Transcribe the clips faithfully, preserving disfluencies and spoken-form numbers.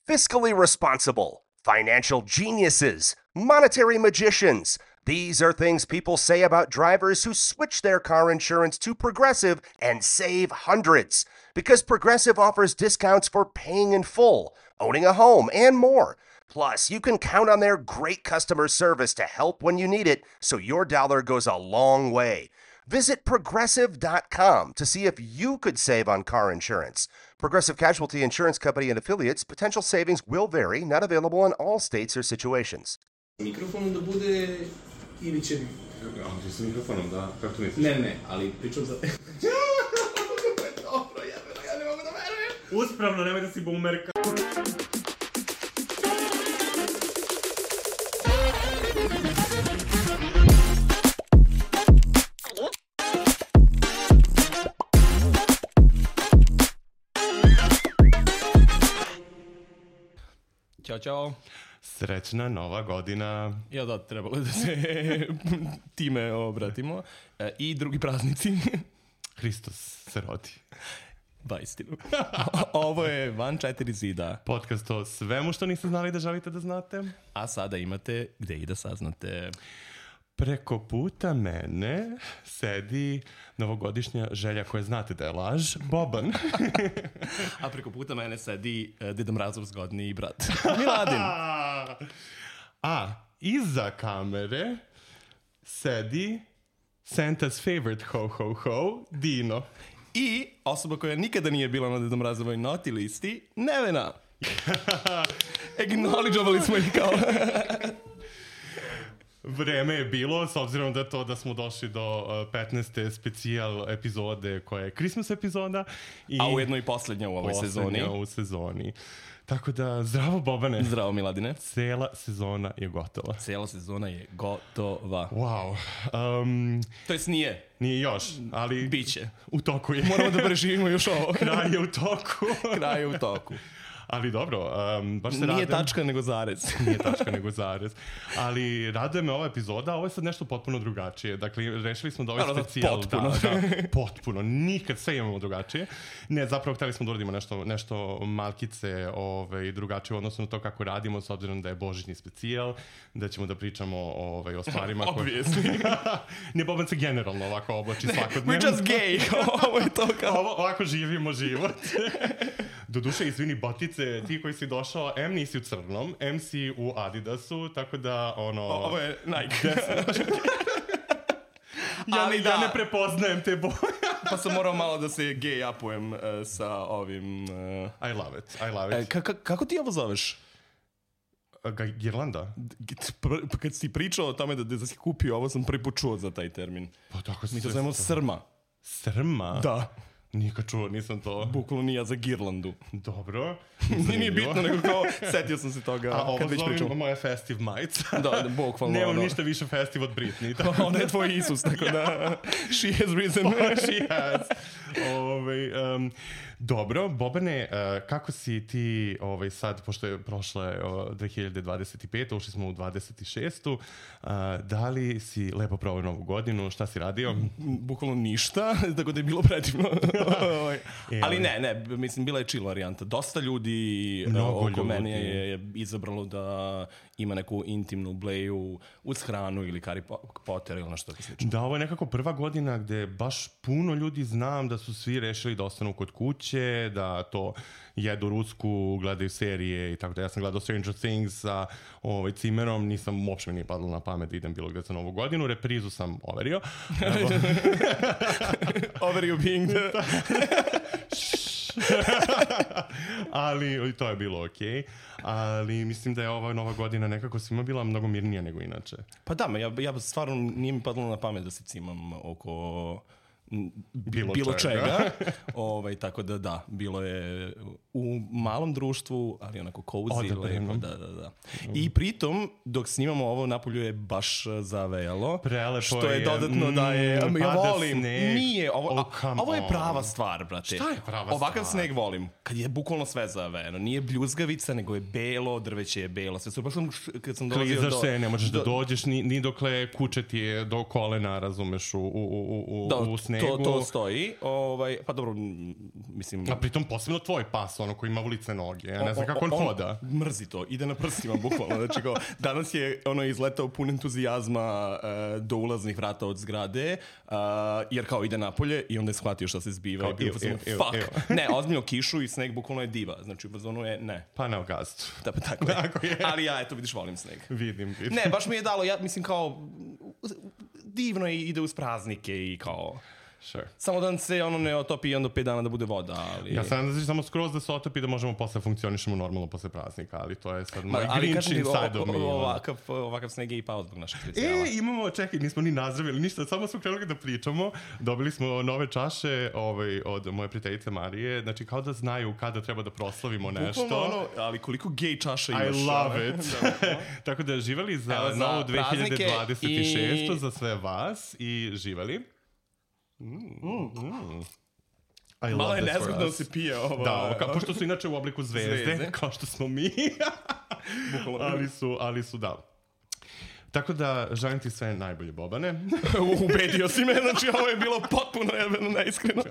fiscally responsible, financial geniuses, monetary magicians. These are things people say about drivers who switch their car insurance to Progressive and save hundreds. Because Progressive offers discounts for paying in full, owning a home, and more. Plus, you can count on their great customer service to help when you need it, so your dollar goes a long way. Visit Progressive dot com to see if you could save on car insurance. Progressive Casualty Insurance Company and Affiliates. Potential savings will vary. Not available in all states or situations. Mikrofonom da bude ili će... A, ti sa mikrofonom, da? Kako to misliš? Ne, ne, ali pričam za... Dobro, jebeno, ja ne mogu da verujem. Uspravno, nemoj da si boomerka. Ćao, čao. Srećna nova godina. Ja da, trebalo je da se time obratimo. E, I drugi praznici. Hristos se rodi. Da, istinu. Ovo je Van četiri zida. Podcast o svemu što niste znali da želite da znate. A sada imate gde i da saznate. Preko puta mene sedi novogodišnja želja koja znate da je laž, Boban. A preko puta mene sedi uh, Deda Mrazov zgodniji brat, Miladin. A iza kamere sedi Santa's favorite ho-ho-ho, Dino. I osoba koja nikada nije bila na Deda Mrazovoj noti listi, Nevena. Acknowledgeovali smo ih kao... Vreme je bilo, s obzirom da to da smo došli do uh, petnaeste specijal epizode koja je Christmas epizoda. I a ujedno i poslednja u ovoj sezoni. Poslednja u sezoni. Tako da, zdravo Bobane. Zdravo Miladine. Cela sezona je gotova. Cela sezona je gotova. Wow. Um, to jest nije. Nije još, ali... Biće. U toku je. Moramo da preživimo još ovo. Kraj je u toku. Kraj je u toku. Ali dobro, um, baš se Nije radujem. tačka nego zarez. Nije tačka nego zarez. Ali raduje me ova epizoda, ovo je sad nešto potpuno drugačije. Dakle, rešili smo da ovaj Naravno, specijal... potpuno. Da, da, potpuno. Nikad sve imamo drugačije. Ne, zapravo hteli smo da uradimo nešto, nešto malkice ovaj, drugačije u odnosu na to kako radimo, s obzirom da je božićni specijal, da ćemo da pričamo ovaj, o stvarima koje... Ne, Boban se generalno ovako oblači svakodnevno. We're just gay. Ovo je to kao... Ovo, ovako živimo život. Doduše, izvini, botice, ti koji si došao, M nisi u crnom, M si u Adidasu, tako da, ono... O, ovo je Nike. ja, Ali ne, da. ja ne prepoznajem te boje. Pa sam morao malo da se gay upujem uh, sa ovim... Uh... I love it, I love it. E, ka- ka- kako ti ovo zoveš? Ga, Girlanda? Pa kad si pričao o tome da, da si kupio ovo, sam prvi put čuo za taj termin. Pa tako Mi to zovemo srma. Srma? Da. Nikad čuo, nisam to... Bukvalno nije za girlandu. Dobro. Nije bitno, nego kao setio sam se toga. A ovo kad već zovem pričam. moja festive majica. Da, da, bukvalno. Nemam ono. ništa više festive od Britney. Tako. Ona je tvoj Isus, tako da... She has risen. She has. Ove, um, dobro, Bobane, uh, kako si ti ovaj, sad, pošto je prošle uh, dve hiljade dvadeset pete, ušli smo u dvadeset šestu. Uh, da li si lepo proveo novu godinu? Šta si radio? Bukvalno ništa, tako da je bilo predivno. Ali ne, ne, mislim, bila je chill varijanta. Dosta ljudi Mnogo oko ljudi. mene je, je izabralo da ima neku intimnu bleju uz hranu ili Harry Potter ili nešto tako slično. Da, ovo je nekako prva godina gde baš puno ljudi znam da su svi rešili da ostanu kod kuće, da to jedu rusku, gledaju serije i tako da. Ja sam gledao Stranger Things sa ovaj, cimerom, nisam uopšte mi nije padalo na pamet da idem bilo gde za novu godinu, reprizu sam overio. Overio being the... Ali to je bilo okej. Okay. Ali mislim da je ova nova godina nekako svima bila mnogo mirnija nego inače. Pa da, ja, ja stvarno nije mi padalo na pamet da se cimam oko bilo, bilo čega. čega. ovaj, tako da da, bilo je u malom društvu, ali onako cozy, lepo, da, da, da. I pritom, dok snimamo ovo, napolju je baš zavejalo. Prelepo što je. je. dodatno mm, da je... Ja volim. Sneg. Nije, ovo, oh, a, ovo je prava stvar, brate. Šta je prava Ovakav stvar? sneg volim. Kad je bukvalno sve zavejano. Nije bljuzgavica, nego je belo, drveće je belo. Sve super sam, kad sam dolazio do... Klizaš se, ne možeš do, da dođeš, ni, ni dokle kuće ti je do kolena, razumeš, u, u, u, u, da, u snegu. snegu. To, to stoji. Ovaj, pa dobro, mislim... A pritom posebno tvoj pas, ono koji ima ulice noge. Ja ne znam kako on, on hoda. Mrzi to, ide na prstima, bukvalno. Znači, kao, danas je ono izletao pun entuzijazma uh, do ulaznih vrata od zgrade, uh, jer kao ide napolje i onda je shvatio šta se zbiva. Kao, i bio ev, ev, fuck. Ev. Ne, ozbiljno kišu i sneg bukvalno je diva. Znači, u bazonu je ne. Pa na gastu. Da, pa tako je. Tako je. Ali ja, eto, vidiš, volim sneg. Vidim, vidim. Ne, baš mi je dalo, ja mislim kao, divno je, ide uz praznike i kao... Sure. Samo da se ono ne otopi i onda pet dana da bude voda, ali... Ja sam da znači samo skroz da se otopi da možemo posle funkcionišemo normalno posle praznika, ali to je sad moj Grinch inside of me. Ovakav, ovakav sneg je i pao zbog našeg specijala. E, imamo, čekaj, nismo ni nazdravili ništa, samo smo krenuli da pričamo, dobili smo nove čaše ovaj, od moje prijateljice Marije, znači kao da znaju kada treba da proslavimo nešto. Bukvalno ono, ali koliko gej čaša imaš. I love it. Tako da živeli za, Evo, za novu dve hiljade dvadeset šestu i... za sve vas i živeli. Mm, mm. Malo je nezgodno da se pije ovo. Da, kao, pošto su inače u obliku zvezde, zvezde. Kao što smo mi. ali, su, ali su, da. Tako da, želim ti sve najbolje, Bobane. Ubedio si me, znači ovo je bilo potpuno neiskreno.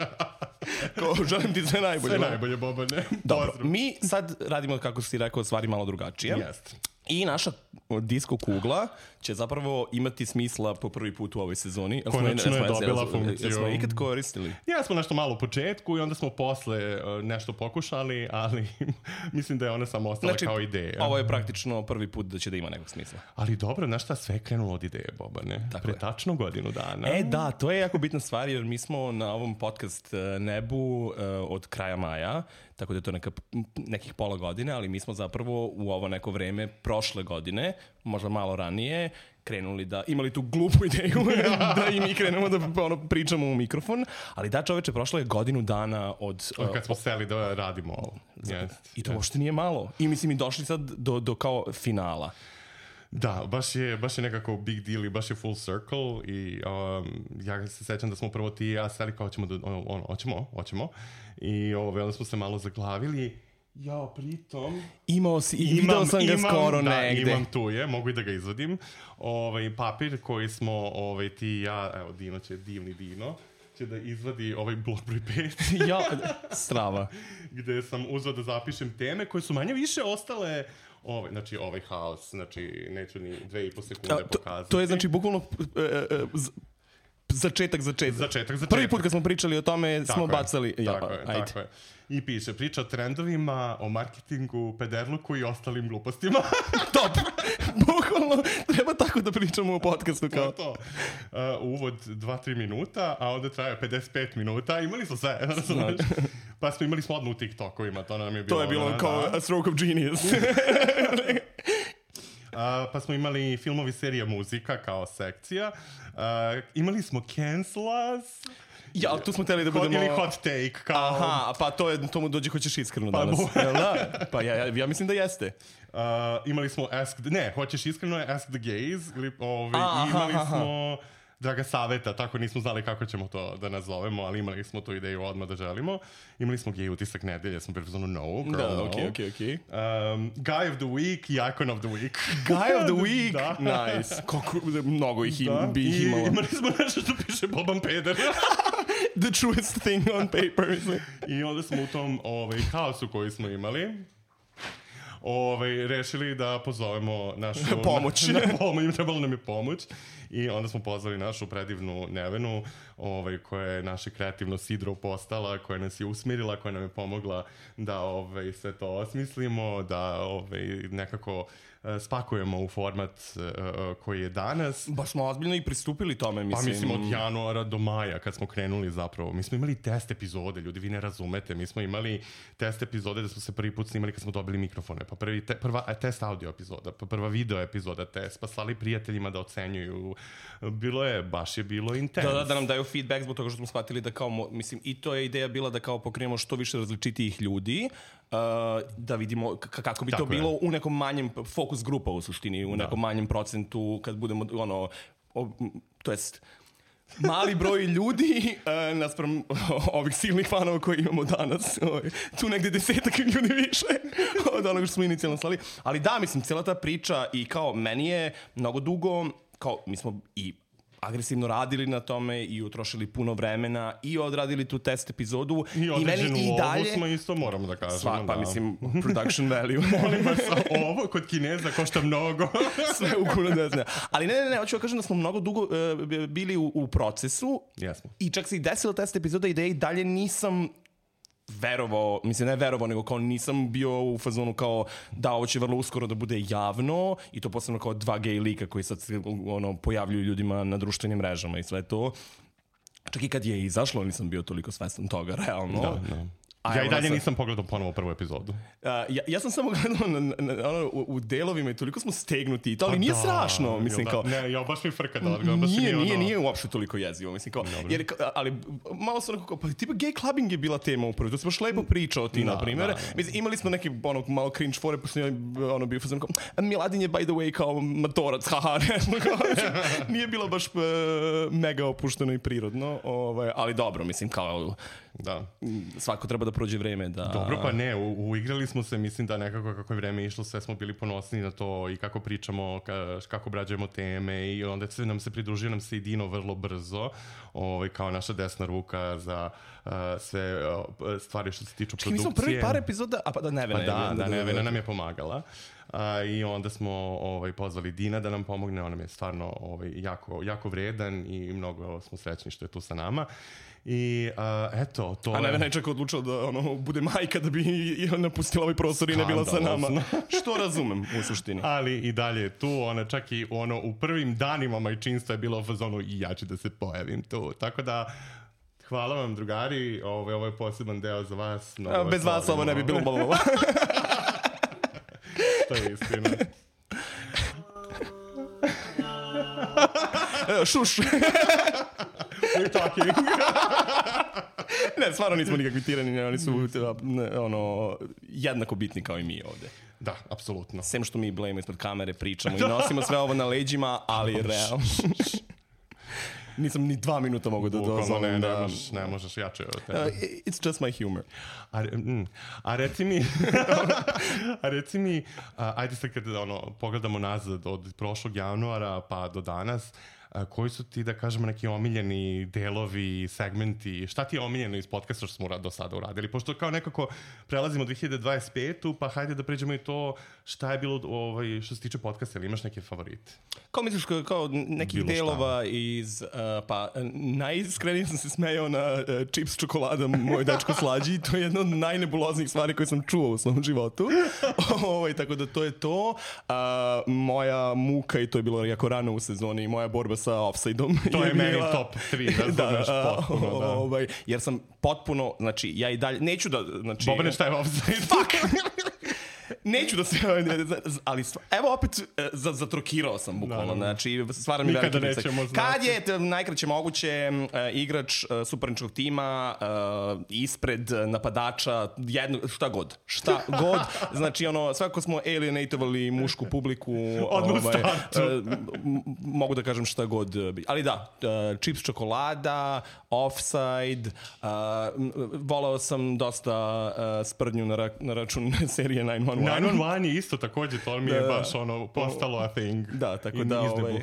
Ko, želim ti sve najbolje. Sve najbolje, Bobane. Dobro, mi sad radimo, kako si rekao, stvari malo drugačije. Jest. I naša disko kugla će zapravo imati smisla po prvi put u ovoj sezoni. Konačno je dobila funkciju. Smo ikad koristili? Ja smo nešto malo u početku i onda smo posle nešto pokušali, ali mislim da je ona samo ostala znači, kao ideja. Ovo je praktično prvi put da će da ima nekog smisla. Ali dobro, znaš šta, sve je krenulo od ideje, Bobane. Tako Pre je. Tačno godinu dana. E da, to je jako bitna stvar jer mi smo na ovom podcast nebu uh, od kraja maja, tako da je to neka, nekih pola godine, ali mi smo zapravo u ovo neko vreme prošle godine, možda malo ranije, krenuli da, imali tu glupu ideju da i mi krenemo da ono, pričamo u mikrofon, ali da čoveče, prošlo je godinu dana od... Od kad smo uh, seli da radimo ovo. Yes, I to yes. uopšte nije malo. I mislim i došli sad do, do kao finala. Da, baš je, baš je nekako big deal i baš je full circle i um, ja se sećam da smo prvo ti i ja seli kao ćemo, da, ono, hoćemo, hoćemo i ove, onda smo se malo zaglavili. Jao, pritom... Imao si, i video sam ga imam, skoro da, negde. Imam tu je, mogu i da ga izvadim. Ovaj, papir koji smo, ovaj, ti i ja, evo, Dino će, divni Dino, će da izvadi ovaj blok broj pet. Ja, strava. Gde sam uzao da zapišem teme koje su manje više ostale... Ovaj, znači ovaj haos, znači neću ni dve i po sekunde A, to, pokazati. To je znači bukvalno e, e, z, začetak, začetak. Začetak, začetak. Prvi put kad smo pričali o tome tako smo je, bacali. Ja, tako je, ajde. tako je. I piše, priča o trendovima, o marketingu, pederluku i ostalim glupostima. Top! Bukvalno, treba tako da pričamo u podcastu kao. To, to. Uh, uvod dva tri minuta, a onda traje pedeset pet minuta. Imali smo sve, razumiješ? Pa smo imali smo odmah u TikTokovima, to nam je bilo... To je bilo da, kao da. a stroke of genius. Uh, pa smo imali filmovi, serija, muzika kao sekcija. Uh, imali smo Cancelas. Ja, ali tu smo teli da budemo... Ili hot take, kao... Aha, pa to je, to mu dođe hoćeš iskreno pa danas. Jel da? Pa ja, ja, ja mislim da jeste. Uh, imali smo Ask... Ne, hoćeš iskreno je Ask the Gays. Ili, ove, aha, imali aha. smo... Draga saveta, tako nismo znali kako ćemo to da nazovemo, ali imali smo tu ideju odmah da želimo. Imali smo gej utisak nedelje, smo bili zvonu no, girl, da, no. okej, okej, okej. Um, Guy of the Week i Icon of the Week. Guy of the Week? Da. Nice. Kako, mnogo ih im, da. bi ih imalo. I imali smo nešto što piše Boban Peder. The truest thing on paper. I onda smo u tom ovaj, haosu koji smo imali Ove, rešili da pozovemo našu... Pomoć. Na, na pomoć, trebalo nam je pomoć. I onda smo pozvali našu predivnu Nevenu, ovaj, koja je naše kreativno sidro postala, koja nas je usmirila, koja nam je pomogla da ovaj, sve to osmislimo, da ovaj, nekako uh, spakujemo u format uh, koji je danas. Baš smo ozbiljno i pristupili tome, mislim. Pa mislim od januara do maja kad smo krenuli zapravo. Mi smo imali test epizode, ljudi, vi ne razumete. Mi smo imali test epizode da smo se prvi put snimali kad smo dobili mikrofone. Pa prvi te, prva test audio epizoda, pa prva video epizoda test, pa slali prijateljima da ocenjuju. Bilo je, baš je bilo intens. Da, da, da nam daju feedback zbog toga što smo shvatili da kao, mislim, i to je ideja bila da kao pokrenemo što više različitijih ljudi, uh, da vidimo k- kako bi Tako to je. bilo u nekom manjem fokus grupa u suštini, u da. nekom manjem procentu kad budemo, ono, o, to jest, mali broj ljudi uh, naspram ovih silnih fanova koji imamo danas. Tu negde desetak ljudi više od onoga što smo inicijalno slali. Ali da, mislim, cijela ta priča i kao meni je mnogo dugo, kao mi smo i agresivno radili na tome i utrošili puno vremena i odradili tu test epizodu. I određenu i lovu smo isto, moramo da kažemo. Sva, pa da. mislim, production value. Molim vas, ovo kod Kineza košta mnogo. Sve ukupno ne znam. Ali ne, ne, ne, hoću da kažem da smo mnogo dugo uh, bili u, u procesu. Jesmo. I čak se i desilo test epizoda i da i dalje nisam verovao, mislim ne verovao, nego kao nisam bio u fazonu kao da ovo će vrlo uskoro da bude javno i to posebno kao dva gej lika koji sad ono, pojavljuju ljudima na društvenim mrežama i sve to. Čak i kad je izašlo nisam bio toliko svestan toga, realno. Da, da. Ja i dalje nisam pogledao ponovo prvu epizodu. Uh, ja, ja sam samo gledao na, na, ono, u, u delovima i toliko smo stegnuti i to, ali pa nije da, strašno. Mislim, da, kao, ne, ja baš mi frka da odgledam. Baš nije, mi nije, ono... nije uopšte toliko jezivo. Mislim, kao, jer, ali malo sam onako kao, pa tipa gay clubbing je bila tema upravo. To si baš lepo pričao ti, da, na primjer. Da, da. Mislim, imali smo neki ono, malo cringe fore, pa sam ono, bio fazon kao, Miladin je by the way kao matorac, haha. Nije bilo baš uh, mega opušteno i prirodno, ovaj, ali dobro, mislim, kao... Da. Svako treba da prođe vreme da... Dobro, pa ne, u, uigrali smo se, mislim da nekako kako je vreme išlo, sve smo bili ponosni na to i kako pričamo, ka, kako obrađujemo teme i onda se nam se pridružio nam se i Dino vrlo brzo, ovaj, kao naša desna ruka za uh, sve uh, stvari što se tiču produkcije. Mi smo prvi par epizoda, a pa da Nevena pa je... Da, da, da, Nevena nam je pomagala. Uh, I onda smo ovaj, pozvali Dina da nam pomogne, on nam je stvarno ovaj, jako, jako vredan i mnogo smo srećni što je tu sa nama. I uh, eto, to A Nevena je čak odlučila da ono, bude majka da bi i napustila ovaj prostor i ne bila sa nama. Što razumem u suštini. Ali i dalje tu, ona čak i ono, u prvim danima majčinstva je bilo u fazonu i ja ću da se pojavim tu. Tako da, hvala vam drugari, ovo, ovo je poseban deo za vas. A, bez vas slavimo. Ovo ne bi bilo bolo. To je istina. Šuš. We're talking. Ne, stvarno nismo nikakvi tirani, oni su ono, jednako bitni kao i mi ovde. Da, apsolutno. Sem što mi blejemo ispred kamere, pričamo i nosimo sve ovo na leđima, ali realno. Nisam ni dva minuta mogu da dozvolim. Ne, da... ne, možeš, ne možeš jače od tebe. Uh, it's just my humor. A, mm, a reci mi, a reci mi, a, ajde sad kada ono, pogledamo nazad od prošlog januara pa do danas, a, koji su ti, da kažemo, neki omiljeni delovi, segmenti, šta ti je omiljeno iz podcasta što smo do sada uradili? Pošto kao nekako prelazimo dve hiljade dvadeset petu, pa hajde da pređemo i to šta je bilo ovaj, što se tiče podcasta, ili imaš neke favorite? Kao misliš, kao nekih bilo delova šta? Iz, uh, pa najiskrenije sam se smejao na uh, čips čokolada moj dečko slađi, to je jedna od najnebuloznijih stvari koje sam čuo u svom životu. Ovaj, tako da to je to. Uh, moja muka, i to je bilo jako rano u sezoni, i moja borba sa offside-om. To je, je meni bila... top tri, razumeš, da, potpuno, da. Ovaj, jer sam potpuno, znači, ja i dalje, neću da, znači... Bobane, šta je offside? Fuck! Neću da se, ali evo opet zatrokirao sam bukvalno, znači stvarno mi veliki pritisak. Kad je najkraće moguće uh, igrač uh, suparničkog tima uh, ispred napadača, jedno, šta god, šta god, znači ono, svako smo alienatovali mušku publiku, odmah ovaj, startu. Uh, mogu da kažem šta god, ali da, uh, čips čokolada, offside, uh, volao sam dosta uh, sprdnju na, ra- na račun serije nine one one. nine one one je isto takođe, to mi je da, baš ono postalo a thing. Da, tako da, ovaj,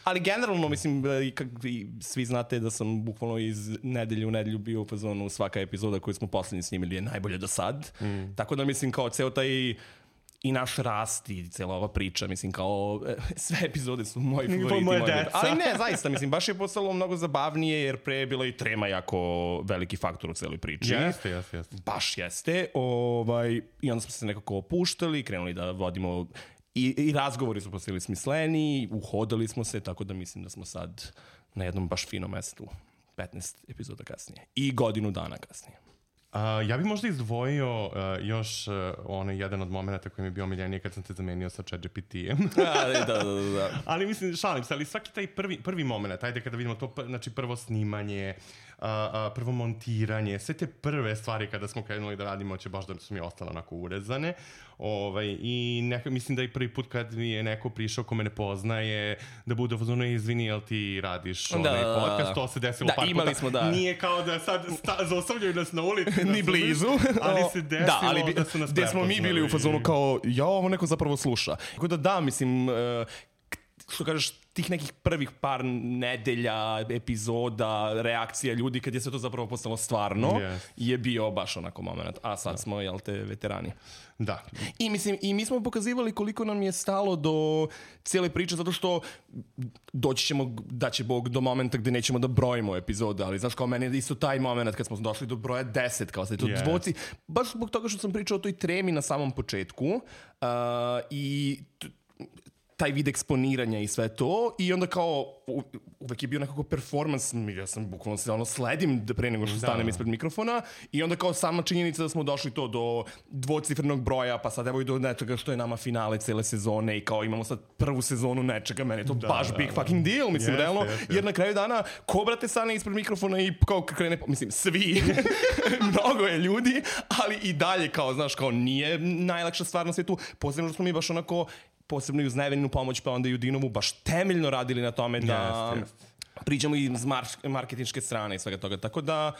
ali generalno mislim, kak, svi znate da sam bukvalno iz nedelje u nedelju bio u fazonu, svaka epizoda koju smo poslednji snimili je najbolje do sad. Mm. Tako da mislim kao ceo taj i naš rast i cijela ova priča, mislim kao sve epizode su moji favoriti. Moje deca. Ali ne, zaista, mislim, baš je postalo mnogo zabavnije jer pre je bila i trema jako veliki faktor u celoj priči. Jeste, jeste, jeste. Baš jeste. Ovaj, I onda smo se nekako opuštali, krenuli da vodimo i, i razgovori su postali smisleni, uhodali smo se, tako da mislim da smo sad na jednom baš finom mestu petnaest epizoda kasnije. I godinu dana kasnije. Uh, ja bih možda izdvojio uh, još uh, onaj jedan od momenta koji mi je bio omiljeniji kad sam te zamenio sa ChatGPT-em. da, da, da, da. Ali mislim, šalim se, ali svaki taj prvi, prvi moment, ajde kada vidimo to, znači prvo snimanje, uh, uh, prvo montiranje, sve te prve stvari kada smo krenuli da radimo, će baš da su mi ostale onako urezane. Ovaj, i neka, mislim da i prvi put kad mi je neko prišao ko me ne poznaje, da bude ono, izvini, jel ti radiš da, onaj podcast, to se desilo da, par imali puta. Smo, da. Nije kao da sad sta, zaostavljaju nas na ulici. Ni blizu. Ali se desilo da, ali bi, da su nas gde smo mi bili u fazonu kao, ja, ovo neko zapravo sluša. Tako da da, mislim... Uh, što kažeš, tih nekih prvih par nedelja, epizoda, reakcija ljudi, kad je sve to zapravo postalo stvarno, yes. je bio baš onako moment. A sad da. smo, jel te, veterani. Da. I mislim, i mi smo pokazivali koliko nam je stalo do cijele priče, zato što doći ćemo, da će Bog, do momenta gde nećemo da brojimo epizode, ali znaš, kao meni je isto taj moment kad smo došli do broja deset, kao sad je to yes. dvoci, baš zbog toga što sam pričao o toj tremi na samom početku uh, i t- taj vid eksponiranja i sve to i onda kao u, uvek je bio nekako performans, ja sam bukvalno se ono sledim pre nego što stanem da. ispred mikrofona i onda kao sama činjenica da smo došli to do dvocifrenog broja, pa sad evo i do nečega što je nama finale cele sezone i kao imamo sad prvu sezonu nečega, meni je to da, baš da, big da. fucking deal, mislim, yes, realno, yes, yes. jer na kraju dana ko brate stane ispred mikrofona i kao krene, mislim, svi, mnogo je ljudi, ali i dalje kao, znaš, kao nije najlakša stvar na svijetu, posebno što smo mi baš onako posebno i uz Neveninu pomoć, pa onda i u Dinovu, baš temeljno radili na tome da yes, yes. pričamo i iz mar- marketinške strane i svega toga. Tako da,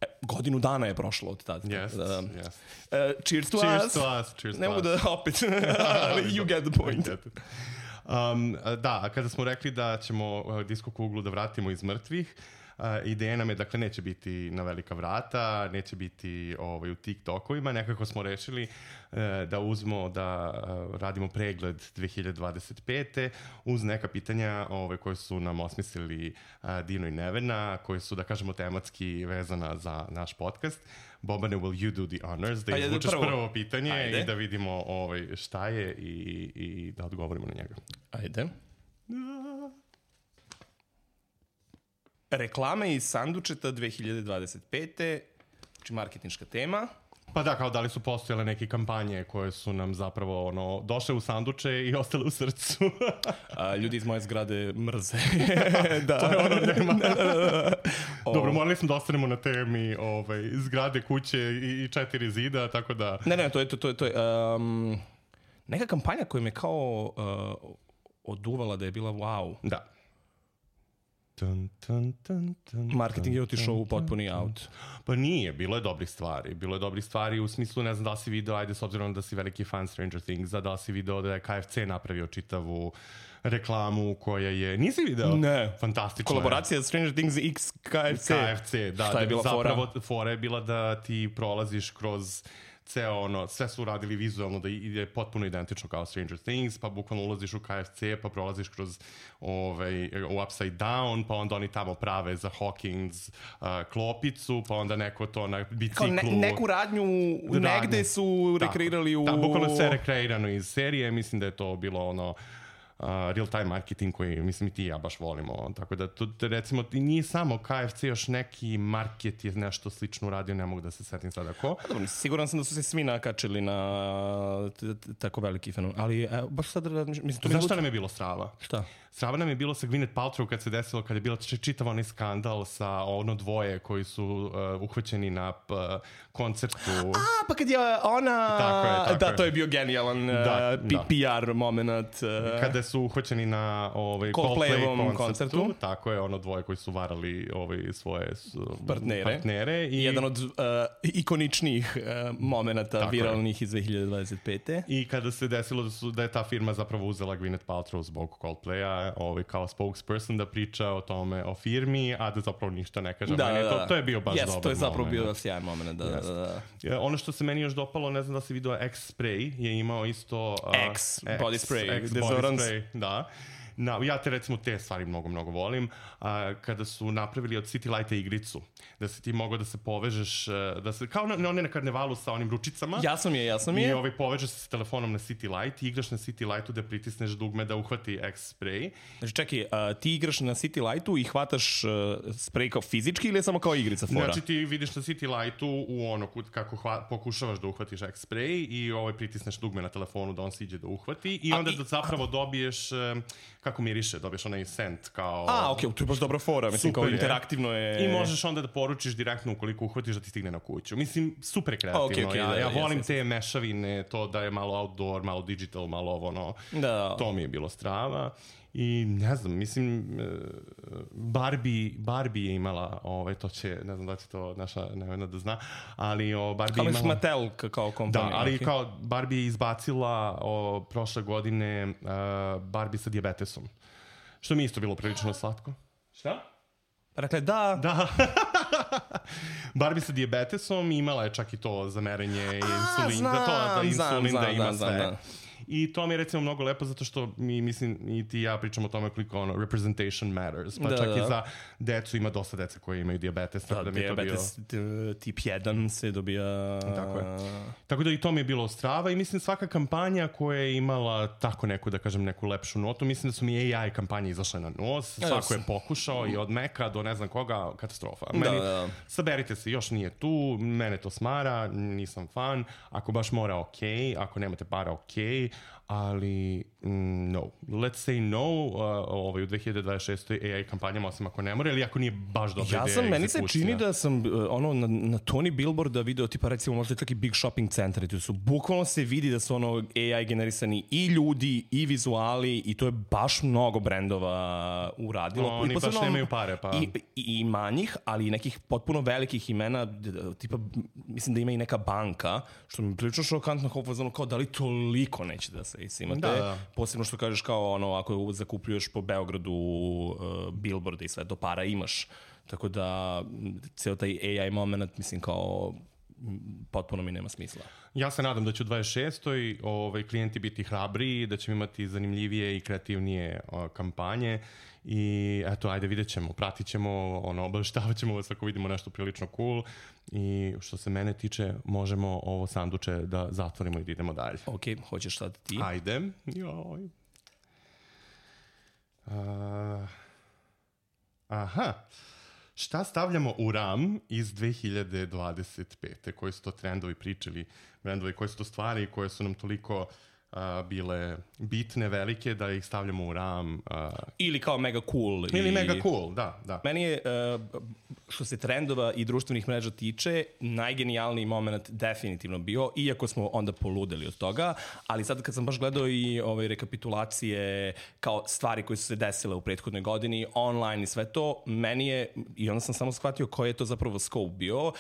e, godinu dana je prošlo od tada. Yes, da, yes. Uh, cheers to cheers us. To us. Cheers ne to mogu us. da opet, you get the point. Um, da, a kada smo rekli da ćemo uh, Disko kuglu da vratimo iz mrtvih, Uh, ideja nam je, dakle, neće biti na velika vrata, neće biti ovaj, u TikTokovima, nekako smo rešili uh, da uzmo, da uh, radimo pregled dve hiljade dvadeset pete uz neka pitanja ovaj, koje su nam osmislili uh, Dino i Nevena, koje su, da kažemo, tematski vezana za naš podcast. Bobane, will you do the honors? Da izvučeš prvo. prvo pitanje Ajde. i da vidimo ovaj, šta je i, i da odgovorimo na njega. Ajde. Reklame iz sandučeta dve hiljade dvadeset pete, znači marketinška tema. Pa da, kao da li su postojale neke kampanje koje su nam zapravo ono, došle u sanduče i ostale u srcu. A, ljudi iz moje zgrade mrze. da. To je ono nema. Dobro, morali smo da ostanemo na temi ovaj, zgrade, kuće i, i četiri zida, tako da... Ne, ne, to je, to, to je, to je um, neka kampanja koja me kao uh, oduvala da je bila wow. Da. Dun, dun, dun, dun, marketing je otišao u potpuni out. Pa nije, bilo je dobrih stvari. Bilo je dobrih stvari u smislu, ne znam da li si video, ajde s obzirom da si veliki fan Stranger Thingsa, da li si video da je K F C napravio čitavu reklamu koja je... Nisi video? Ne. Fantastično. Kolaboracija Stranger Things X K F C. K F C, da. Šta je bila zapravo, fora? Fora je bila da ti prolaziš kroz... ceo ono, sve su radili vizualno da ide potpuno identično kao Stranger Things, pa bukvalno ulaziš u K F C, pa prolaziš kroz ovaj, u Upside Down, pa onda oni tamo prave za Hawkins uh, klopicu, pa onda neko to na biciklu... Ne, neku radnju, radnju negde su rekreirali u... Da, bukvalno sve rekreirano iz serije, mislim da je to bilo ono... Uh, real-time marketing koji, mislim, i ti i ja baš volimo. Tako da, to, recimo, nije samo K F C, još neki market je nešto slično uradio, ne mogu da se setim sada ko. Dobro, siguran sam da su se svi nakačili na t- t- tako veliki fenomen, ali evo, baš sad... Mislim, to Znaš šta nam je bilo strava? Šta? Strava nam je bilo sa Gwyneth Paltrow kad se desilo, kad je bilo čitav onaj skandal sa ono dvoje koji su uh, uhvaćeni na uh, koncertu. A, pa kad je ona... Tako je, tako da, je. to je bio genijalan da, uh, P- da. P R moment. Uh, Kada su uhvaćeni na ovaj, Coldplay koncertu, koncertu. Tako je, ono dvoje koji su varali ovaj, svoje su, partnere. partnere i... Jedan od uh, ikoničnijih uh, momenata viralnih iz dve hiljade dvadeset pete. I kada se desilo da, su, da je ta firma zapravo uzela Gwyneth Paltrow zbog Coldplaya, ovaj, kao spokesperson da priča o tome, o firmi, a da zapravo ništa ne kaže. Da, meni, da, to, da. to je bio baš yes, dobar moment. To je zapravo moment. Bio sjajan moment. Da, yes. da, da. Ono što se meni još dopalo, ne znam da si vidio, X-Spray je imao isto... Uh, X, X body spray. X body spray, da. Na, ja te recimo te stvari mnogo, mnogo volim. A, kada su napravili od City Lighta igricu, da se ti mogao da se povežeš, da se, kao na, one na karnevalu sa onim ručicama. Jasno mi je, jasno mi je. I ovaj, povežeš se s telefonom na City Light i igraš na City Lightu da pritisneš dugme da uhvati X-spray. Znači čekaj, a, ti igraš na City Lightu i hvataš uh, spray kao fizički ili je samo kao igrica fora? Znači ti vidiš na City Lightu u ono kako hva, pokušavaš da uhvatiš X-spray i ovaj, pritisneš dugme na telefonu da on siđe da uhvati i onda a, da zapravo dobiješ, kako miriše, dobiješ onaj scent kao... A, okej, okay, to je baš dobra fora, mislim, kao interaktivno je... I možeš onda da poručiš direktno ukoliko uhvatiš da ti stigne na kuću. Mislim, super kreativno. Okay, okay, ja, da, ja da, volim yes, te yes. mešavine, to da je malo outdoor, malo digital, malo ovo, ono... Da. To mi je bilo strava. I ne znam, mislim, Barbie, Barbie je imala, ovaj, to će, ne znam da će to naša Nevena da zna, ali o, Barbie ali imala... Ali Mattel kao kompanija. Da, ali okay. kao Barbie je izbacila o, prošle godine uh, Barbie sa dijabetesom. Što mi isto bilo prilično slatko. Šta? Dakle, da. Da. Barbie sa dijabetesom imala je čak i to za merenje insulin, znam, da to da insulin znam, da ima znam, sve. znam, I to mi je recimo mnogo lepo zato što mi, mislim, i ti i ja pričamo o tome koliko ono, representation matters. Pa da, čak da. i za decu ima dosta dece koji imaju dijabetes. Da, da, da dijabetes bio... tip jedan se dobija... Tako je. Tako da i to mi je bilo strava i mislim svaka kampanja koja je imala tako neku, da kažem, neku lepšu notu. Mislim da su mi A I kampanje izašle na nos. Svako je pokušao i od Meka do ne znam koga, katastrofa. Meni, da, da. Saberite se, još nije tu, mene to smara, nisam fan. Ako baš mora, ok. Ako nemate para, ok. Ali mm, no. Let's say no uh, ovaj, u dve hiljade dvadeset šestoj A I kampanjama, osim ako ne mora, ili ako nije baš dobra ja ideja sam, meni egzekucija. se čini da sam uh, ono, na, na Tony Billboarda video tipa recimo možda čak i big shopping centri, tu su bukvalno se vidi da su ono A I generisani i ljudi i vizuali i to je baš mnogo brendova uradilo. No, oni baš nemaju pare, pa... I, i, i manjih, ali i nekih potpuno velikih imena, tipa, mislim da ima i neka banka, što mi prilično šokantno kao, kao da li toliko neće da se imate, da, da. Posebno što kažeš kao ono, ako zakupljuješ po Beogradu uh, billboarde i sve, do para imaš. Tako da, ceo taj A I moment, mislim, kao potpuno mi nema smisla. Ja se nadam da će u dvadeset šestoj ovaj, klijenti biti hrabriji, da ćemo imati zanimljivije i kreativnije o, kampanje i eto, ajde, vidjet ćemo, pratit ćemo, ono, obaveštavat ćemo vas ako vidimo nešto prilično cool i što se mene tiče, možemo ovo sanduče da zatvorimo i da idemo dalje. Ok, hoćeš sad ti? Ajde. Joj. Uh, aha. Šta stavljamo u RAM iz dve hiljade dvadeset pete? Koji su to trendovi pričali, trendovi, koje su to stvari koje su nam toliko uh, bile bitne, velike, da ih stavljamo u RAM? Uh, ili kao mega cool. Ili i... mega cool, da, da. Meni je, uh, što se trendova i društvenih mreža tiče, najgenijalniji moment definitivno bio, iako smo onda poludeli od toga, ali sad kad sam baš gledao i ovaj, rekapitulacije kao stvari koje su se desile u prethodnoj godini, online i sve to, meni je, i onda sam samo shvatio koji je to zapravo scope bio, uh,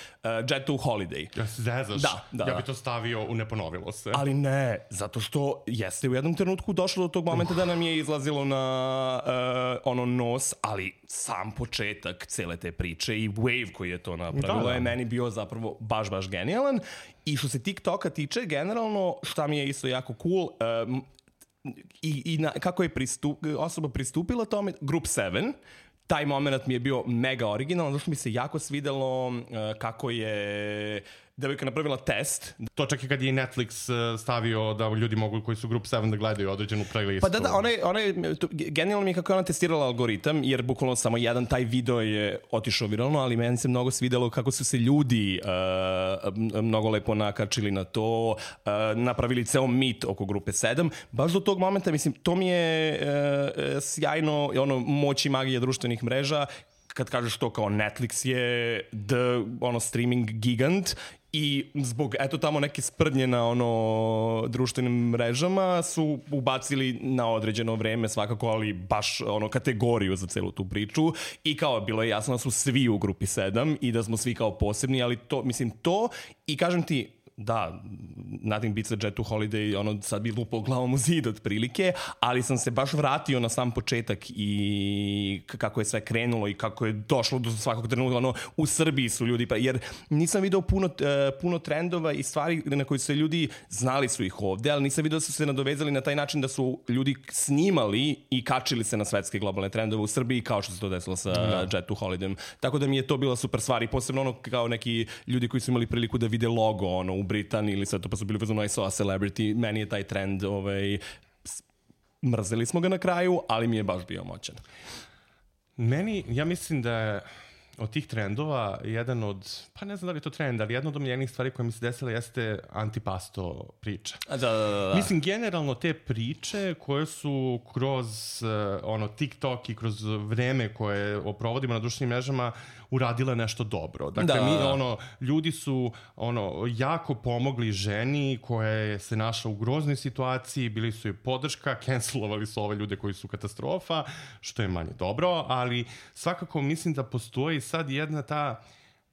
Jet to Holiday. Ja se zezaš? Da, da. Ja bi to stavio u neponovilo se. Ali ne, zato što jeste u jednom trenutku došlo do tog momenta uh. da nam je izlazilo na uh, ono nos, ali sam početak cele te priče i wave koji je to napravilo da, da. je meni bio zapravo baš, baš genijalan. I što se TikToka tiče, generalno, šta mi je isto jako cool, um, i, i na, kako je pristup, osoba pristupila tome, Group sedam, taj moment mi je bio mega originalan, zato što mi se jako svidelo uh, kako je devojka napravila test. To čak i kad je Netflix stavio da ljudi mogu koji su Group sedam da gledaju određenu playlistu. Pa da, da, ona je, ona je, to, genijalno mi je kako je ona testirala algoritam, jer bukvalno samo jedan taj video je otišao viralno, ali meni se mnogo svidelo kako su se ljudi uh, mnogo lepo nakačili na to, uh, napravili ceo mit oko Grupe sedam. Baš do tog momenta, mislim, to mi je uh, sjajno, ono, moć i magija društvenih mreža, kad kažeš to kao Netflix je the, ono, streaming gigant i zbog, eto, tamo neke sprdnje na, ono, društvenim mrežama su ubacili na određeno vreme svakako, ali baš, ono, kategoriju za celu tu priču i kao, bilo je jasno da su svi u Grupi sedam i da smo svi kao posebni, ali to, mislim, to i kažem ti, da, nothing beats a Jet to Holiday, ono, sad bi lupao glavom u zid otprilike, ali sam se baš vratio na sam početak i kako je sve krenulo i kako je došlo do svakog trenutka, ono, u Srbiji su ljudi, pa, jer nisam video puno, uh, puno trendova i stvari na koji su ljudi, znali su ih ovde, ali nisam video da su se nadovezali na taj način da su ljudi snimali i kačili se na svetske globalne trendove u Srbiji, kao što se to desilo sa no. Jet to Holiday. Tako da mi je to bila super stvar i posebno ono kao neki ljudi koji su imali priliku da vide logo, ono, u Britaniji ili sve to, pa su bili vezano I saw a celebrity, meni je taj trend, ovaj, mrzeli smo ga na kraju, ali mi je baš bio moćan. Meni, ja mislim da je, od tih trendova, jedan od, pa ne znam da li je to trend, ali jedna od omiljenih stvari koja mi se desila jeste antipasto priča. Da, da, da, da. Mislim, generalno te priče koje su kroz uh, ono, TikTok i kroz vreme koje provodimo na društvenim mrežama uradile nešto dobro. Dakle, da. mi, ono, ljudi su ono, jako pomogli ženi koja je se našla u groznoj situaciji, bili su joj podrška, cancelovali su ove ljude koji su katastrofa, što je manje dobro, ali svakako mislim da postoji sad jedna ta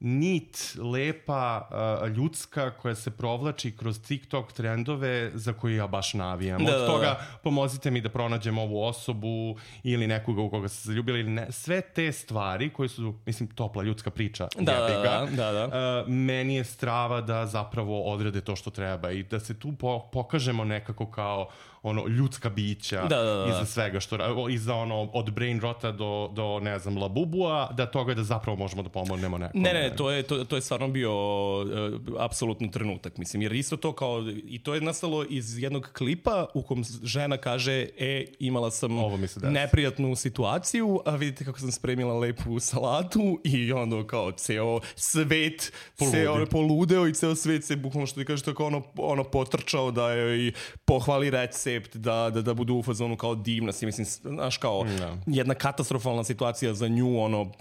nit lepa, uh, ljudska koja se provlači kroz TikTok trendove za koje ja baš navijam. Da, Od toga da. pomozite mi da pronađem ovu osobu ili nekoga u koga se zaljubili ili ne. Sve te stvari koje su, mislim, topla ljudska priča. Da, jebiga, da, da, da. Uh, meni je strava da zapravo odrede to što treba i da se tu po pokažemo nekako kao ono ljudska bića da, da, da. iza svega što iza ono od brain rota do do ne znam labubua, da toga da zapravo možemo da pomognemo nekome. Ne, ne, to je to to je stvarno bio uh, apsolutno trenutak, mislim, jer isto to kao i to je nastalo iz jednog klipa u kom žena kaže e imala sam neprijatnu situaciju, a vidite kako sam spremila lepu salatu i onda kao ceo svet se ono poludeo i ceo svet se bukvalno što ti kažeš tako ono ono potrčao da joj pohvali recept, da, da, da budu u fazonu kao divna si, mislim, znaš kao no. jedna katastrofalna situacija za nju, ono,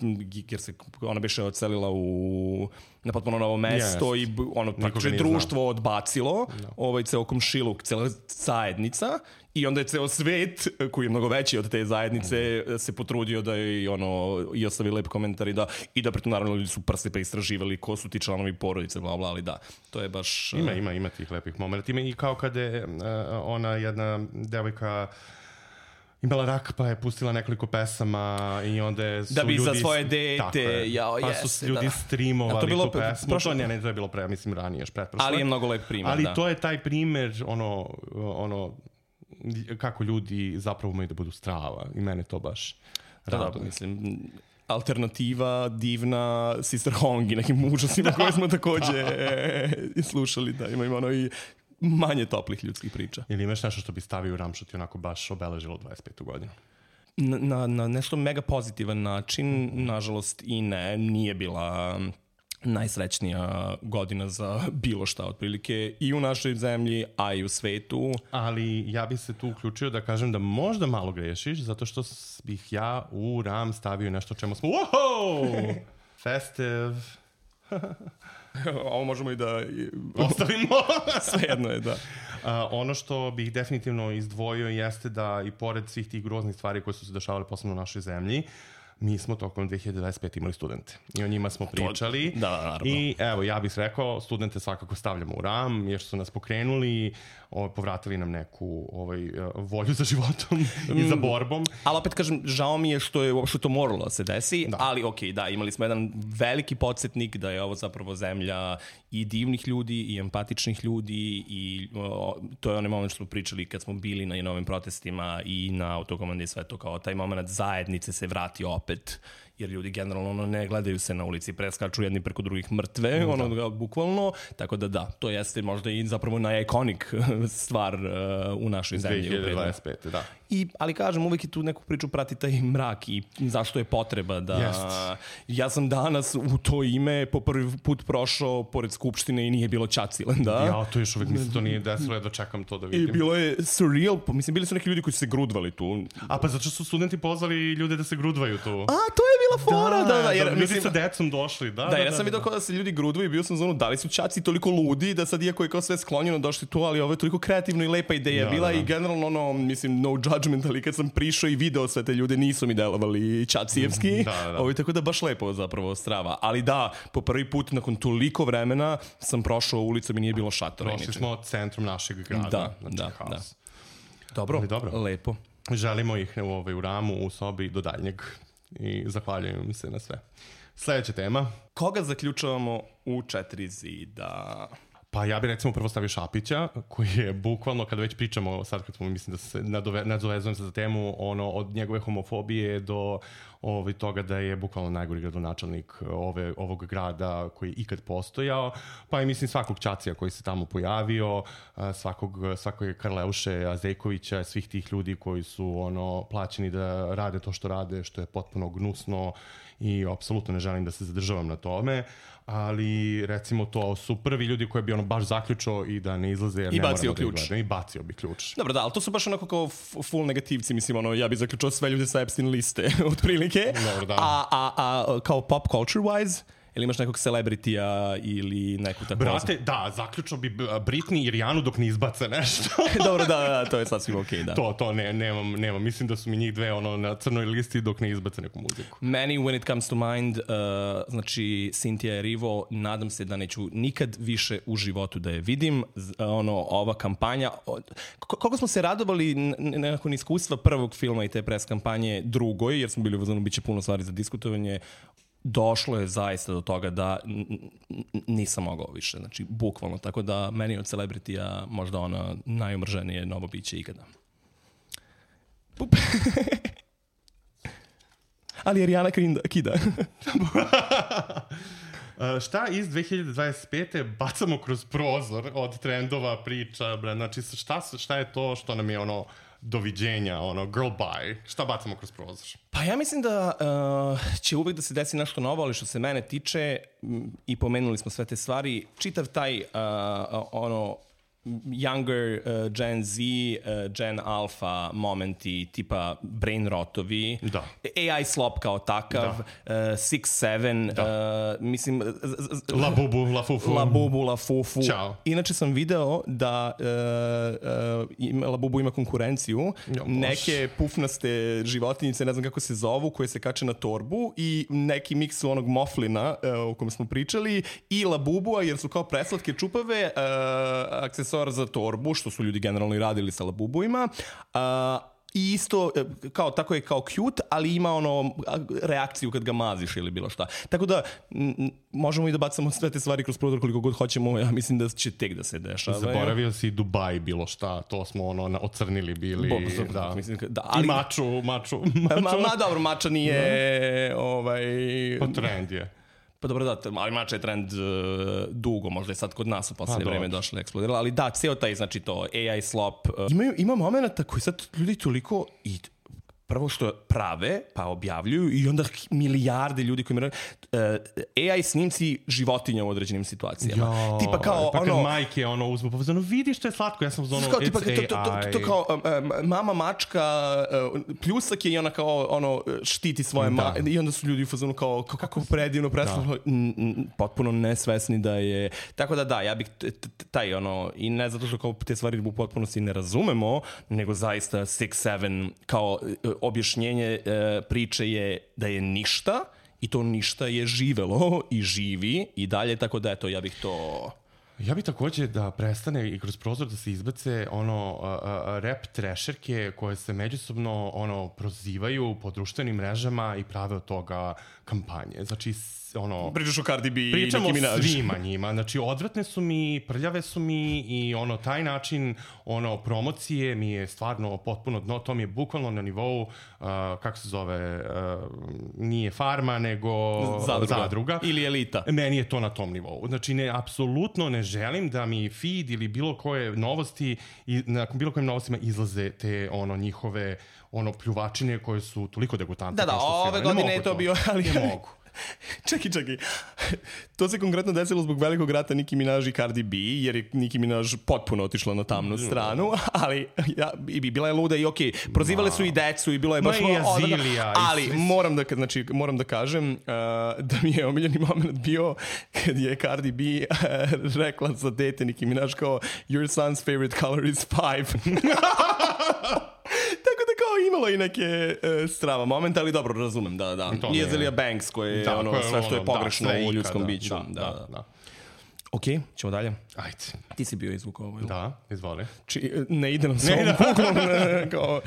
jer se ona biše odselila u na potpuno novo mesto yes. i ono, praktično društvo znao. odbacilo, no. ovaj ceo komšiluk, cela zajednica i onda je ceo svet, koji je mnogo veći od te zajednice, mm. se potrudio da je ono, i ostavi lep komentar i da, i da pritom naravno ljudi su prste pa istraživali ko su ti članovi porodice, bla, bla, ali da, to je baš... Ima, ima, ima tih lepih momenta. Ima i kao kada je uh, ona jedna devojka imala rak, pa je pustila nekoliko pesama i onda su da bi ljudi... za svoje dete, jao, pa jeste, su ljudi da. streamovali bilo, tu pesmu. Prošlo... To, ne, ne, to je bilo pre, mislim, ranije, još pretprošle. Ali je mnogo lep primer, ali da. Ali to je taj primer, ono, ono, kako ljudi zapravo imaju da budu strava. I mene to baš da, raduje. Da, mislim, alternativa, divna, Sister Hong i nekim užasima koje smo takođe slušali, da ima ono i manje toplih ljudskih priča. Ili imaš nešto što bi stavio u Ramšot i onako baš obeležilo dvadeset petu godinu? Na, na, na nešto mega pozitivan način, nažalost i ne, nije bila najsrećnija godina za bilo šta otprilike i u našoj zemlji, a i u svetu. Ali ja bih se tu uključio da kažem da možda malo grešiš, zato što bih ja u Ram stavio nešto čemu smo wow! Festive. Ovo možemo i da ostavimo. Svejedno je, da. Uh, ono što bih definitivno izdvojio jeste da i pored svih tih groznih stvari koje su se dešavale posebno u našoj zemlji, mi smo tokom dve hiljade dvadeset pete imali studente i o njima smo pričali. To, da, naravno. I evo, ja bih rekao, studente svakako stavljamo u Ram, jer su nas pokrenuli, o, povratili nam neku ovaj, volju za životom i za borbom. Ali opet kažem, žao mi je što je uopšte to moralo da se desi, da. ali okej, okay, da, imali smo jedan veliki podsjetnik da je ovo zapravo zemlja i divnih ljudi i empatičnih ljudi i o, to je onaj moment što smo pričali kad smo bili na novim protestima i na autokomandi i sve to, kao taj moment zajednice se vrati opet, jer ljudi generalno ono, ne gledaju se na ulici, preskaču jedni preko drugih mrtve, mm, ono, da. bukvalno, tako da da, to jeste možda i zapravo najekonik stvar uh, u našoj zemlji. dve hiljade dvadeset pete, da. I, ali kažem, uvijek i tu neku priču prati taj mrak i zašto je potreba da... Jest. Ja sam danas u to ime po prvi put prošao pored Skupštine i nije bilo Ćacilenda. Ja, to još uvijek mislim, to nije desilo, ja dočekam to da vidim. I bilo je surreal, mislim, bili su neki ljudi koji su se grudvali tu. A pa zato što su studenti pozvali ljude da se grudvaju tu. A, to je bila fora, da, da. da jer, da ljudi mislim, sa decom došli, da. Da, da jer ja da, sam vidio kao da se ljudi grudvaju i bio sam zonu, da li su Ćaci toliko ludi da sad iako je kao sve sklonjeno došli tu, ali ovo je toliko kreativno i lepa ideja da, bila da, da. I generalno ono, mislim, no judgment, ali kad sam prišao i video sve te ljude, nisu mi delovali Ćacijevski. Da, da. Ovo je tako da baš lepo zapravo strava. Ali da, po prvi put nakon toliko vremena sam prošao ulicom i nije bilo šatora. Prošli smo centrom našeg grada. Da, znači da, haos. Da. Dobro, dobro, lepo. Želimo ih u, ovaj, u Ramu, u sobi do daljnjeg. I zahvaljujem se na sve. Sljedeća tema. Koga zaključavamo u četiri zida? Pa ja bih recimo prvo stavio Šapića, koji je bukvalno, kada već pričamo, sad kad smo, mislim da se nadove, nadzovezujem se za temu, ono, od njegove homofobije do ovaj, toga da je bukvalno najgori gradonačelnik ove, ovog grada koji je ikad postojao, pa i mislim svakog Ćacija koji se tamo pojavio, svakog, svakog Karleuše Azejkovića, svih tih ljudi koji su ono plaćeni da rade to što rade, što je potpuno gnusno i apsolutno ne želim da se zadržavam na tome, ali recimo to su prvi ljudi koji bi ono baš zaključao i da ne izlaze jer I ne bacio moramo ključ. Da i bacio bi ključ. Dobro, da, ali to su baš onako kao full negativci, mislim, ono, ja bih zaključao sve ljude sa Epstein liste, otprilike. Dobro, da. A, a, a kao pop culture wise, ili imaš nekog celebrity-a ili neku tako... Brate, da, zaključno bi Britney i Rijanu dok ne izbace nešto. Dobro, da, da, to je sasvim okej, okay, da. To, to, ne, nemam, nemam. Mislim da su mi njih dve ono, na crnoj listi dok ne izbace neku muziku. Meni, when it comes to mind, uh, znači, Cynthia Erivo, nadam se da neću nikad više u životu da je vidim. Z, ono, ova kampanja... Koliko smo se radovali nakon iskustva prvog filma i te pres kampanje drugoj, jer smo bili uzmano, bit će puno stvari za diskutovanje, došlo je zaista do toga da nisam mogao više, znači bukvalno, tako da meni od celebrity-a možda ona najomrženije novo biće ikada. Pup. Ali je Rijana kida. Uh, šta iz dve hiljade dvadeset pete bacamo kroz prozor od trendova, priča, bre, znači šta, šta je to što nam je ono doviđenja, ono, girl bye, šta bacamo kroz prozor? Pa ja mislim da uh, će uvek da se desi nešto novo, ali što se mene tiče, m, i pomenuli smo sve te stvari, čitav taj, uh, ono, younger uh, Gen Z, uh, Gen Alpha momenti, tipa brain rotovi, da. A I slop kao takav, uh, six seven, uh, mislim... La bubu, la fufu. La bubu, la fufu. Ćao. Inače sam video da uh, uh, ima, La bubu ima konkurenciju, jo, neke pufnaste životinjice, ne znam kako se zovu, koje se kače na torbu i neki miks onog moflina uh, o kojem smo pričali i La bubua, jer su kao preslatke čupave, uh, aksesuar za torbu, što su ljudi generalno i radili sa labubuima. Uh, I isto, kao, tako je kao cute, ali ima ono reakciju kad ga maziš ili bilo šta. Tako da, m, možemo i da bacamo sve te stvari kroz prozor koliko god hoćemo, ja mislim da će tek da se dešava. Zaboravio si Dubai bilo šta, to smo ono ocrnili bili. Bo, zbog, da. Mislim, da, ali, I maču, maču. maču. Ma, ma dobro, mača nije... No. Ovaj, pa trend je. Pa dobro da, ali mača je trend uh, dugo, možda je sad kod nas u poslednje pa, vreme došlo eksplodirala, ali da, ceo taj, znači to, A I slop. Uh, ima, ima momenta koji sad ljudi toliko i prvo što prave, pa objavljuju i onda milijarde ljudi koji mi rade. Uh, A I snimci životinja u određenim situacijama. Jo, tipa kao pa kad ono... majke ono uzmu, pa ono, vidi što je slatko, ja sam uz ono, kao, tipa, it's to, to, to, to, to kao um, mama mačka, uh, pljusak je i ona kao ono, štiti svoje ma... I onda su ljudi u fazonu kao, kao kako predivno, preslavno, potpuno nesvesni da je... Tako da da, ja bih taj ono, i ne zato što kao te stvari u potpunosti ne razumemo, nego zaista six seven kao objašnjenje e, priče je da je ništa i to ništa je živelo i živi i dalje, tako da eto, ja bih to... Ja bih takođe da prestane i kroz prozor da se izbace ono uh, uh, rap trešerke koje se međusobno ono prozivaju po društvenim mrežama i prave od toga kampanje. Znači ono... Pričaš o Cardi B i Nicki Minaj. Pričamo svima njima. Znači, odvratne su mi, prljave su mi i ono, taj način ono, promocije mi je stvarno potpuno dno. To mi je bukvalno na nivou, uh, kako se zove, uh, nije farma, nego zadruga. zadruga. Ili elita. Meni je to na tom nivou. Znači, ne, apsolutno ne želim da mi feed ili bilo koje novosti, i na bilo kojim novostima izlaze te ono, njihove ono, pljuvačine koje su toliko degutantne. Da, da, ove godine je to bio, ali... Ne mogu. Čekaj, čekaj. To se konkretno desilo zbog velikog rata Nicki Minaj i Cardi B, jer je Nicki Minaj potpuno otišla na tamnu stranu, ali ja, i bila je luda i okej, okay, prozivale su i decu i bilo je baš... Ma i Azilija. Ali i moram da, znači, moram da kažem uh, da mi je omiljeni moment bio kad je Cardi B uh, rekla za dete Nicki Minaj kao your son's favorite color is five. Tako da kao imalo i neke uh, strava momenta, ali dobro, razumem, da, da. I Azealia Banks, koje je da, ono, sve što je pogrešno da, u ljudskom da, biću. Da, da, da. da. Ok, ćemo dalje. Ajde. Ti si bio izvuk ovo. Da, izvoli. Či, ne ide nam s ovom kuglom. Kao...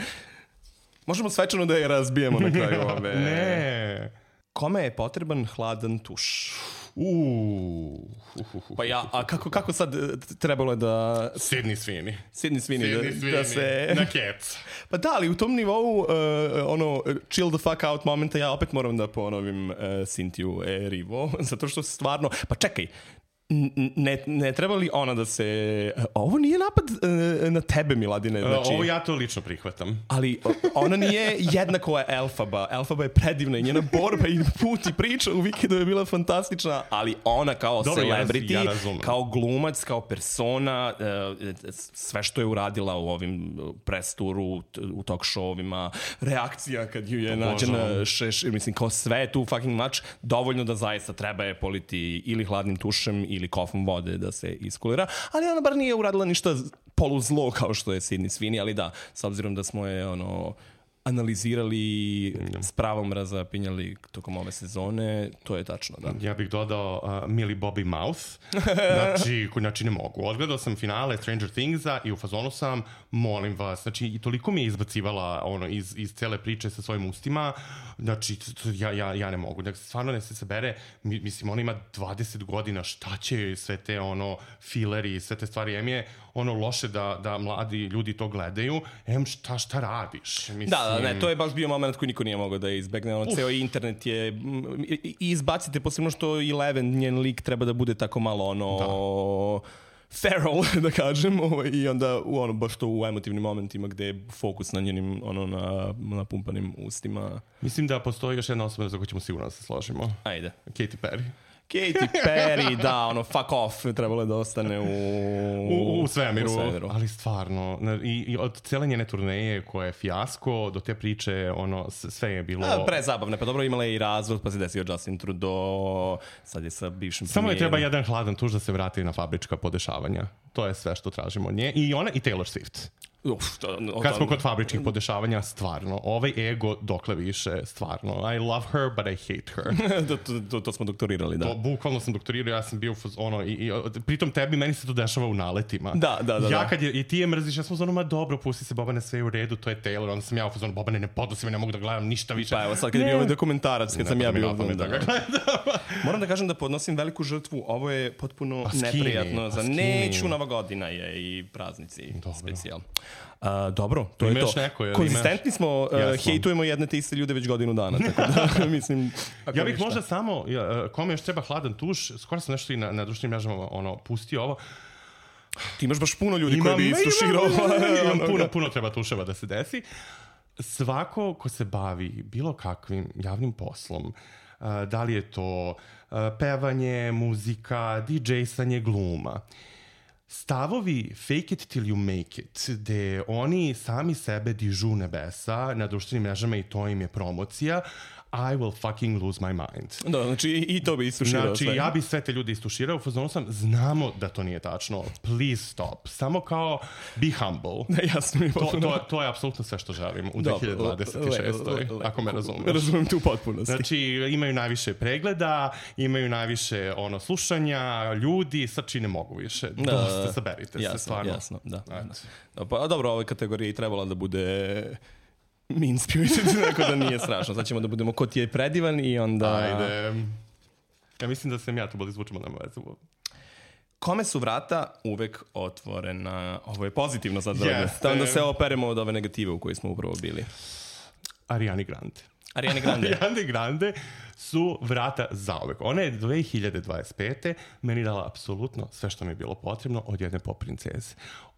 Možemo svečano da je razbijemo na kraju ove... Ne. Kome je potreban hladan tuš? Uuu. Pa ja, a kako, kako sad trebalo je da... Sydney Sweeney. Sydney Sweeney, Sydney da, Sweeney da se... na Cats. Pa da, ali u tom nivou, uh, ono, chill the fuck out momenta, ja opet moram da ponovim uh, Cynthia Erivo, zato što stvarno... Pa čekaj, ne, ne treba li ona da se... Ovo nije napad uh, na tebe, Miladine. Znači, ovo ja to lično prihvatam. Ali ona nije jednako je Elfaba. Elfaba je predivna i njena borba i put i priča u Wikidu je bila fantastična, ali ona kao Dobro, celebrity, ja, ja kao glumac, kao persona, uh, sve što je uradila u ovim press turu, u talk showovima, reakcija kad ju je nađena šeš, mislim, kao sve tu fucking much, dovoljno da zaista treba je politi ili hladnim tušem ili kofom vode da se iskulira, ali ona bar nije uradila ništa poluzlo kao što je Sydney Sweeney, ali da, s obzirom da smo je ono analizirali, s pravom razapinjali tokom ove sezone, to je tačno, da. Ja bih dodao uh, Millie Bobby Mouth, znači, znači ne mogu. Odgledao sam finale Stranger Thingsa i u fazonu sam, molim vas, znači i toliko mi je izbacivala ono, iz, iz cele priče sa svojim ustima, znači ja, ja, ja ne mogu. Dakle, stvarno ne se sabere, mislim, ona ima dvadeset godina, šta će sve te ono fileri, sve te stvari, em je ono loše da, da mladi ljudi to gledaju, em šta, šta radiš? Mislim, da, da, ne, to je baš bio moment koji niko nije mogao da izbegne, ono, ceo internet je, i izbacite, posebno što Eleven, njen lik treba da bude tako malo, ono, da. feral, da kažem, i onda u ono, baš to u emotivnim momentima gde je fokus na njenim, ono, na, na pumpanim ustima. Mislim da postoji još jedna osoba za koju ćemo sigurno da se složimo. Ajde. Katy Perry. Katy Perry, da, ono, fuck off, trebalo je da ostane u... U, u, svemiru, u svemiru, ali stvarno, i, i od cele njene turneje koja je fijasko, do te priče, ono, sve je bilo... A, prezabavne, pa dobro, imala je i razvod, pa se desio Justin Trudeau, sad je sa bivšim Samo premijerom. je treba jedan hladan tuž da se vrati na fabrička podešavanja. To je sve što tražimo od nje. I ona i Taylor Swift. Uf, to, o, kad smo kod fabričkih podešavanja, stvarno, ovaj ego dokle više, stvarno. I love her, but I hate her. to, to, to, to smo doktorirali, da. To, bukvalno sam doktorirao, ja sam bio ono, i, i pritom tebi, meni se to dešava u naletima. Da, da, da. Ja kad je, i ti je mrziš, ja sam u zonu, ma dobro, pusti se Bobane, sve u redu, to je Taylor, onda sam ja u zonu, Bobane, ne podnosi me, ne mogu da gledam ništa više. Pa evo, sad kad je bio ovaj dokumentarac, kad ne, sam ja bio da, da ga gledam. Moram da kažem da podnosim veliku žrtvu, ovo je potpuno pa skini, neprijatno, pa za neću Nova godina je i praznici specijal. Uh, dobro, to je to. Neko, je, konzistentni smo, uh, hejtujemo jedne te iste ljude već godinu dana, tako da mislim... Ja bih možda samo, ja, kome još treba hladan tuš, skoro sam nešto i na, na društvenim mrežama ono, pustio ovo. Ti imaš baš puno ljudi imam, koji bi istuširao. Imam, imam puno, puno treba tuševa da se desi. Svako ko se bavi bilo kakvim javnim poslom, uh, da li je to uh, pevanje, muzika, didžejsanje, gluma, stavovi fake it till you make it, gde oni sami sebe dižu nebesa na društvenim mrežama i to im je promocija, I will fucking lose my mind. Da, znači i to bi istuširao. Znači sve. Ja bi sve te ljude istuširao, u fazonu sam, znamo da to nije tačno, please stop. Samo kao be humble. Da, jasno mi to, to, to je apsolutno sve što želim u dve hiljade dvadeset šestoj. Ako me razumeš. Razumem tu potpunosti. Znači imaju najviše pregleda, imaju najviše ono slušanja, ljudi, sad čine mogu više. Da, dosta, saberite jasno, se stvarno. Jasno, da. da. Pa dobro, ove kategorije i trebala da bude... mean spirited, tako da nije strašno. Sad ćemo da budemo ko ti je predivan i onda... Ajde. Ja mislim da sam ja tu bolje zvučimo na vezu. Kome su vrata uvek otvorena? Ovo je pozitivno sad. Yes, da se operemo od ove negative u kojoj smo upravo bili. Ariani Grande. Ariani Grande. Ariani Grande su vrata zauvek. Ona je dve hiljade dvadeset pete meni dala apsolutno sve što mi je bilo potrebno od jedne pop princeze.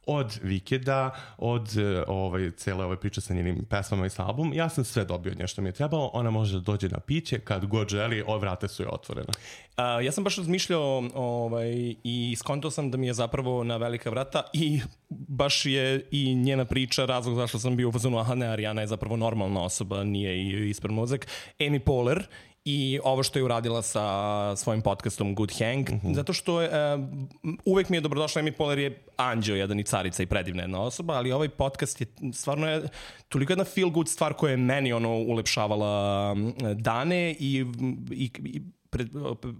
Od Vikeda, od ovaj, cele ove priče sa njenim pesmama i sa album, ja sam sve dobio od nje što mi je trebalo, ona može da dođe na piće kad god želi, ove vrate su je otvorene. Uh, ja sam baš razmišljao ovaj, i skontao sam da mi je zapravo na velika vrata i baš je i njena priča razlog zašto sam bio u fazonu, aha ne, Ariana je zapravo normalna osoba, nije i ispred mozak. Amy Poehler i ovo što je uradila sa svojim podcastom Good Hang, uh-huh. zato što je, uh, uvek mi je dobrodošla, Amy Poehler je anđeo jedan i carica i predivna jedna osoba, ali ovaj podcast je stvarno je toliko jedna feel good stvar koja je meni ono ulepšavala dane i, i, i pre,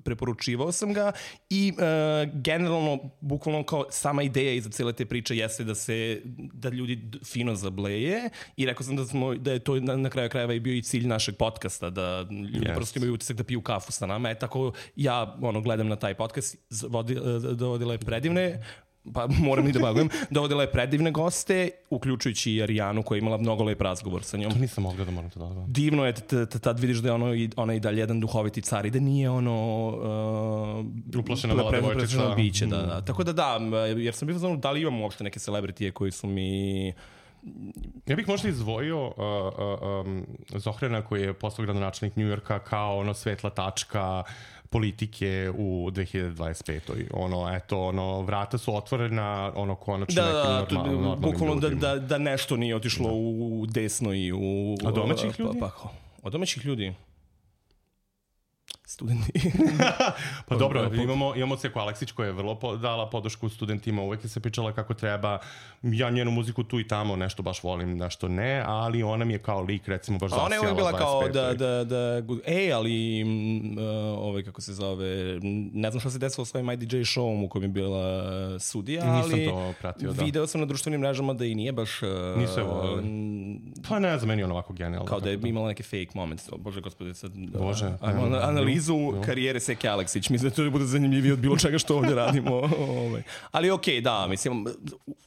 preporučivao sam ga i uh, generalno, bukvalno kao sama ideja iza cijele te priče jeste da se, da ljudi fino zableje i rekao sam da, smo, da je to na, na kraju krajeva i bio i cilj našeg podcasta, da ljudi yes. prosto imaju utisak da piju kafu sa nama. E tako ja ono, gledam na taj podcast, vodi, dovodila je predivne, pa moram i da bagujem, dovodila je predivne goste, uključujući i Arijanu koja je imala mnogo lep razgovor sa njom. To nisam mogla da moram to da. Divno je, tad vidiš da je ono, ona i dalje jedan duhoviti car i da nije ono... Uh, Uplašena mala devojčica. Biće, da, da. Tako da da, jer sam bio znao da li imam uopšte neke celebritije koji su mi... Ja bih možda izdvojio uh, uh, um, Zohrana koji je postao gradonačelnik Njujorka kao ono svetla tačka politike u dve hiljade dvadeset petoj. Ono, eto, ono, vrata su otvorena, ono, konačno da, nekim normal, normalnim bukvalno ljudima. Da, da, da nešto nije otišlo da. u desno i u... Od domaćih ljudi? Pa, pa, od domaćih ljudi? Studenti. Pa dobro, imamo, imamo Ceku Aleksić koja je vrlo po, dala podršku studentima, uvek je se pričala kako treba. Ja njenu muziku tu i tamo nešto baš volim, nešto ne, ali ona mi je kao lik, recimo, baš zasijala. Ona je uvek bila kao da, da, da, ej, ali uh, ovaj, kako se zove, ne znam šta se desilo s svojim I D J showom u kojem je bila sudija, ali nisam to pratio, da. Video sam na društvenim mrežama da i nije baš... Uh, Nisu ovo... Pa ne znam, meni je ono ovako genijalno. Kao da je imala neke fake moments. Bože, gospodine, sad... Bože. Uh, analizu jo. karijere Seke Aleksić. Mislim da to bude zanimljivije od bilo čega što ovdje radimo. Ali okej, okay, da, mislim,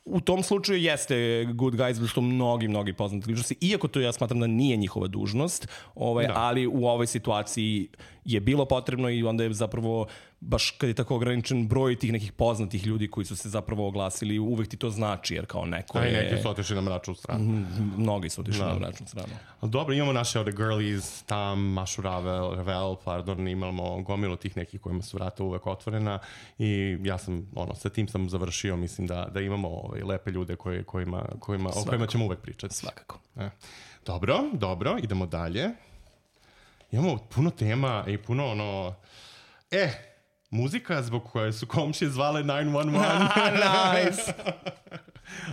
u tom slučaju jeste Good Guys, što mnogi, mnogi poznati ličnosti, iako to ja smatram da nije njihova dužnost, ovaj, ali u ovoj situaciji je bilo potrebno i onda je zapravo, baš kad je tako ograničen broj tih nekih poznatih ljudi koji su se zapravo oglasili, uvek ti to znači, jer kao neko je... A i neki su otišli na mračnu stranu. Mnogi su otišli na mračnu stranu. Ali dobro, imamo naše ovde girlies, tam, Mašu Ravel, Ravel, pardon, imamo gomilu tih nekih kojima su vrata uvek otvorena i ja sam, ono, sa tim sam završio, mislim da, da imamo ovaj, lepe ljude koje, kojima, kojima, o kojima ćemo uvek pričati. Svakako. E. Dobro, dobro, idemo dalje. Imamo puno tema i puno ono... E, muzika zbog koje su komšije zvale nine one one. Nice!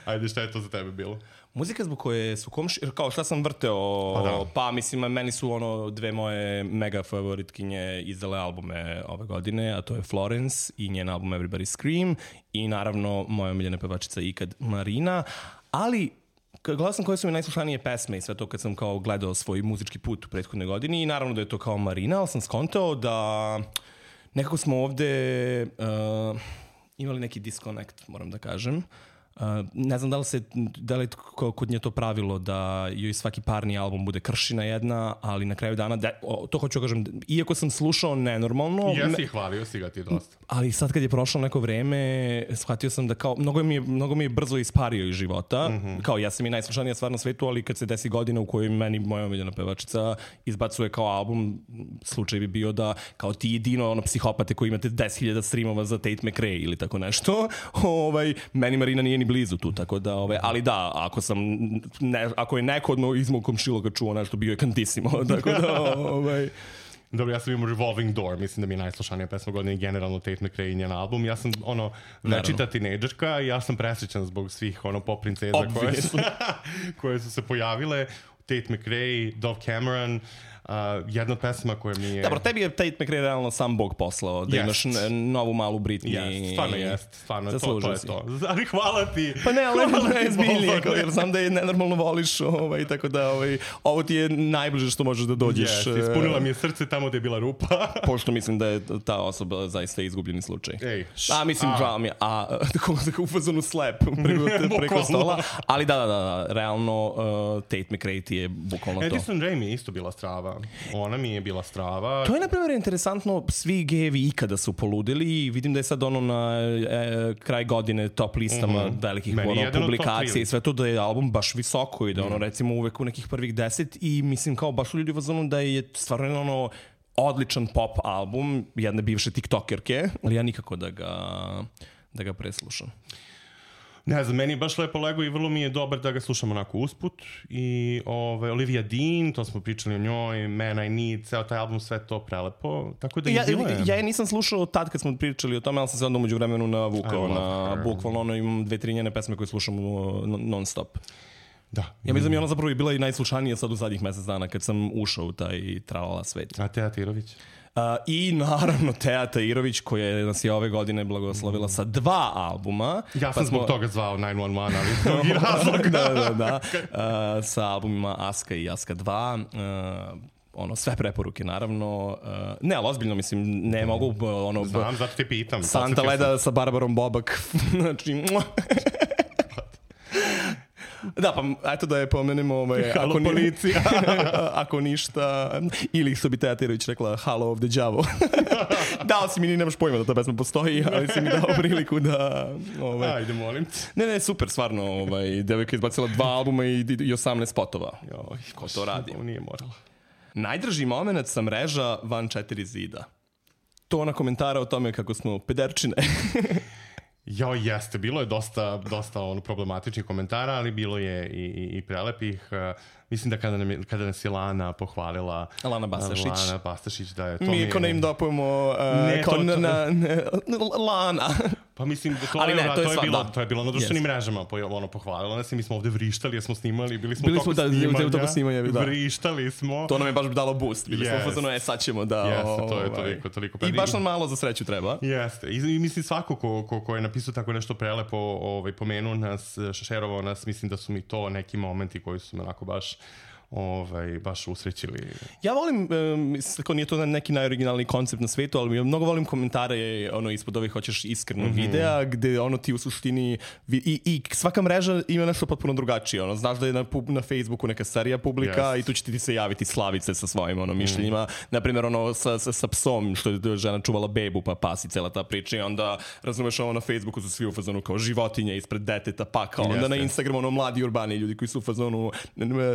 Ajde, šta je to za tebe bilo? Muzika zbog koje su komšije, kao šta sam vrteo, pa, da. pa mislim, meni su ono dve moje mega favoritkinje izdale albume ove godine, a to je Florence i njen album Everybody Scream i naravno moja omiljena pevačica ikad Marina, ali... Gledao sam koje su mi najslušanije pesme i sve to kad sam kao gledao svoj muzički put u prethodne godini i naravno da je to kao Marina, ali sam skontao da nekako smo ovde uh, imali neki disconnect, moram da kažem. Uh, ne znam da li, se, da li kod nje to pravilo da joj svaki parni album bude kršina jedna, ali na kraju dana, de, o, to hoću da kažem, iako sam slušao nenormalno... Jesi, hvalio si ga ti dosta. Ali sad kad je prošlo neko vreme, shvatio sam da kao, mnogo mi je, mnogo mi je brzo ispario iz života, mm-hmm. kao ja sam i najslušanija stvar na svetu, ali kad se desi godina u kojoj meni moja omiljena pevačica izbacuje kao album, slučaj bi bio da kao ti jedino ono psihopate koji imate deset hiljada streamova za Tate McRae ili tako nešto, ovaj, meni Marina nije ni blizu tu, tako da, ove, ali da, ako sam, ne, ako je neko od iz mog komšiloga čuo nešto, bio je Kantissimo, tako da, ovaj... Dobro, ja sam imao Revolving Door, mislim da mi je najslušanija pesma godine i generalno Tate McRae i njen album. Ja sam, ono, večita tinejdžerka i ja sam presrećan zbog svih, ono, pop princeza koje su, koje su se pojavile. Tate McRae, Dove Cameron, Uh, jedna od pesma koja mi je... Dobro, tebi je Tate McRae realno sam Bog poslao, da yes. imaš novu malu Britney. Yes, stvarno jest, stvarno, to, to je to. Ali hvala ti. Pa ne, ali ne zbiljnije, jer znam da je nenormalno voliš, ovaj, tako da ovaj, ovo ti je najbliže što možeš da dođeš. Yes, ispunila mi je srce tamo gde je bila rupa. Pošto mislim da je ta osoba zaista izgubljeni slučaj. Ej, š, a mislim, žao mi je, a tako u fazonu slep preko, preko stola. Ali da, da, da, realno uh, Tate McRae ti je bukvalno to. Edison Ray mi je isto bila strava. Ona mi je bila strava. To je, na primjer, interesantno. Svi gejevi ikada su poludili i vidim da je sad ono na e, kraj godine top listama mm-hmm. velikih ono, publikacija i sve to da je album baš visoko i da ono, mm. recimo, uvek u nekih prvih deset i mislim kao baš ljudi vazonu da je stvarno ono odličan pop album jedne bivše tiktokerke, ali ja nikako da ga, da ga preslušam. Ne znam, meni je baš lepo lego i vrlo mi je dobar da ga slušam onako usput. I ovaj, Olivia Dean, to smo pričali o njoj, Man I Need, ceo taj album, sve to prelepo. Tako da ja, je bilo je. Ja je nisam slušao tad kad smo pričali o tome, ali sam se onda umeđu vremenu navukao na bukvalno ono, imam dve, tri njene pesme koje slušam non stop. Da. Ja mislim da mi ona zapravo je bila i najslušanija sad u zadnjih mesec dana kad sam ušao u taj tralala svet. A Teja Tirović? Uh, I naravno Teja Tahirović koja nas je ove godine blagoslovila sa dva albuma. Ja sam pa zbog smo... toga zvao nine one one, ali drugi razlog. da, da, da. Uh, sa albumima Aska i Aska dva. Uh, ono, sve preporuke, naravno. Uh, ne, ali ozbiljno, mislim, ne mogu... Ono, Znam, zato te pitam. Santa Leda sa Barbarom Bobak. Znači... Da, pa eto da je pomenemo ovaj, Halo ako, ni, policija. ako ništa, ili što bi Teja Tahirović rekla Halo of the Đavo. Dao si mi, ni nemaš pojma da ta pesma postoji, ali si mi dao priliku da... Ovaj, Ajde, molim te. Ne, ne, super, stvarno. Ovaj, devojka izbacila dva albuma i, i osamnaest spotova. Joj, ko to radi? Nije morala. Najdraži moment sa mreža van četiri zida. To na komentara o tome kako smo pederčine. Jo, jeste, bilo je dosta, dosta ono, problematičnih komentara, ali bilo je i, i, i prelepih. Uh, mislim da kada, nam je, kada nas je Lana pohvalila... Lana Bastašić. Lana Bastašić, da je to... Mi ko ne im dopujemo uh, ne, kao to, na, to, na, na, Lana. Pa mislim, to, ali je, ne, to, je, to, je sva, bilo, da. to je bilo na društvenim yes. mrežama. Po, ono, pohvalila nas i mi smo ovde vrištali, jer smo snimali, bili smo bili toko smo, da, snimanja. toko snimanja da. Vrištali smo. To nam je baš dalo boost. Bili yes. smo fazonu, e, sad ćemo da... Jeste, to je ovaj, toliko, toliko. I baš nam malo za sreću treba. Jeste. I, i mislim, svako ko, ko, ko je napisao tako nešto prelepo, ovaj, pomenuo nas, šerovao nas, mislim da su mi to neki momenti koji su me onako baš... Ovaj, baš usrećili. Ja volim, um, kako nije to neki najoriginalniji koncept na svetu, ali ja mnogo volim komentare ono, ispod ovih hoćeš iskrenog mm-hmm. videa, gde ono ti u suštini i, i svaka mreža ima nešto potpuno drugačije. Ono, znaš da je na, na Facebooku neka serija publika yes. i tu će ti se javiti Slavice sa svojim ono, mišljenjima. Mm. Naprimjer, ono, sa, sa, sa psom, što je žena čuvala bebu, pa pas i cela ta priča. I onda, razumeš, ono, na Facebooku su svi u fazonu kao životinje ispred deteta, pa kao. Onda yes, na Instagramu, ono, mladi urbani ljudi koji su u fazonu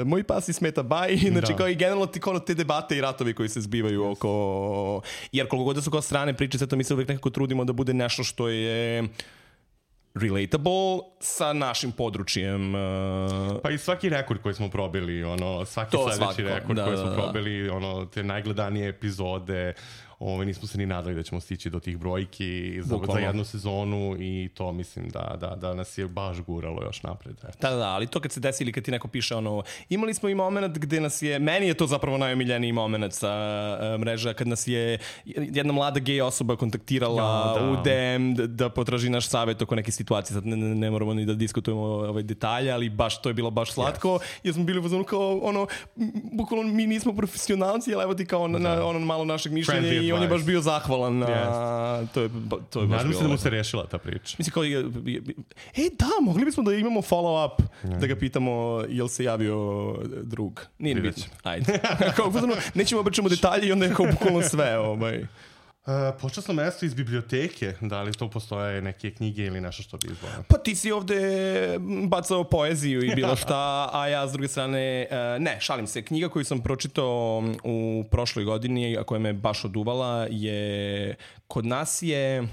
moj pas i smeta baj, znači da. Kao i generalno ti kao te debate i ratovi koji se zbivaju yes. oko, jer koliko god da su kao strane priče, sve to mi se uvijek nekako trudimo da bude nešto što je relatable sa našim područjem. Uh... Pa i svaki rekord koji smo probili, ono, svaki to sledeći svako. rekord da, koji smo da, probili, ono, te najgledanije epizode, Ove, nismo se ni nadali da ćemo stići do tih brojki za, za jednu sezonu i to mislim da, da, da nas je baš guralo još napred. Eto. Da, da, ali to kad se desi ili kad ti neko piše ono, imali smo i moment gde nas je, meni je to zapravo najomiljeniji moment sa uh, mreža, kad nas je jedna mlada gej osoba kontaktirala ja, da. u D M da, da potraži naš savjet oko neke situacije, sad ne, ne, ne moramo ni da diskutujemo ovaj detalje, ali baš to je bilo baš slatko, yes. jer smo bili u kao ono, bukvalno mi nismo profesionalci, ali evo ti kao na, na ono malo našeg mišljenja i on je baš bio zahvalan na... Yes. To je, to je baš Nadam bilo... se da mu se rešila ta priča. Mislim kao... E, da, mogli bismo da imamo follow-up, yeah. da ga pitamo jel se javio drug. Nije ni bitno. Ajde. Kao, nećemo obraćamo detalje i onda je kao bukvalno sve. Ovaj. Uh, počasno mesto iz biblioteke, da li to postoje neke knjige ili nešto što bi izvojeno? Pa ti si ovde bacao poeziju i bilo šta, a ja s druge strane, uh, ne, šalim se, knjiga koju sam pročitao u prošloj godini, a koja me baš oduvala, je, kod nas je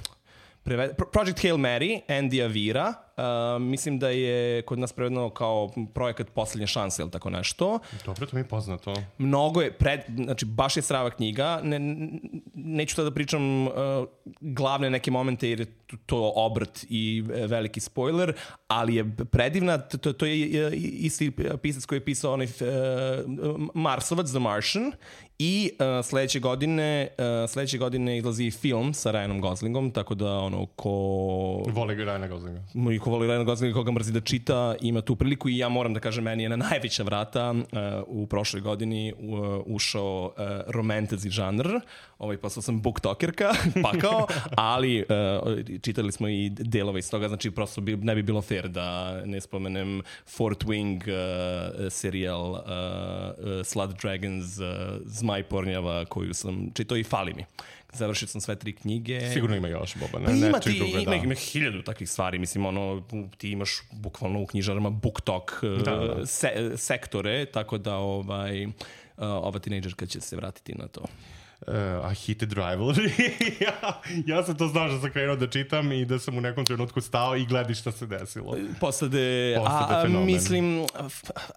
Project Hail Mary, Andy Avira. Uh, mislim da je kod nas prevedeno kao projekat Poslednje šanse ili tako nešto. Dobro, to mi je poznato. Mnogo je, pred, znači baš je strava knjiga. Ne, neću tada da pričam uh, glavne neke momente jer je to obrt i veliki spoiler, ali je predivna. To, to je isti pisac koji je pisao onaj uh, Marsovac, The Martian. I uh, sledeće godine uh, sledeće godine izlazi film sa Ryanom Goslingom, tako da ono ko voli Ryana Goslinga i ko voli Ryana Goslinga, koga mrzi da čita, ima tu priliku i ja moram da kažem, meni je na najveća vrata uh, u prošloj godini uh, ušao uh, romantici žanr, ovaj posao sam booktokerka, pakao, ali uh, čitali smo i delove iz toga, znači prosto bi, ne bi bilo fair da ne spomenem Fort Wing uh, serijal uh, uh, Slut Dragons, uh, Zmaj Pornjava, koju sam čitao i fali mi. Završio sam sve tri knjige. Sigurno ima još, Boba. Ne, pa ima ti, druge, ima, da. ima hiljadu takvih stvari. Mislim, ono, ti imaš bukvalno u knjižarama BookTok da, da. Se, sektore, tako da ovaj, ova tinejdžerka će se vratiti na to. Uh, a Heated Rivalry. ja, ja sam to znao što sam krenuo da čitam i da sam u nekom trenutku stao i gledao šta se desilo. Postade, Postade a, fenomen. Mislim,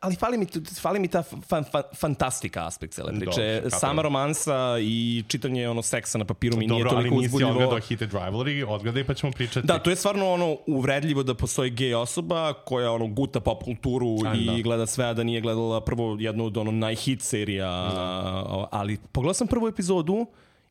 ali fali mi, fali mi ta fan, fan, fantastika aspekt cele priče. Dobro, sama romansa i čitanje ono seksa na papiru mi Dobro, nije toliko uzbudljivo. Dobro, ali nisi odgledao Heated Rivalry, odgledaj pa ćemo pričati. Da, to je stvarno ono uvredljivo da postoji gej osoba koja ono guta pop kulturu a, i da. gleda sve, a da nije gledala prvo jednu od ono najhit serija, da. ali pogledao sam prvu epizodu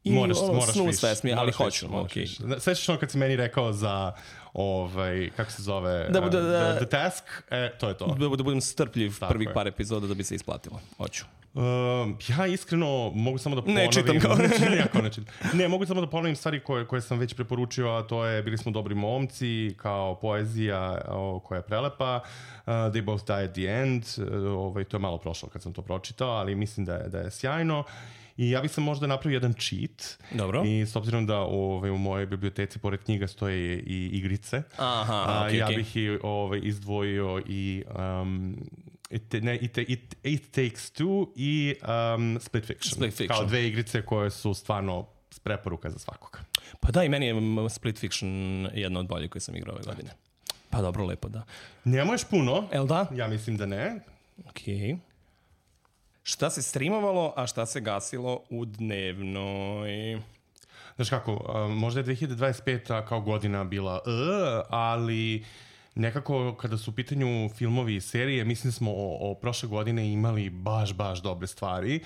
i moraš, ono, moraš snus više, fest mi, ali moraš hoću. više, moraš Okay. više. Svećaš ono kad si meni rekao za, ovaj, kako se zove, Da, da, da, the, the Task, e, to je to. Da, da budem strpljiv Tako prvih je. par epizoda da bi se isplatilo. Hoću. Um, ja iskreno mogu samo da ponovim... Ne čitam kao. ne, jako ne čitam. Ne, mogu samo da ponovim stvari koje, koje sam već preporučio, a to je Bili smo dobri momci, kao poezija o, koja je prelepa, uh, They both die at the end, uh, ovaj, to je malo prošlo kad sam to pročitao, ali mislim da je, da je sjajno. I ja bih sam možda napravio jedan cheat. Dobro. I s obzirom da ovaj, u mojoj biblioteci pored knjiga stoje i igrice, Aha, a, okay, ja okay. bih i, ovaj, izdvojio i... Um, It, ne, it, it, it Takes Two i um, Split Fiction. Split Fiction. Kao dve igrice koje su stvarno preporuka za svakoga. Pa da, i meni je Split Fiction jedna od boljih koje sam igrao ove godine. Pa dobro, lepo, da. Nemo još puno. El da? Ja mislim da ne. Okej. Okay. Šta se streamovalo, a šta se gasilo u dnevnoj? Znaš kako, možda je dve hiljade dvadeset peta kao godina bila, uh, ali nekako kada su u pitanju filmovi i serije, mislim smo o, o prošle godine imali baš, baš dobre stvari.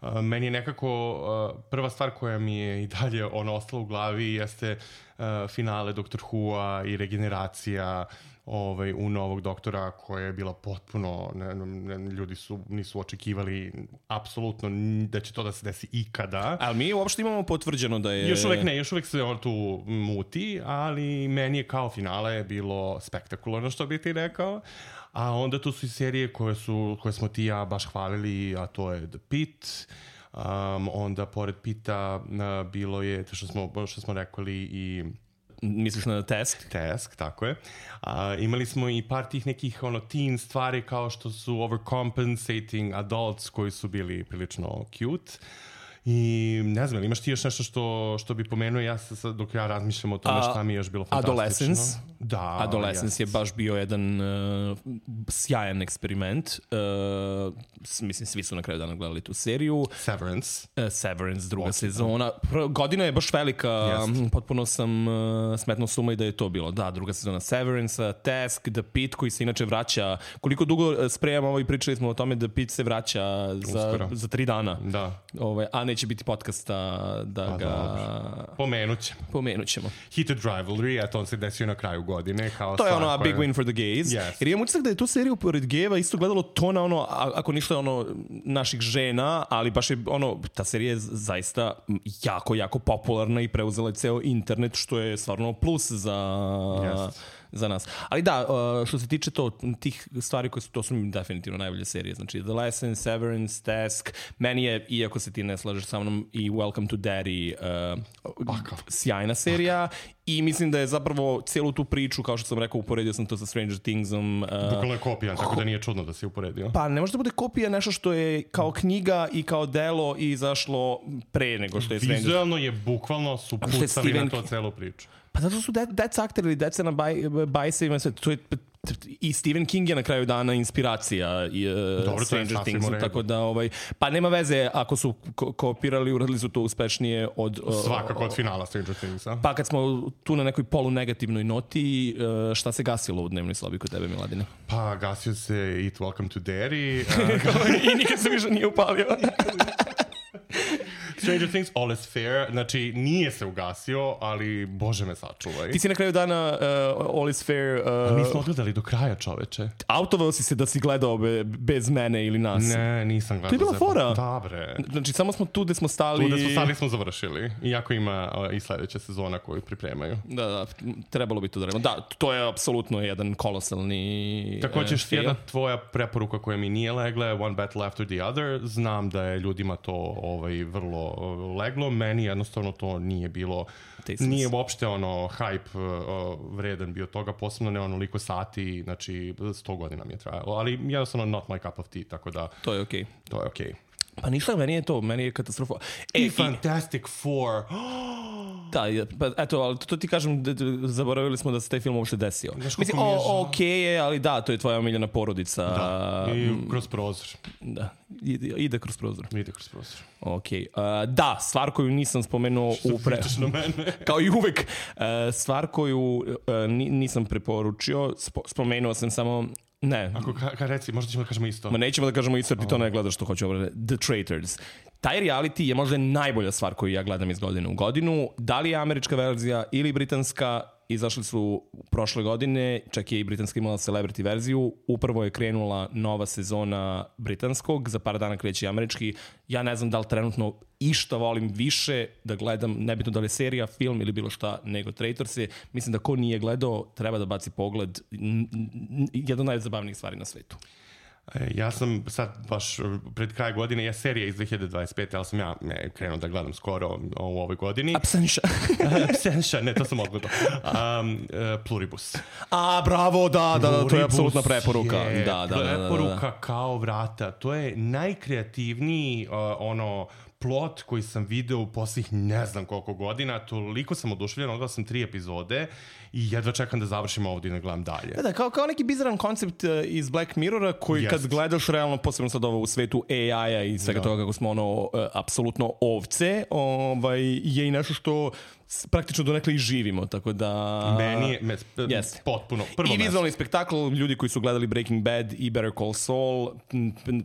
Uh, meni je nekako uh, prva stvar koja mi je i dalje ono ostala u glavi jeste uh, finale Doktor Who-a i regeneracija ovaj, u novog doktora koja je bila potpuno, ne, ne, ljudi su, nisu očekivali apsolutno da će to da se desi ikada. Ali mi uopšte imamo potvrđeno da je... Još uvek ne, još uvek se on tu muti, ali meni je kao finale bilo spektakularno, što bi ti rekao. A onda tu su i serije koje, su, koje smo ti ja baš hvalili, a to je The Pitt. Um, onda pored Pitta uh, bilo je, to što smo, što smo rekli i... Misliš na Task? Task, tako je. A, imali smo i par tih nekih ono, teen stvari kao što su overcompensating adults koji su bili prilično cute. I ne znam, imaš ti još nešto što, što bi pomenuo ja sad, dok ja razmišljam o tome šta mi je još bilo fantastično? Adolescence. Da. Adolescence yes. je baš bio jedan uh, sjajan eksperiment. Uh, mislim, svi su na kraju dana gledali tu seriju. Severance. Uh, Severance, druga okay, sezona. Da. Godina je baš velika. Yes. Potpuno sam uh, smetno suma i da je to bilo. Da, druga sezona Severance, Task, The Pitt, koji se inače vraća. Koliko dugo spremamo ovo i pričali smo o tome da The Pitt se vraća za, za tri dana. Da. Ove, a neće biti podcasta da pa, ga... Pomenut ćemo. Pomenut ćemo. Heated Rivalry, a to on se desio na kraju godine. Kao to je ono, a koje... big win for the gays. Yes. Jer imam utisak da je tu seriju pored gejeva isto gledalo to na ono, ako ništa ono, naših žena, ali baš je ono, ta serija je zaista jako, jako popularna i preuzela je ceo internet, što je stvarno plus za... Yes. za nas. Ali da, što se tiče to, tih stvari koje su, to su mi definitivno najbolje serije. Znači, The Lesson, Severance, Task, meni je, iako se ti ne slažeš sa mnom, i Welcome to Daddy uh, sjajna serija. I mislim da je zapravo cijelu tu priču, kao što sam rekao, uporedio sam to sa Stranger Thingsom. Uh, Bukvalno je kopija, tako da nije čudno da si uporedio. Pa ne može da bude kopija nešto što je kao knjiga i kao delo i izašlo pre nego što je Stranger. Vizualno je bukvalno su pucali Steven... na to celu priču. Pa zato su de- deca akteri ili deca na baj- bajsevima, sve, to je i Stephen King je na kraju dana inspiracija i uh, Dobro, Stranger Things, tako da ovaj, pa nema veze ako su ko- kopirali, uradili su to uspešnije od... Uh, Svakako od finala Stranger Thingsa. Pa kad smo tu na nekoj polunegativnoj noti, uh, šta se gasilo u dnevnoj sobi kod tebe, Miladine? Pa gasio se Eat Welcome to Daddy. Uh, I nikad se više nije upalio. Stranger Things, All is Fair, znači nije se ugasio, ali bože me sačuvaj. Ti si na kraju dana uh, All is Fair... Uh, nismo odgledali do kraja, čoveče. Autovao si se da si gledao be, bez mene ili nas? Ne, nisam gledao. To je bila fora? Da, bre. Znači, samo smo tu gde smo stali... Tu gde smo stali smo završili. Iako ima uh, i sledeća sezona koju pripremaju. Da, da, trebalo bi to da radimo. Da, to je apsolutno jedan kolosalni Također, uh, jedna tvoja preporuka koja mi nije legla je One Battle After the Other. Znam da je ljudima to ovaj, vrlo leglo, meni jednostavno to nije bilo, Tasteless. Nije uopšte ono hype uh, vredan bio toga, posebno ne onoliko sati, znači sto godina mi je trajalo, ali jednostavno not my cup of tea, tako da... To je okej. Okay. To je okej. Okay. Pa ništa, meni je to, meni je katastrofa. E, I Fantastic Four. Da, pa eto, ali to, to ti kažem, da, da, zaboravili smo da se taj film uopšte desio. Mislim, o, okej okay je, ali da, to je tvoja omiljena porodica. Da, i kroz prozor. Da, ide, ide kroz prozor. Ide kroz prozor. Okej. Okay. Uh, da, stvar koju nisam spomenuo što u pre... na mene? Kao i uvek. Uh, stvar koju uh, nisam preporučio, spo, spomenuo sam samo Ne. Ako ka, ka reci, možda ćemo da kažemo isto. Ma nećemo da kažemo isto, jer ti to ne gledaš što hoću ovo. The Traitors. Taj reality je možda najbolja stvar koju ja gledam iz godine u godinu. Da li je američka verzija ili britanska, izašli su prošle godine, čak je i britanska imala celebrity verziju, upravo je krenula nova sezona britanskog, za par dana kreće američki. Ja ne znam da li trenutno išta volim više da gledam, nebitno da li je serija, film ili bilo šta, nego Traitorse. Mislim da ko nije gledao, treba da baci pogled. Jedna od najzabavnijih stvari na svetu. Ja sam sad baš pred kraj godine, je serija iz dve hiljade dvadeset pete, ali sam ja ne, krenuo da gledam skoro u ovoj godini. Absentia. Absentia, ne, to sam odgledao. Um, uh, Pluribus. A, bravo, da, da, da, to je apsolutna preporuka. Je da, da, preporuka da, da, da. kao vrata. To je najkreativniji uh, ono plot koji sam video u posljednjih ne znam koliko godina. Toliko sam oduševljen, odgledao sam tri epizode i jedva čekam da završim ovdje i da gledam dalje. Da, da, kao, kao neki bizaran koncept uh, iz Black Mirrora koji yes. kad gledaš realno, posebno sad ovo u svetu A I-a i svega da. toga kako smo ono uh, apsolutno ovce, ovaj, je i nešto što praktično donekle i živimo, tako da... Meni je me, yes. potpuno prvo i vizualni spektakl, ljudi koji su gledali Breaking Bad i Better Call Saul,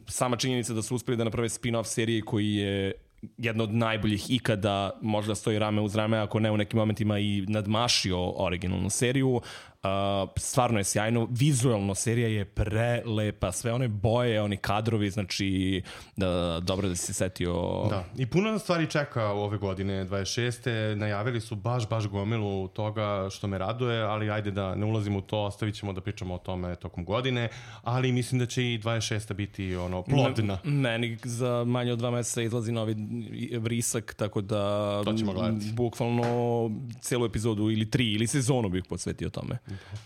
sama činjenica da su uspeli da naprave spin-off serije koji je jedna od najboljih ikada, možda stoji rame uz rame, ako ne u nekim momentima i nadmašio originalnu seriju. Uh, stvarno je sjajno, vizualno serija je prelepa, sve one boje, oni kadrovi, znači da, dobro da si se setio. Da, i puno stvari čeka ove godine dvadeset šeste najavili su baš, baš gomilu toga što me raduje, ali ajde da ne ulazimo u to, ostavit ćemo da pričamo o tome tokom godine, ali mislim da će i dvadeset šesta biti ono, plodna. M- meni za manje od dva meseca izlazi novi vrisak, tako da to ćemo gledati. Bukvalno celu epizodu ili tri ili sezonu bih posvetio tome.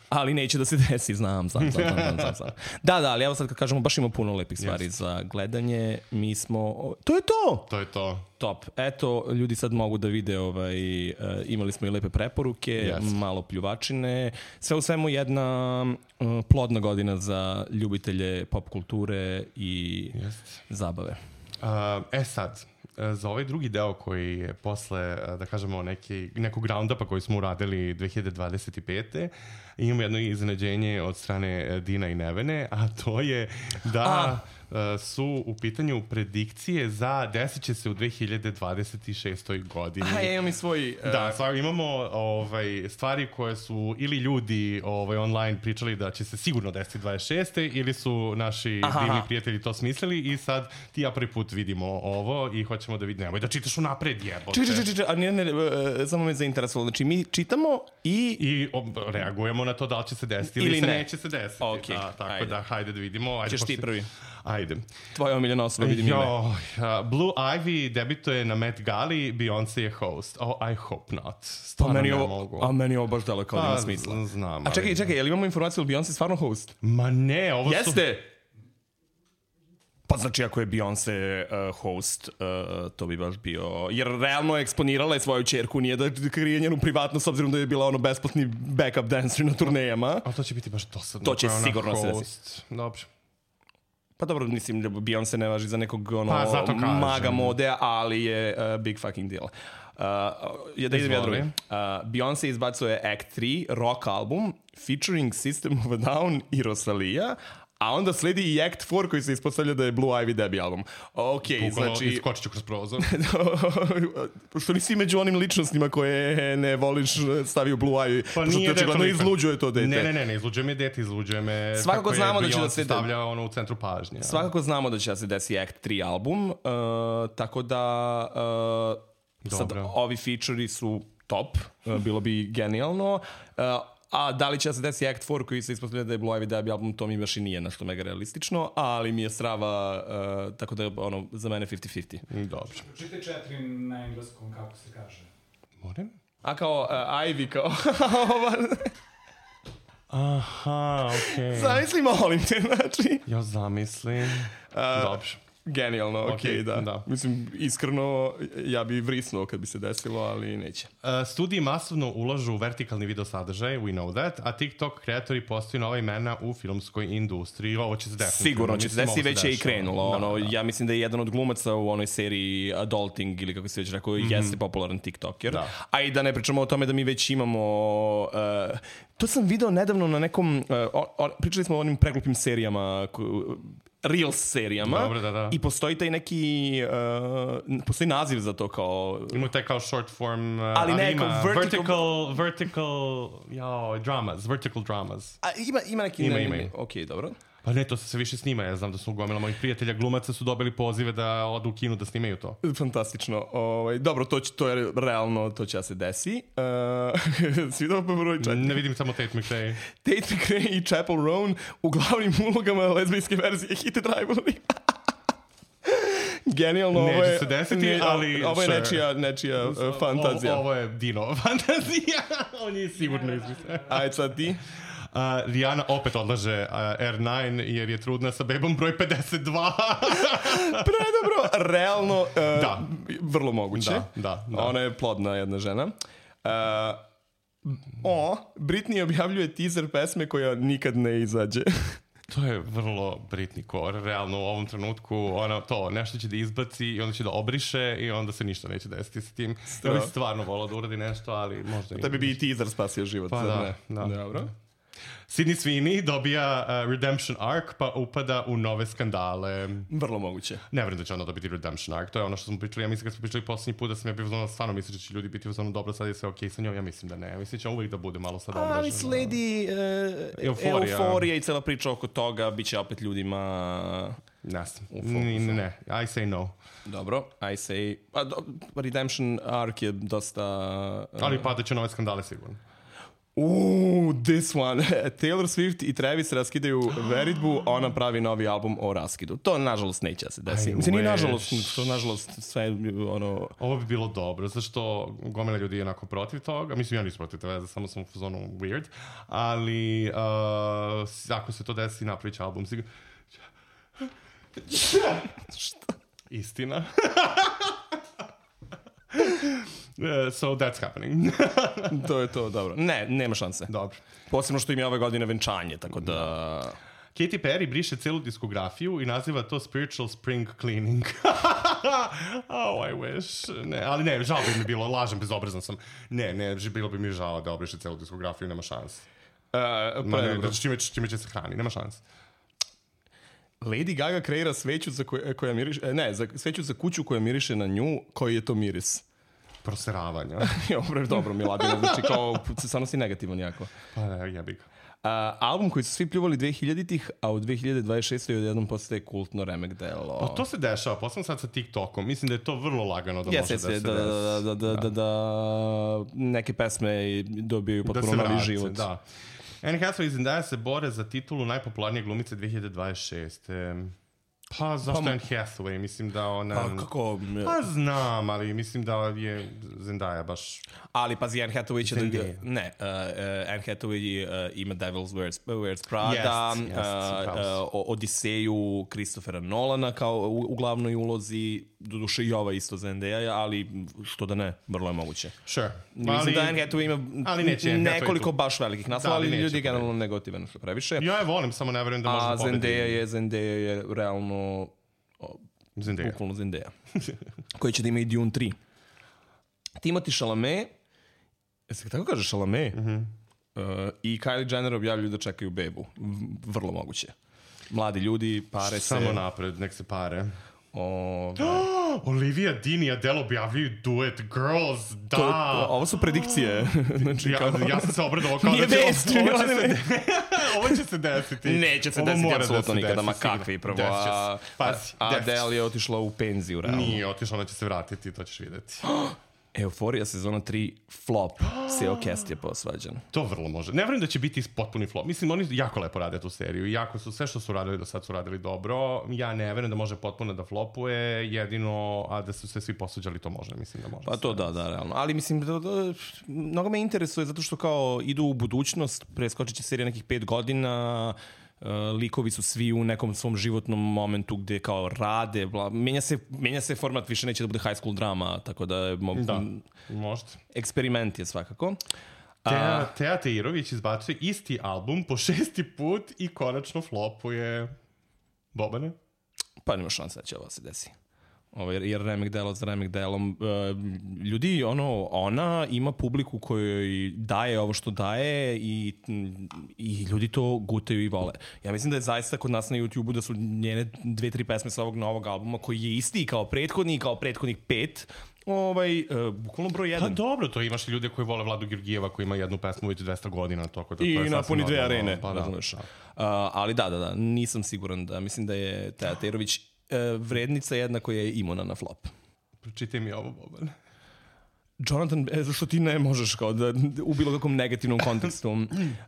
Ali neće da se desi, znam, znam, znam, znam, znam, znam. Da, da, ali evo sad kad kažemo, baš ima puno lepih stvari yes. za gledanje. Mi smo... To je to! To je to. Top. Eto, ljudi sad mogu da vide, ovaj, uh, imali smo i lepe preporuke, yes. malo pljuvačine. Sve u svemu jedna uh, plodna godina za ljubitelje pop kulture i yes. zabave. Uh, e sad... za ovaj drugi deo koji je posle, da kažemo, neki, nekog roundupa koji smo uradili dve hiljade dvadeset pete imamo jedno iznenađenje od strane Dina i Nevene, a to je da a. su u pitanju predikcije za desit će se u dve hiljade dvadeset šestoj godini. A, ja imam i svoj... Uh... Da, stvar, imamo ovaj, stvari koje su ili ljudi ovaj, online pričali da će se sigurno desiti dvadeset šeste ili su naši Aha. divni prijatelji to smislili i sad ti ja prvi put vidimo ovo i hoćemo da vidimo. Nemoj da čitaš unapred, jebote. Či, či, či, či, a ne, ne, ne, samo me zainteresovalo. Znači, mi čitamo i... I ob, reagujemo na to da li će se desiti ili, ili se ne. neće se desiti. Okay. Da, tako ajde. da, hajde da vidimo. Ajde, Ćeš ti prvi. Ajde. Tvoja omiljena osoba, vidim ime. Jo, uh, Blue Ivy debituje na Met Gali, Beyoncé je host. Oh, I hope not. Stvarno meni ne ovo, mogu. A meni ovo baš delo kao da ima smisla. Znam. A čekaj, čekaj, je li imamo informaciju ili Beyoncé stvarno host? Ma ne, ovo Jeste! su... Jeste! Pa znači ako je Beyoncé uh, host, uh, to bi baš bio... Jer realno je eksponirala je svoju čerku, nije da krije njenu privatnost, s obzirom da je bila ono besplatni backup dancer na turnejama. A to će biti baš dosadno. To će sigurno se desiti. Dobro. Pa dobro, mislim da Beyoncé ne važi za nekog ono, pa, maga mode, ali je uh, big fucking deal. Uh, je da idem ja drugi. Uh, Beyoncé izbacuje Act tri, rock album, featuring System of a Down i Rosalija, a onda sledi i Act četiri koji se ispostavlja da je Blue Ivy debut album. Ok, Bukalo, znači... iskočit ću kroz prozor. Pošto nisi među onim ličnostima koje ne voliš stavio Blue Ivy. Pa pošto nije te očigledno izluđuje to dete. Ne, ne, ne, ne izluđuje me dete, izluđuje me svakako kako znamo je da će Beyoncé da se stavlja ono u centru pažnje. Svakako znamo da će da se desi Act tri album, uh, tako da uh, sad ovi feature-i su top, uh, bilo bi genijalno. Uh, A da li će se desiti Act četiri koji se ispostavlja da je Blue Ivy debut album, to mi baš i nije nešto mega realistično, ali mi je strava, uh, tako da je ono, za mene fifty fifty. Dobro. Čitaj četiri na engleskom, kako se kaže. Moram? A kao uh, Ivy, kao... Aha, okej. Okay. Zamisli, molim te, znači. Ja zamislim. Uh, Dobro. Genijalno, okej, okay, okay, da. da. Mislim, iskreno, ja bi vrisnuo kad bi se desilo, ali neće. Uh, studiji masovno ulažu u vertikalni video sadržaj, we know that, a TikTok kreatori postaju nova imena u filmskoj industriji. Ovo će se definitivno. Sigurno će se desiti, već je i krenulo. Da, ono, da. Ja mislim da je jedan od glumaca u onoj seriji Adulting, ili kako se već rekao, mm-hmm. jeste popularan TikToker. Da. A i da ne pričamo o tome da mi već imamo... Uh, to sam video nedavno na nekom... Uh, o, o, pričali smo o onim preglupim serijama... Ko, Reels serijama. Dobro, da, da. I postoji taj neki uh, postoji naziv za to kao ima taj kao short form uh, ali ne, ima vertical vertical, vertical jao, dramas, vertical dramas. A ima, ima neki ima, ne, ima, ne, ima. ok, dobro. Pa ne, to se sve više snima. Ja znam da su gomila mojih prijatelja glumaca su dobili pozive da odu u kinu da snimaju to. Fantastično. Ovaj, dobro, to, će, to je realno, to će da se desi. Uh, svi dobro broj četiri. Ne vidim samo Tate McRae. Tate McRae i Chappell Roan u glavnim ulogama lezbijske verzije Hit and Rivalry. Genijalno, ovo je... Neće se desiti, ne, ali... Ovo je sure. nečija, nečija uh, fantazija. O, ovo je Dino fantazija. On je sigurno izmislio. Ajde sad ti. Uh, Rihanna opet odlaže uh, R devet jer je trudna sa bebom broj pedeset dva. Predobro, realno, uh, da. Vrlo moguće. Da, da, da. Ona je plodna jedna žena. Uh, o, Britney objavljuje teaser pesme koja nikad ne izađe. To je vrlo Britney core, realno u ovom trenutku ona to nešto će da izbaci i onda će da obriše i onda se ništa neće desiti sa tim. Ja bih stvarno volao da uradi nešto, ali možda nije. Da bi bi i teaser spasio život. Pa da, ne? da. Dobro. Sydney Sweeney dobija uh, Redemption Arc pa upada u nove skandale. Vrlo moguće. Ne vjerujem da će onda dobiti Redemption Arc, to je ono što smo pričali. Ja mislim kad smo pričali posljednji put da sam ja bio uzmano, stvarno mislim da će ljudi biti uzmano dobro, sad je sve okej okay sa njom, ja mislim da ne. Ja mislim da će uvijek da bude malo sad obraženo. Ali sledi uh, euforija. euforija i cela priča oko toga, bit će opet ljudima... Ne, ne, ne, ne, I say no. Dobro, I say... A, do, Redemption Arc je dosta... Uh, Ali padat će nove skandale sigurno. Uuu, this one. Taylor Swift i Travis raskidaju veritbu, ona pravi novi album o raskidu. To, nažalost, neće da se desi. Mislim, nije nažalost, to, nažalost, sve ono... Ovo bi bilo dobro, zašto gomila ljudi je onako protiv toga. Mislim, ja nisam protiv toga, samo sam u fazonu weird. Ali, uh, ako se to desi, napravit će album. Sigurno... Šta? Istina. Uh, so that's happening. To je to, dobro. Ne, nema šanse. Dobro. Posebno što im je ove godine venčanje, tako da... Katy Perry briše celu diskografiju i naziva to spiritual spring cleaning. Oh, I wish. Ne, ali ne, žao bi mi bilo, lažem, bezobrazan sam. Ne, ne, bilo bi mi žao da obriše celu diskografiju, nema šans. Uh, Ma ne, da čime, čime će se hrani, nema šans. Lady Gaga kreira sveću za koja, koja miriše, ne, za, sveću za kuću koja miriše na nju, koji je to miris? Proseravanja. Dobro, dobro, Miladina, znači kao, stvarno si negativan jako. Pa ne, jebi ga. Uh, album koji su svi pljuvali dve hiljaditih, a u dve hiljade dvadeset šestoj odjednom postaje kultno remek delo. Pa to se dešava, posebno sad sa TikTokom. Mislim da je to vrlo lagano da yes, može yes, da se da, da, da, da, da, da neke pesme dobiju potpuno da novi vrate, život. Da. Anne Hathaway i Zendaya se bore za titulu najpopularnije glumice dve hiljade dvadeset šeste. Pa zašto pa, Anne Hathaway? Mislim da ona... Pa kako? Pa znam, ali mislim da je Zendaya baš... Ali pazi, Anne Hathaway će da... Ne, uh, uh, Anne Hathaway uh, ima Devil's Wears, Wears Prada, yes, yes, uh, uh, Odiseju Christophera Nolana kao u, u glavnoj ulozi, doduše i ova isto Zendaya, ali što da ne, vrlo je moguće. Sure. Mislim ali, da Anne Hathaway ima ali neće, nekoliko baš velikih naslova, ali, ali ljudi je generalno ne. negativan što previše. Ja je volim, samo ne verujem da može a pobediti. A Zendaya je, Zendaya je realno... Zendaya. Bukvalno Zendaya. Koji će da ima i Dune tri. Timothy Chalamet, jesi tako kaže Chalamet, mm-hmm. uh, i Kylie Jenner objavljuju da čekaju bebu. V- vrlo moguće. Mladi ljudi, pare se... Samo napred, nek se pare. O, Olivia Dean i Adele objavljuju duet Girls, da! To, ovo su predikcije. Znači, ja, kao... ja sam se obradovao kao Nije da će vest, ovo, ovo, će se, ovo će se desiti. Neće se ovo desiti da apsolutno se nikada, desi, ma kakvi prvo. A, Pazi, a Adele je otišla u penziju, realno. Nije otišla, ona će se vratiti, to ćeš vidjeti. Euforija sezona tri flop. Seo Cast je posvađan. To vrlo može. Ne vjerujem da će biti potpuni flop. Mislim, oni jako lepo rade tu seriju. I jako su, sve što su radili do sad su radili dobro. Ja ne vjerujem da može potpuno da flopuje. Jedino, a da su se svi posuđali, to može. Mislim da može. Pa to da, da, realno. Ali mislim, da, da, mnogo me interesuje zato što kao idu u budućnost, preskočit će serija nekih pet godina, Uh, likovi su svi u nekom svom životnom momentu gde kao rade, bla, menja, se, menja se format, više neće da bude high school drama, tako da je mo- Da, možda. Eksperiment je svakako. Teja, Teja Teirović izbacuje isti album po šesti put i konačno flopuje. Bobane? Pa nema šanse da će ovo se desi. Ovo, jer, jer remek delo za remek delom. Uh, ljudi, ono, ona ima publiku kojoj daje ovo što daje i, i ljudi to gutaju i vole. Ja mislim da je zaista kod nas na YouTubeu da su njene dve, tri pesme sa ovog novog albuma koji je isti kao prethodni, kao prethodnih pet, ovaj, uh, bukvalno broj jedan. Pa dobro, to imaš ljude koji vole Vladu Georgijeva koji ima jednu pesmu već dvesta godina. Toko da I to je napuni dve normalno. arene, Pa, razumeš. da, da. Uh, ali da, da, da, nisam siguran da, mislim da je Teja Teirović uh, vrednica jednako je imuna na flop. Pročitaj mi ovo, Bobane. Jonathan, e, zašto ti ne možeš kao da u bilo kakvom negativnom kontekstu.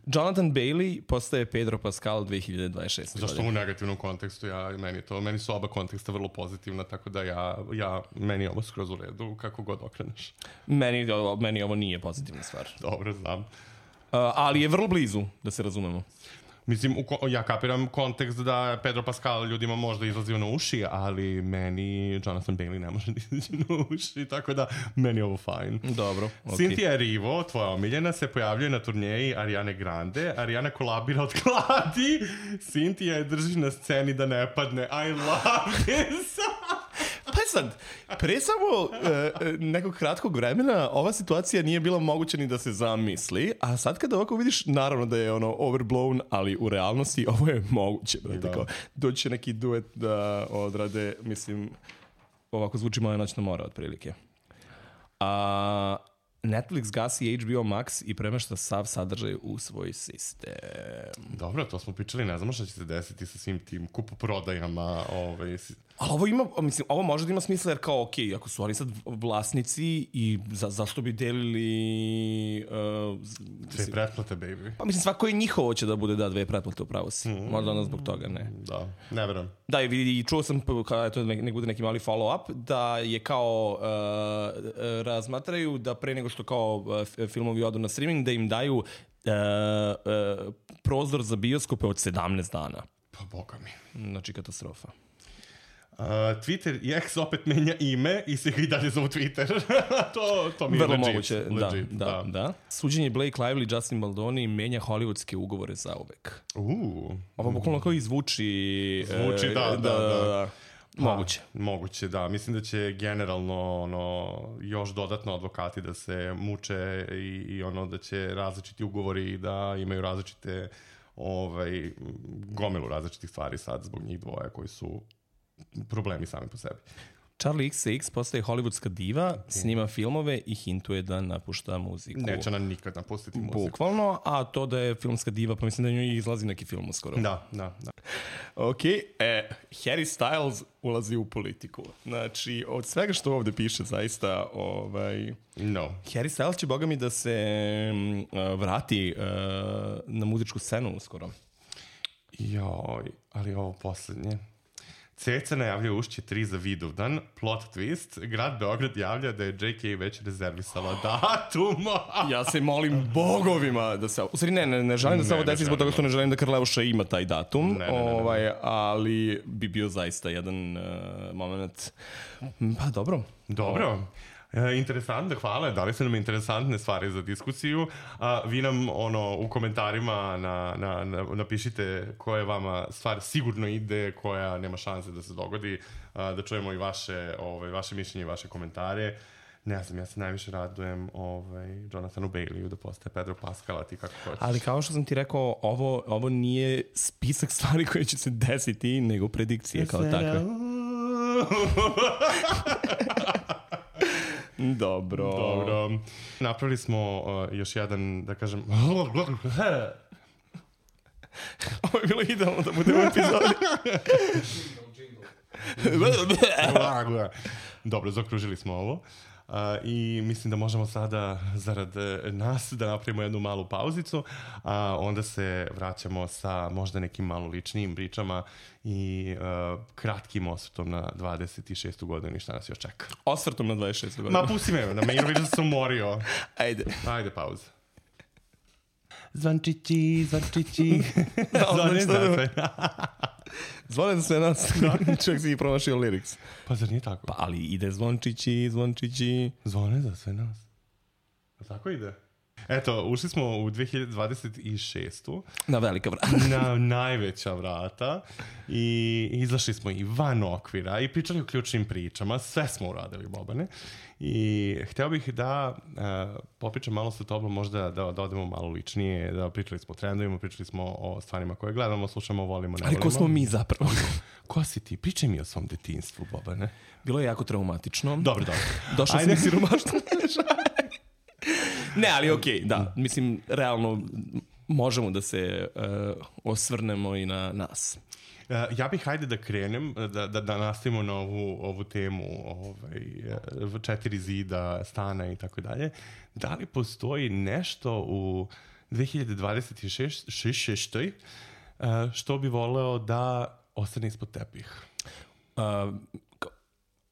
Jonathan Bailey postaje Pedro Pascal dve hiljade dvadeset šeste. Zašto u negativnom kontekstu? Ja, meni, to, meni su oba konteksta vrlo pozitivna, tako da ja, ja, meni je ovo skroz u redu, kako god okreneš. Meni, meni ovo nije pozitivna stvar. Dobro, znam. Uh, ali je vrlo blizu, da se razumemo. Mislim, u, ko- ja kapiram kontekst da Pedro Pascal ljudima možda izlazio na uši, ali meni Jonathan Bailey ne može da izaći na uši, tako da meni je ovo fajn. Dobro, Okay. okej. Cynthia Erivo, tvoja omiljena, se pojavljuje na turneji Ariane Grande. Ariana kolabira od kladi. Cynthia je drži na sceni da ne padne. I love this! Pa sad, pre samo uh, nekog kratkog vremena ova situacija nije bila moguća ni da se zamisli, a sad kada ovako vidiš, naravno da je ono overblown, ali u realnosti ovo je moguće. Da. Kao, doći će neki duet da odrade, mislim, ovako zvuči Moja noćna mora otprilike. A Netflix gasi H B O Max i premešta sav sadržaj u svoj sistem. Dobro, to smo pričali, ne znamo šta će se desiti sa svim tim kupoprodajama. Ovaj, Ali ovo ima, mislim, ovo može da ima smisla jer kao, ok, ako su oni sad vlasnici i za, zašto bi delili... Uh, Dve pretplate, baby. Pa mislim, svako je njihovo će da bude da dve pretplate, upravo si. Mm. Možda onda zbog toga, ne. Da, ne verujem. Da, i vidi, čuo sam, kada je to nek bude neki mali follow-up, da je kao, uh, razmatraju da pre nego što kao uh, filmovi odu na streaming, da im daju uh, uh, prozor za bioskope od sedamnaest dana. Pa boga mi. Znači, katastrofa. Uh, Twitter i X opet menja ime i se ga i dalje zovu Twitter. to, to mi je vrlo legit, moguće, legit, da, da, da, da. Suđenje Blake Lively i Justin Baldoni menja hollywoodske ugovore za uvek. Uh, Ovo bukvalno kao izvuči... Zvuči, e, da, da, da. da. Moguće. Pa, moguće, da. Mislim da će generalno ono, još dodatno advokati da se muče i, i ono da će različiti ugovori da imaju različite ovaj, gomilu različitih stvari sad zbog njih dvoja koji su problemi sami po sebi. Charlie X C X postaje hollywoodska diva, snima filmove i hintuje da napušta muziku. Neće nam nikad napustiti muziku. Bukvalno, a to da je filmska diva, pa mislim da njoj izlazi neki film uskoro. Da, da, da. Ok, e, Harry Styles ulazi u politiku. Znači, od svega što ovde piše, zaista, ovaj... No. Harry Styles će, boga mi, da se uh, vrati uh, na muzičku scenu uskoro. Joj, ali ovo poslednje. Ceca najavlja Ušće tri za Vidovdan, plot twist, grad Beograd javlja da je J K već rezervisala datum. Ja se molim bogovima da se... U stvari ne, ne, ne želim da se Ne, ovo ne desi zbog toga što ne želim da Karleuša ima taj datum, Ne, ne, ne, ne, ne. ovaj, ali bi bio zaista jedan uh, moment... Pa dobro. Dobro. E, interesantno, hvala. Dali su nam interesantne stvari za diskusiju. A, vi nam ono, u komentarima na, na, na, napišite koja vama stvar sigurno ide, koja nema šanse da se dogodi, a, da čujemo i vaše, ovaj, vaše mišljenje i vaše komentare. Ne znam, ja se najviše radujem ovaj, Jonathanu Baileyu da postaje Pedro Pascal, a ti kako hoćeš. Ali kao što sam ti rekao, ovo, ovo nije spisak stvari koje će se desiti, nego predikcije kao takve. Dobro. Dobro. Napravili smo uh, još jedan, da kažem... Ovo je bilo idealno da bude u epizodi. Dobro, zaokružili smo ovo. Uh, I mislim da možemo sada, zarad nas, da napravimo jednu malu pauzicu, a uh, onda se vraćamo sa možda nekim malo ličnijim pričama i uh, kratkim osvrtom na dvadeset šestu godinu i šta nas još čeka. Osvrtom na dvadeset šestu godinu. Ma pusti me, na meni vidiš da sam umorio. Ajde. Ajde, pauza. Zvončići, zvončići. Zvone za sve nas. Zvone za sve nas. Čak si i promašio lyrics. Pa zar nije tako? Pa ali ide zvončići, zvončići. Zvone za sve nas. A tako ide? Eto, ušli smo u dve hiljade dvadeset šestu. Na velika vrata. Na najveća vrata. I izašli smo i van okvira i pričali o ključnim pričama. Sve smo uradili, Bobane. I hteo bih da uh, popričam malo sa tobom, možda da, da odemo malo ličnije, da pričali smo o trendovima, pričali smo o stvarima koje gledamo, slušamo, volimo, ne volimo. Ali ko smo mi zapravo? Ko si ti? Pričaj mi o svom detinjstvu, Bobane. Bilo je jako traumatično. Dobro, dobro. Došao sam iz siromaštva. Ne, ali okej, okay, da. Mislim, realno možemo da se uh, osvrnemo i na nas. Uh, ja bih hajde da krenem, da, da, da nastavimo na ovu, ovu temu ovaj, četiri zida, stana i tako dalje. Da li postoji nešto u dve hiljade dvadeset šestoj uh, što bi voleo da ostane ispod tepih? Uh,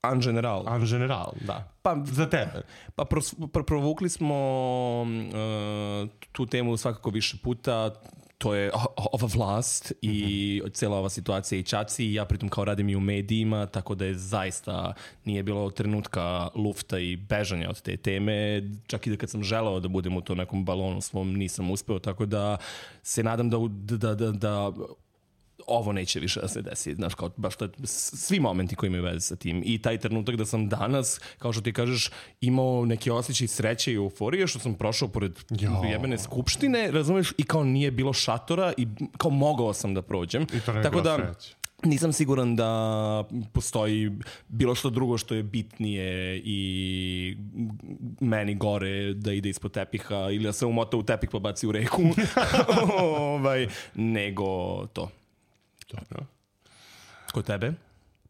En general. En general, da. Pa, za tebe. Pa pros, pr, provukli smo uh, tu temu svakako više puta. To je ova vlast i mm-hmm. cijela ova situacija i čaci. Ja pritom kao radim i u medijima, tako da je zaista nije bilo trenutka lufta i bežanja od te teme. Čak i da kad sam želeo da budem u to nekom balonu svom, nisam uspeo. Tako da se nadam da... da, da, da ovo neće više da se desi, znaš, kao baš to, svi momenti koji imaju veze sa tim i taj trenutak da sam danas, kao što ti kažeš, imao neki osjećaj sreće i euforije što sam prošao pored jo. jebene skupštine, razumeš, i kao nije bilo šatora i kao mogao sam da prođem. I to ne tako da sreće. Nisam siguran da postoji bilo što drugo što je bitnije i meni gore da ide ispod tepiha ili da se umota u tepih pa baci u reku ovaj, nego to. Dobro. Kod tebe?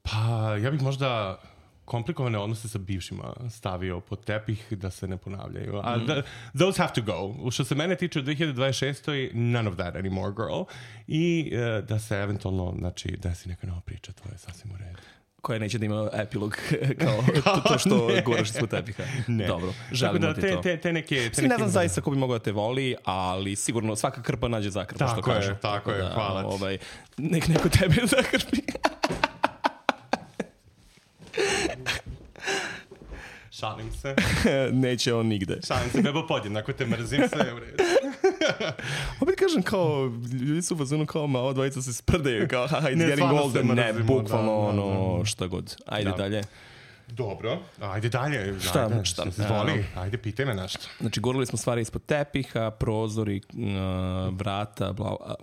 Pa, ja bih možda komplikovane odnose sa bivšima stavio pod tepih da se ne ponavljaju. A mm. the, those have to go. Što se mene tiče u dve hiljade dvadeset šestoj none of that anymore, girl. I uh, da se eventualno, znači, desi neka nova priča, to je sasvim u redu. Koja neće da ima epilog kao to, to što guraš ispod tepiha. Ne. Dobro, želimo da, ti te, to. Te, te neke, te Svi ne znam zaista ko bi mogao da te voli, ali sigurno svaka krpa nađe zakrpa, što tako kaže. Je, tako je, da, hvala ti. Ovaj, nek neko tebe zakrpi. Šalim se. Neće on nigde. Šalim se, bebo podjednako te mrzim, sve u redu. Opet kažem kao, ljudi su u fazonu kao, ma ova dvojica se sprdaju, kao, ha, it's ne, getting older, ne, bukvalno, da, ono, da, da. šta god. Ajde da. dalje. Dobro, ajde dalje. Šta? Ajde, šta? Zvoli, ajde, pitaj me nešto. Znači, gurali smo stvari ispod tepiha, prozori, uh, vrata, bla, uh,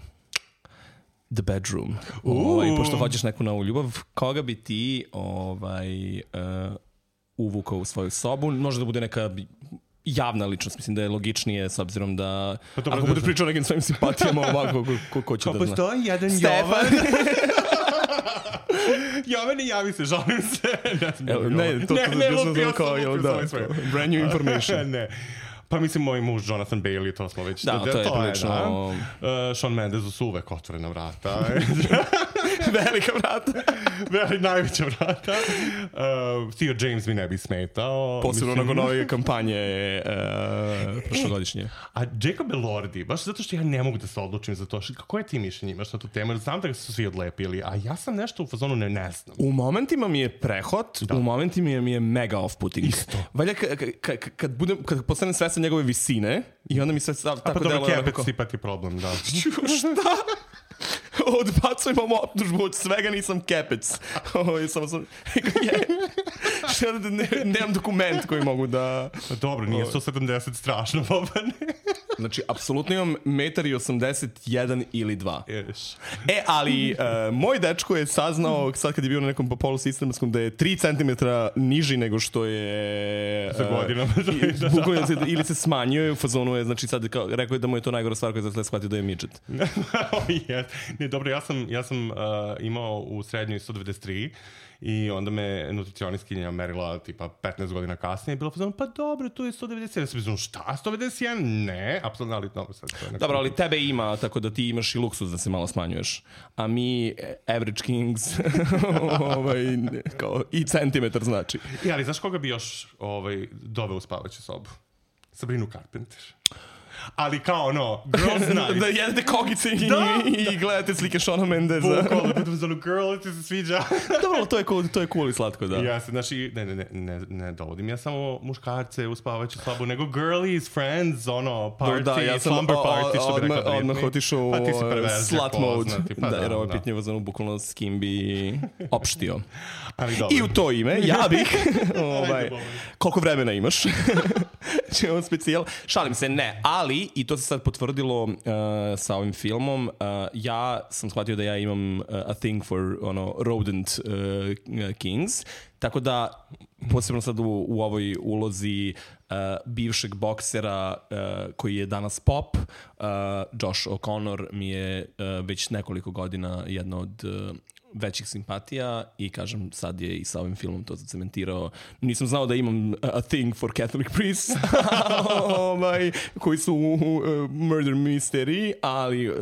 the bedroom. Ovaj, pošto hoćeš neku novu ljubav, koga bi ti ovaj, uh, uvukao u svoju sobu? Može da bude neka javna ličnost, mislim da je logičnije s obzirom da pa ako budeš pričao nekim svojim simpatijama ovako, ko, ko, ko će da zna. Postoji jedan Jovan. Jovane, javi se, žalim se. Ne, Evo, ne, to, ne, to, ne, to, lupio to, kao, sam, da, brand new information. Ne. Pa mislim, moj muž Jonathan Bailey, to smo već... Da, da to je prilično... Da. Uh, Shawn Mendes su uvek otvorena vrata. Velika vrata. Veli, najveća vrata. Uh, Theo James mi ne bi smetao. Posebno nakon nove kampanje uh, prošlogodišnje. A Jacob Elordi, baš zato što ja ne mogu da se odlučim za to. Kako je ti mišljenje imaš na tu temu? Znam da su svi odlepili, a ja sam nešto u fazonu ne, ne znam. U momentima mi je prehod, da. U momentima mi je mega off-putting. Isto. Valja kad budem, kad postanem svestan njegove visine i onda mi se stav, tako delo... A pa dobro, kepec kako... si pa ti problem, da. Šta? Odbacujemo optužbu, od svega nisam kepec. O, samo sam... ne, nemam dokument koji mogu da... Dobro, nije sto sedamdeset strašno, Bobane. Znači, apsolutno imam metar i osamdeset jedan ili dva. Ješ. E, ali uh, moj dečko je saznao, sad kad je bio na nekom polusistematskom, da je tri centimetra niži nego što je... Za godinama. Uh, bukvalno se, ili se smanjio u fazonu je, znači sad kao, rekao je da mu je to najgora stvar koja je zasle shvatio da je midget. yes. Ne, dobro, ja sam, ja sam uh, imao u srednjoj sto devedeset tri i onda me nutricionistkinja merila tipa petnaest godina kasnije i bilo fazon, pa dobro, tu je sto devedeset jedan. Ja sam fazon, šta, sto devedeset jedan? Ne, apsolutno, ali dobro sad. Dobro, ali tebe ima, tako da ti imaš i luksus da se malo smanjuješ. A mi, average kings, ovaj, kao, i centimetar znači. I, ali znaš koga bi još ovaj, doveo u spavaću sobu? Sabrinu Carpenter. ali kao ono, girls night. Da jedete kogice i, da, i, i gledate slike Shona Mendesa. Bukvalno, pitam za ono, girl, ti se sviđa. Dobro, to je cool, to je cool i slatko, da. Ja se, znači, ne, ne, ne, ne, ne dovodim ja samo muškarce u spavajuću sobu, nego girlies, friends, ono, party, da, ja sam slumber party, što bi rekao Britney. Odmah otišao u pa slut mode. Pa da, jer da, ovo da. pitanje vazano bukvalno s kim bi opštio. Ali dobro. I u to ime, ja bih, ovaj, koliko vremena imaš? Ćemo specijal. Šalim se, ne, ali, i to se sad potvrdilo uh, sa ovim filmom, uh, ja sam shvatio da ja imam uh, a thing for ono, rodent uh, kings, tako da, posebno sad u, u ovoj ulozi uh, bivšeg boksera uh, koji je danas pop, uh, Josh O'Connor mi je uh, već nekoliko godina jedno od uh, većih simpatija i kažem sad je i sa ovim filmom to zacementirao. Nisam znao da imam a thing for Catholic priests ovaj, koji su uh, murder mystery, ali uh,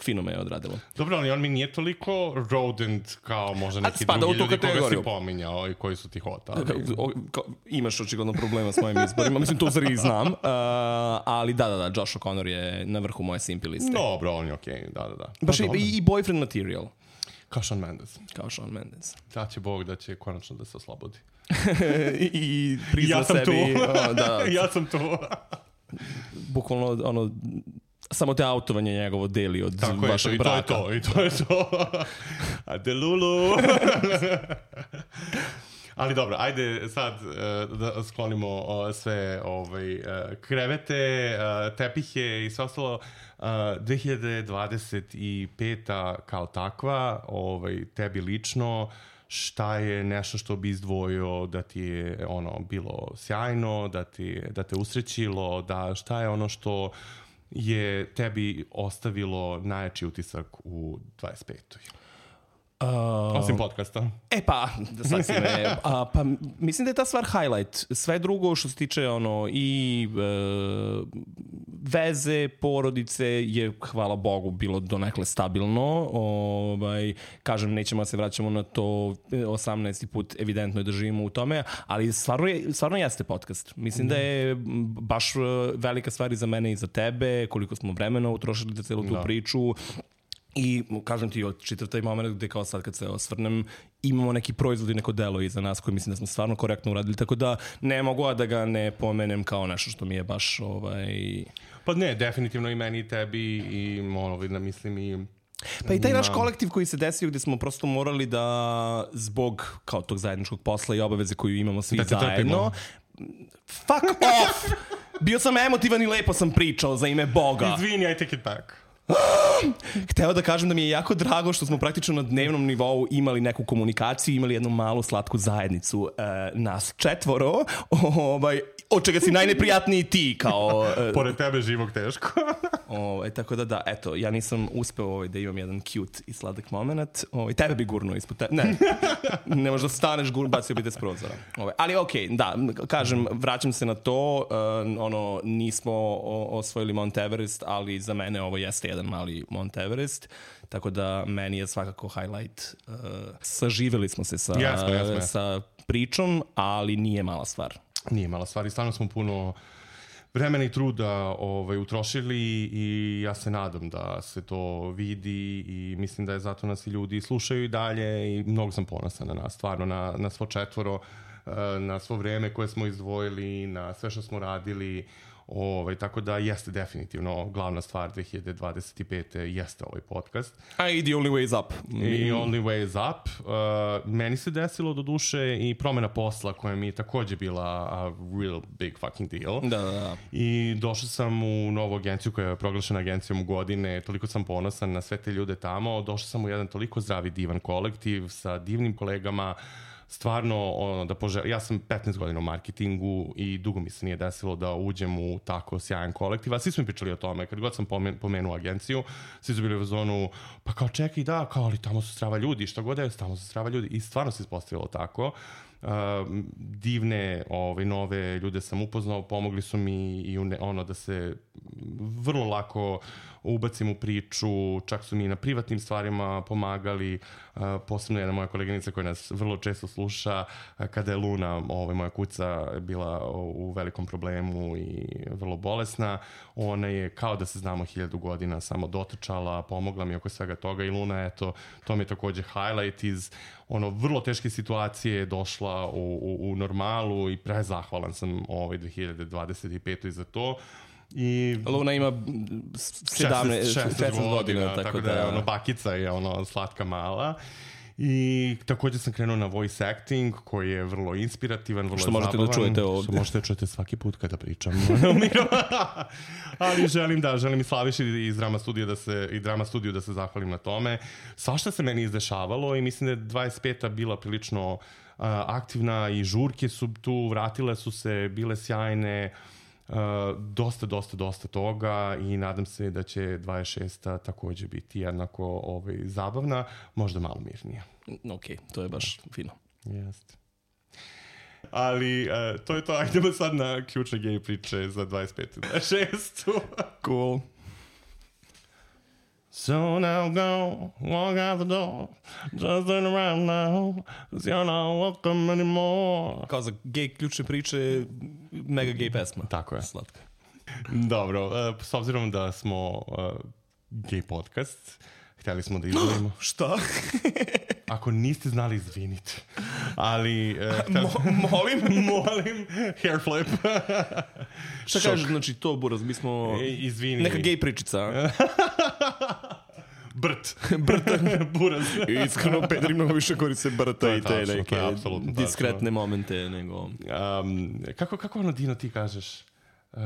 fino me je odradilo. Dobro, ali on mi nije toliko rodent kao možda neki spada drugi ljudi kategoriju. koga si pominjao i koji su ti hotali. Imaš očigledno problema s mojim izborima, mislim to zari znam, uh, ali da, da, da, Josh O'Connor je na vrhu moje simpi liste. Dobro, on je okej, okay. da, da, da. Baš i, i boyfriend material. Kao Shawn Mendes. Kao Shawn Mendes. Da će Bog da će konačno da se oslobodi. I, i prizna ja sam sebi. Tu. O, da, ja sam tu. Bukvalno, ono, samo te autovanje njegovo deli od tako vašeg je, braka. Tako je, i to je to, i to je to. Adelulu. Ali dobro, ajde sad uh, da sklonimo uh, sve ovaj, uh, krevete, uh, tepihe i sve ostalo. Uh, dve hiljade dvadeset peta kao takva, ovaj, tebi lično, šta je nešto što bi izdvojio da ti je ono bilo sjajno, da, ti, da te usrećilo, da šta je ono što je tebi ostavilo najjači utisak u dvadeset petoj Uh, Osim podcasta. E pa, da sad si me, a, pa mislim da je ta stvar highlight. Sve drugo što se tiče ono i e, veze, porodice je, hvala Bogu, bilo donekle stabilno. Ovaj, kažem, nećemo da se vraćamo na to osamnaesti put, evidentno je da živimo u tome, ali stvarno, je, stvarno jeste podcast. Mislim mm. da je baš velika stvar i za mene i za tebe, koliko smo vremena utrošili za celu tu da. priču. I kažem ti, čitav taj moment gde kao sad kad se osvrnem, imamo neki proizvod i neko delo iza nas koji mislim da smo stvarno korektno uradili, tako da ne mogu da ga ne pomenem kao nešto što mi je baš ovaj... Pa ne, definitivno i meni i tebi i ono, vidim, mislim i... Pa i taj naš kolektiv koji se desio gde smo prosto morali da zbog kao tog zajedničkog posla i obaveze koju imamo svi da zajedno... Fuck off! Bio sam emotivan i lepo sam pričao za ime Boga. Izvini, I take it back. Hteo da kažem da mi je jako drago što smo praktično na dnevnom nivou imali neku komunikaciju, imali jednu malu slatku zajednicu, e, nas četvoro, ovaj, od čega si najneprijatniji ti kao... E, Pored tebe živog teško. ovaj, tako da da, eto, ja nisam uspeo ovaj, da imam jedan cute i sladak moment. Ovaj, tebe bi gurnuo ispod tebe. Ne, ne možda staneš, gur, bacio bi te s prozora. Ovaj, ali okej, okay, da, kažem, vraćam se na to, uh, ono, nismo o, osvojili Mount Everest, ali za mene ovo jeste jedan mali Mount Everest, tako da meni je svakako highlight. Uh, saživeli smo se sa, jasno, jasno, jasno. sa pričom, ali nije mala stvar. Nije mala stvar i stvarno smo puno vremena i truda ovaj, utrošili i ja se nadam da se to vidi i mislim da je zato nas i ljudi slušaju i dalje i mnogo sam ponosan na nas, stvarno na, na svo četvoro, na svo vreme koje smo izdvojili, na sve što smo radili. Ovaj, tako da jeste definitivno glavna stvar dve hiljade dvadeset pete jeste ovaj podcast. A i the only way is up. I only way is up. Uh, meni se desilo do duše i promena posla koja mi je takođe bila a real big fucking deal. Da, da, da. I došao sam u novu agenciju koja je proglašena agencijom godine. Toliko sam ponosan na sve te ljude tamo. Došao sam u jedan toliko zdravi, divan kolektiv sa divnim kolegama. Stvarno, ono, da poželim, ja sam petnaest godina u marketingu i dugo mi se nije desilo da uđem u tako sjajan kolektiv, a svi smo mi pričali o tome, kad god sam pomenuo agenciju, svi su bili u zonu, pa kao čekaj, da, kao ali tamo su strava ljudi, šta god je, tamo su strava ljudi i stvarno se ispostavilo tako. Uh, divne ove, nove ljude sam upoznao, pomogli su mi i une, ono da se vrlo lako ubacim u priču, čak su mi na privatnim stvarima pomagali, uh, posebno jedna moja koleginica koja nas vrlo često sluša, uh, kada je Luna, ovaj, moja kuca, bila u velikom problemu i vrlo bolesna, ona je kao da se znamo hiljadu godina samo dotrčala, pomogla mi oko svega toga i Luna, eto, to mi je takođe highlight iz ono vrlo teške situacije, došla u, u, u normalu i prezahvalan sam ovaj dve hiljade dvadeset pete za to. I Luna ima sedamnaest, šesnaest godina, tako, tako da, da je ono bakica je ono slatka mala. I također sam krenuo na voice acting koji je vrlo inspirativan, vrlo što zabavan. Što možete da čujete ovdje. Što možete da čujete svaki put kada pričam. Ali želim da, želim i Slaviši iz Drama Studija da se, i Drama Studiju da se zahvalim na tome. Svašta se meni izdešavalo i mislim da je dvadeset peta bila prilično uh, aktivna i žurke su tu, vratile su se, bile sjajne. Uh, dosta, dosta, dosta toga i nadam se da će dvadeset šesta također biti jednako ovaj, zabavna, možda malo mirnija. Ok, to je baš fino. Jeste. Ali uh, to je to, ajdemo sad na ključne gej priče za dvadeset petu dvadeset šestu Cool. So now go, walk out the door, just turn around now, cause you're not welcome anymore. Kao za gej ključne priče, mega gej pesma. Tako je. Slatka. Dobro, uh, s obzirom da smo uh, gej podcast, htjeli smo da izvolimo. Šta? Ako niste znali, izvinite. Ali... Uh, htjeli... Mo- molim? molim. Hair flip. Šta kažeš, znači to, Buraz, mi smo... E, izvini. Neka gej pričica. Brt. Brta. Buraz. Iskreno, Pedri mnogo više koriste brta i te tačno, neke diskretne tačno. momente nego... Um, kako, kako ono, Dino, ti kažeš? Uh,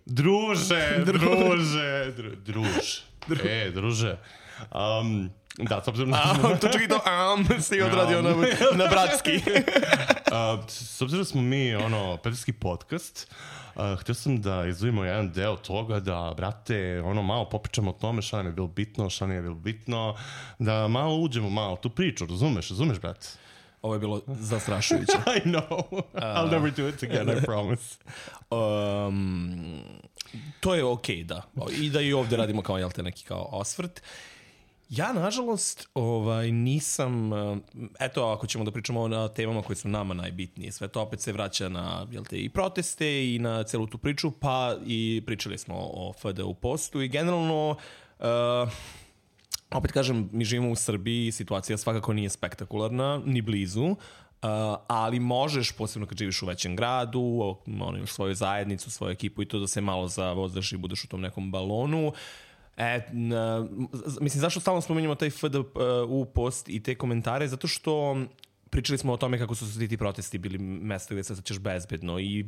druže, druže, dru, druž. E, druže. Um, da, s obzirom na... A, to čak i to am si odradio na, na bratski. uh, s obzirom smo mi, ono, pederski podcast, uh, htio sam da izvojimo jedan deo toga, da, brate, ono, malo popričamo o tome šta nam je bilo bitno, šta nam je bilo bitno, da malo uđemo malo tu priču, razumeš, razumeš, brate? Ovo je bilo zastrašujuće. I know. I'll never do it again, I promise. Um, to je okej, okay, da. I da i ovdje radimo kao, jel te, neki kao osvrt. Ja, nažalost, ovaj, nisam... Eto, ako ćemo da pričamo na temama koje su nama najbitnije, sve to opet se vraća na, jel te, i proteste i na celu tu priču, pa i pričali smo o F D U postu i generalno... Uh, opet kažem, mi živimo u Srbiji, situacija svakako nije spektakularna, ni blizu, uh, ali možeš, posebno kad živiš u većem gradu, ono, imaš svoju zajednicu, svoju ekipu i to da se malo zavozdaš i budeš u tom nekom balonu. E, na, mislim, zašto stalno spominjamo taj F D U post i te komentare? Zato što pričali smo o tome kako su se ti protesti bili mesta gdje se osjećaš bezbedno i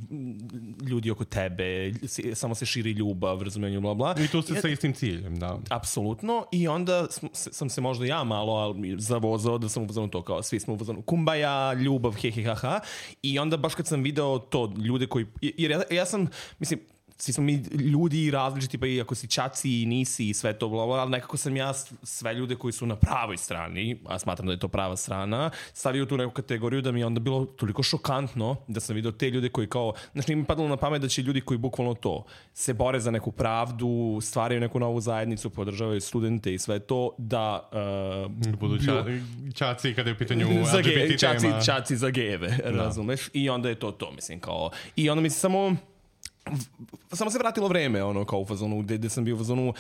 ljudi oko tebe, samo se širi ljubav, razumijenje, bla, bla. I to se sa istim ciljem, da. Apsolutno. I onda sam se možda ja malo ali zavozao da sam uvozano to kao svi smo uvozano kumbaja, ljubav, he, he, ha, ha. I onda baš kad sam video to, ljude koji... Jer ja, ja sam, mislim, svi smo mi ljudi različiti, pa i ako si čaci i nisi i sve to, bla, bla, ali nekako sam ja sve ljude koji su na pravoj strani, a smatram da je to prava strana, stavio tu neku kategoriju da mi je onda bilo toliko šokantno da sam vidio te ljude koji kao, znači nije mi padalo na pamet da će ljudi koji bukvalno to se bore za neku pravdu, stvaraju neku novu zajednicu, podržavaju studente i sve to, da... Uh, budu ča, čaci kada je u pitanju za L G B T čaci, tema. čaci za gejeve, razumeš? I onda je to to, mislim, kao... I onda mi se samo... Samo se vratilo vreme, ono, kao u fazonu, gde, gde sam bio u fazonu,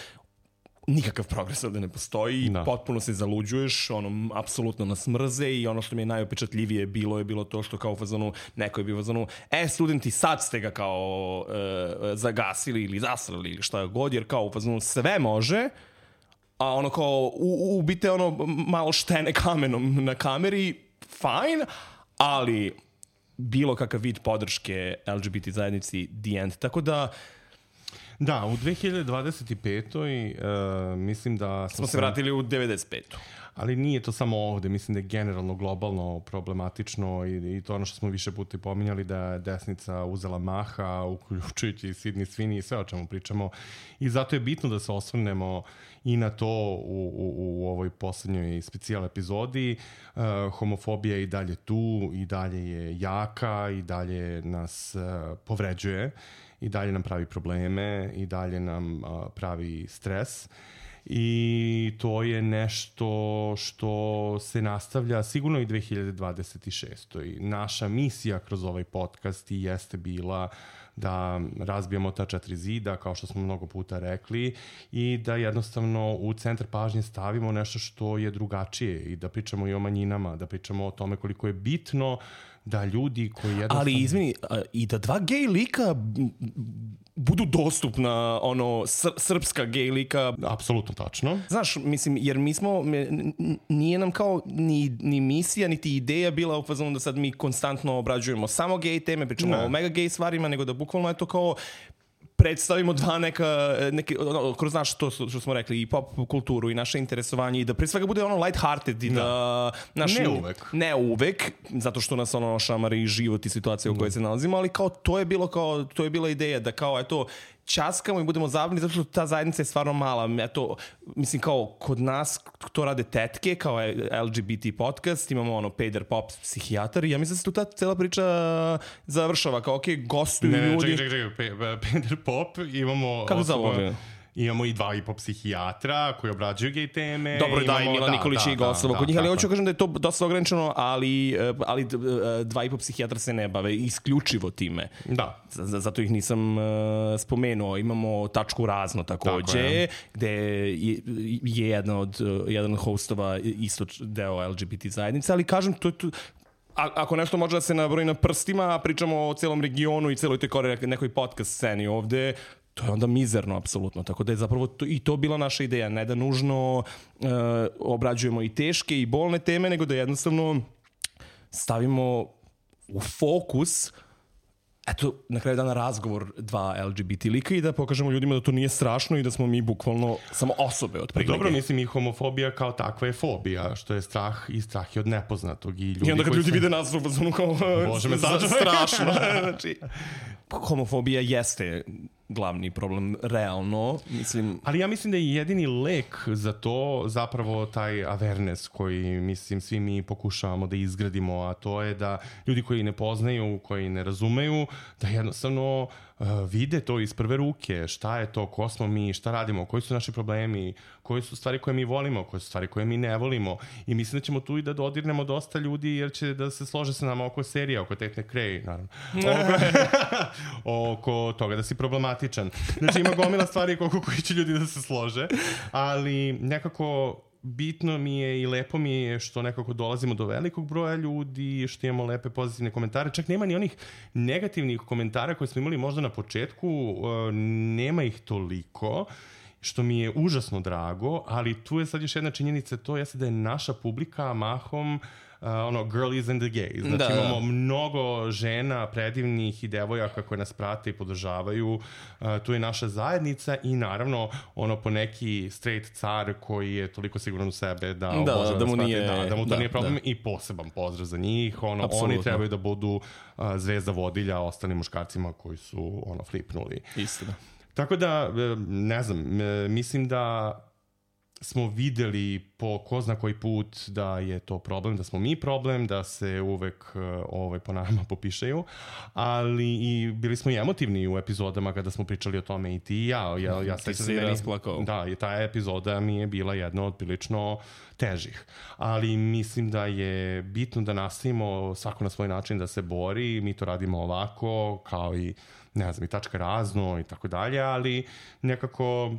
nikakav progres ovdje ne postoji, no. Potpuno se zaluđuješ, ono, apsolutno nas mrze i ono što mi je najopečatljivije bilo je bilo to što kao u fazonu, neko je bio u fazonu, e, studenti, sad ste ga kao e, zagasili ili zasrali ili šta god, jer kao u fazonu sve može, a ono kao, u, ubite ono malo štene kamenom na kameri, fine, ali... bilo kakav vid podrške L G B T zajednici the end. Tako da... Da, u dve hiljade dvadeset pete. Uh, mislim da... Smo se vratili u devedeset petu. ali nije to samo ovde, mislim da je generalno globalno problematično i, i to ono što smo više puta pominjali da je desnica uzela maha, uključujući Sydney Sweeney i sve o čemu pričamo i zato je bitno da se osvrnemo i na to u, u, u ovoj poslednjoj specijal epizodi. Uh, homofobija je i dalje tu, i dalje je jaka, i dalje nas uh, povređuje, i dalje nam pravi probleme, i dalje nam uh, pravi stres. I to je nešto što se nastavlja sigurno i dve hiljade dvadeset šestoj. Naša misija kroz ovaj podcast i jeste bila da razbijamo ta četiri zida, kao što smo mnogo puta rekli, i da jednostavno u centar pažnje stavimo nešto što je drugačije i da pričamo i o manjinama, da pričamo o tome koliko je bitno da ljudi koji jednostavno... Ali izmini, i da dva gej lika budu dostupna, ono, sr- srpska gej lika. Apsolutno tačno. Znaš, mislim, jer mi smo, nije nam kao ni, ni misija, niti ideja bila u fazonu da sad mi konstantno obrađujemo samo gej teme, pričamo ne. o mega gej stvarima, nego da bukvalno je to kao predstavimo dva neka, neke, ono, kroz naš, to što smo rekli, i pop kulturu i naše interesovanje i da pre svega bude ono light-hearted i da... da naš, ne uvek. Ne uvek, zato što nas ono šamari život i situacija u kojoj se nalazimo, ali kao to je bilo kao, to je bila ideja da kao, eto, časkamo i budemo zabavni zato što ta zajednica je stvarno mala. Eto, mislim, kao kod nas to rade tetke, kao L G B T podcast, imamo ono peder pop psihijatar i ja mislim da se tu ta cela priča završava, kao okej, okay, gostuju ne, ljudi. Ne, čekaj, čekaj, čekaj, peder pop, imamo... Kako zove? Imamo i dva i po psihijatra koji obrađuju gej teme. Dobro, da, i Mila da, Nikolić da, i gostova da, kod njih, ali da, hoću kažem da je to dosta ograničeno, ali, ali dva i po psihijatra se ne bave isključivo time. Da. Z- zato ih nisam uh, spomenuo. Imamo tačku razno takođe, gde je, je jedan od, jedan od hostova isto deo L G B T zajednice, ali kažem, to je to... A, ako nešto može da se nabroji na prstima, a pričamo o celom regionu i celoj toj kore, nekoj podcast sceni ovde, to je onda mizerno, apsolutno. Tako da je zapravo to, i to bila naša ideja. Ne da nužno uh, obrađujemo i teške i bolne teme, nego da jednostavno stavimo u fokus eto, na kraju dana razgovor dva L G B T lika i da pokažemo ljudima da to nije strašno i da smo mi bukvalno samo osobe od prilike. Dobro, mislim i homofobija kao takva je fobija, što je strah i strah je od nepoznatog. I, ljudi I onda kad ljudi se... vide nas u fazonu kao Bože me sačuvaj. strašno. Znači, homofobija jeste glavni problem, realno, mislim... Ali ja mislim da je jedini lek za to zapravo taj awareness koji, mislim, svi mi pokušavamo da izgradimo, a to je da ljudi koji ne poznaju, koji ne razumeju, da jednostavno uh, vide to iz prve ruke, šta je to, ko smo mi, šta radimo, koji su naši problemi, koji su stvari koje mi volimo, koje su stvari koje mi ne volimo. I mislim da ćemo tu i da dodirnemo dosta ljudi, jer će da se slože sa nama oko serija, oko Tate McRae, naravno. oko, oko toga da si problematičan. Znači ima gomila stvari oko koji će ljudi da se slože, ali nekako bitno mi je i lepo mi je što nekako dolazimo do velikog broja ljudi, što imamo lepe pozitivne komentare. Čak nema ni onih negativnih komentara koje smo imali možda na početku, nema ih toliko, što mi je užasno drago, ali tu je sad još jedna činjenica, to jeste da je naša publika mahom Uh, ono, girlies and the gays. Znači da, imamo da. mnogo žena, predivnih i devojaka koje nas prate i podržavaju. Uh, tu je naša zajednica i naravno ono po neki straight car koji je toliko siguran u sebe da, da, može da, da, mu sprati, nije, da, da mu to da, nije problem da. i poseban pozdrav za njih. Ono, Apsolutno. oni trebaju da budu uh, zvezda vodilja ostalim muškarcima koji su ono flipnuli. Istina. Tako da, ne znam, mislim da smo videli po ko zna koji put da je to problem, da smo mi problem, da se uvek ovaj, po nama popišaju, ali i bili smo i emotivni u epizodama kada smo pričali o tome i ti i ja. ja, ja ti si rasplakao. Da, i ta epizoda mi je bila jedna od prilično težih. Ali mislim da je bitno da nastavimo svako na svoj način da se bori, mi to radimo ovako, kao i, ne znam, i tačka razno i tako dalje, ali nekako...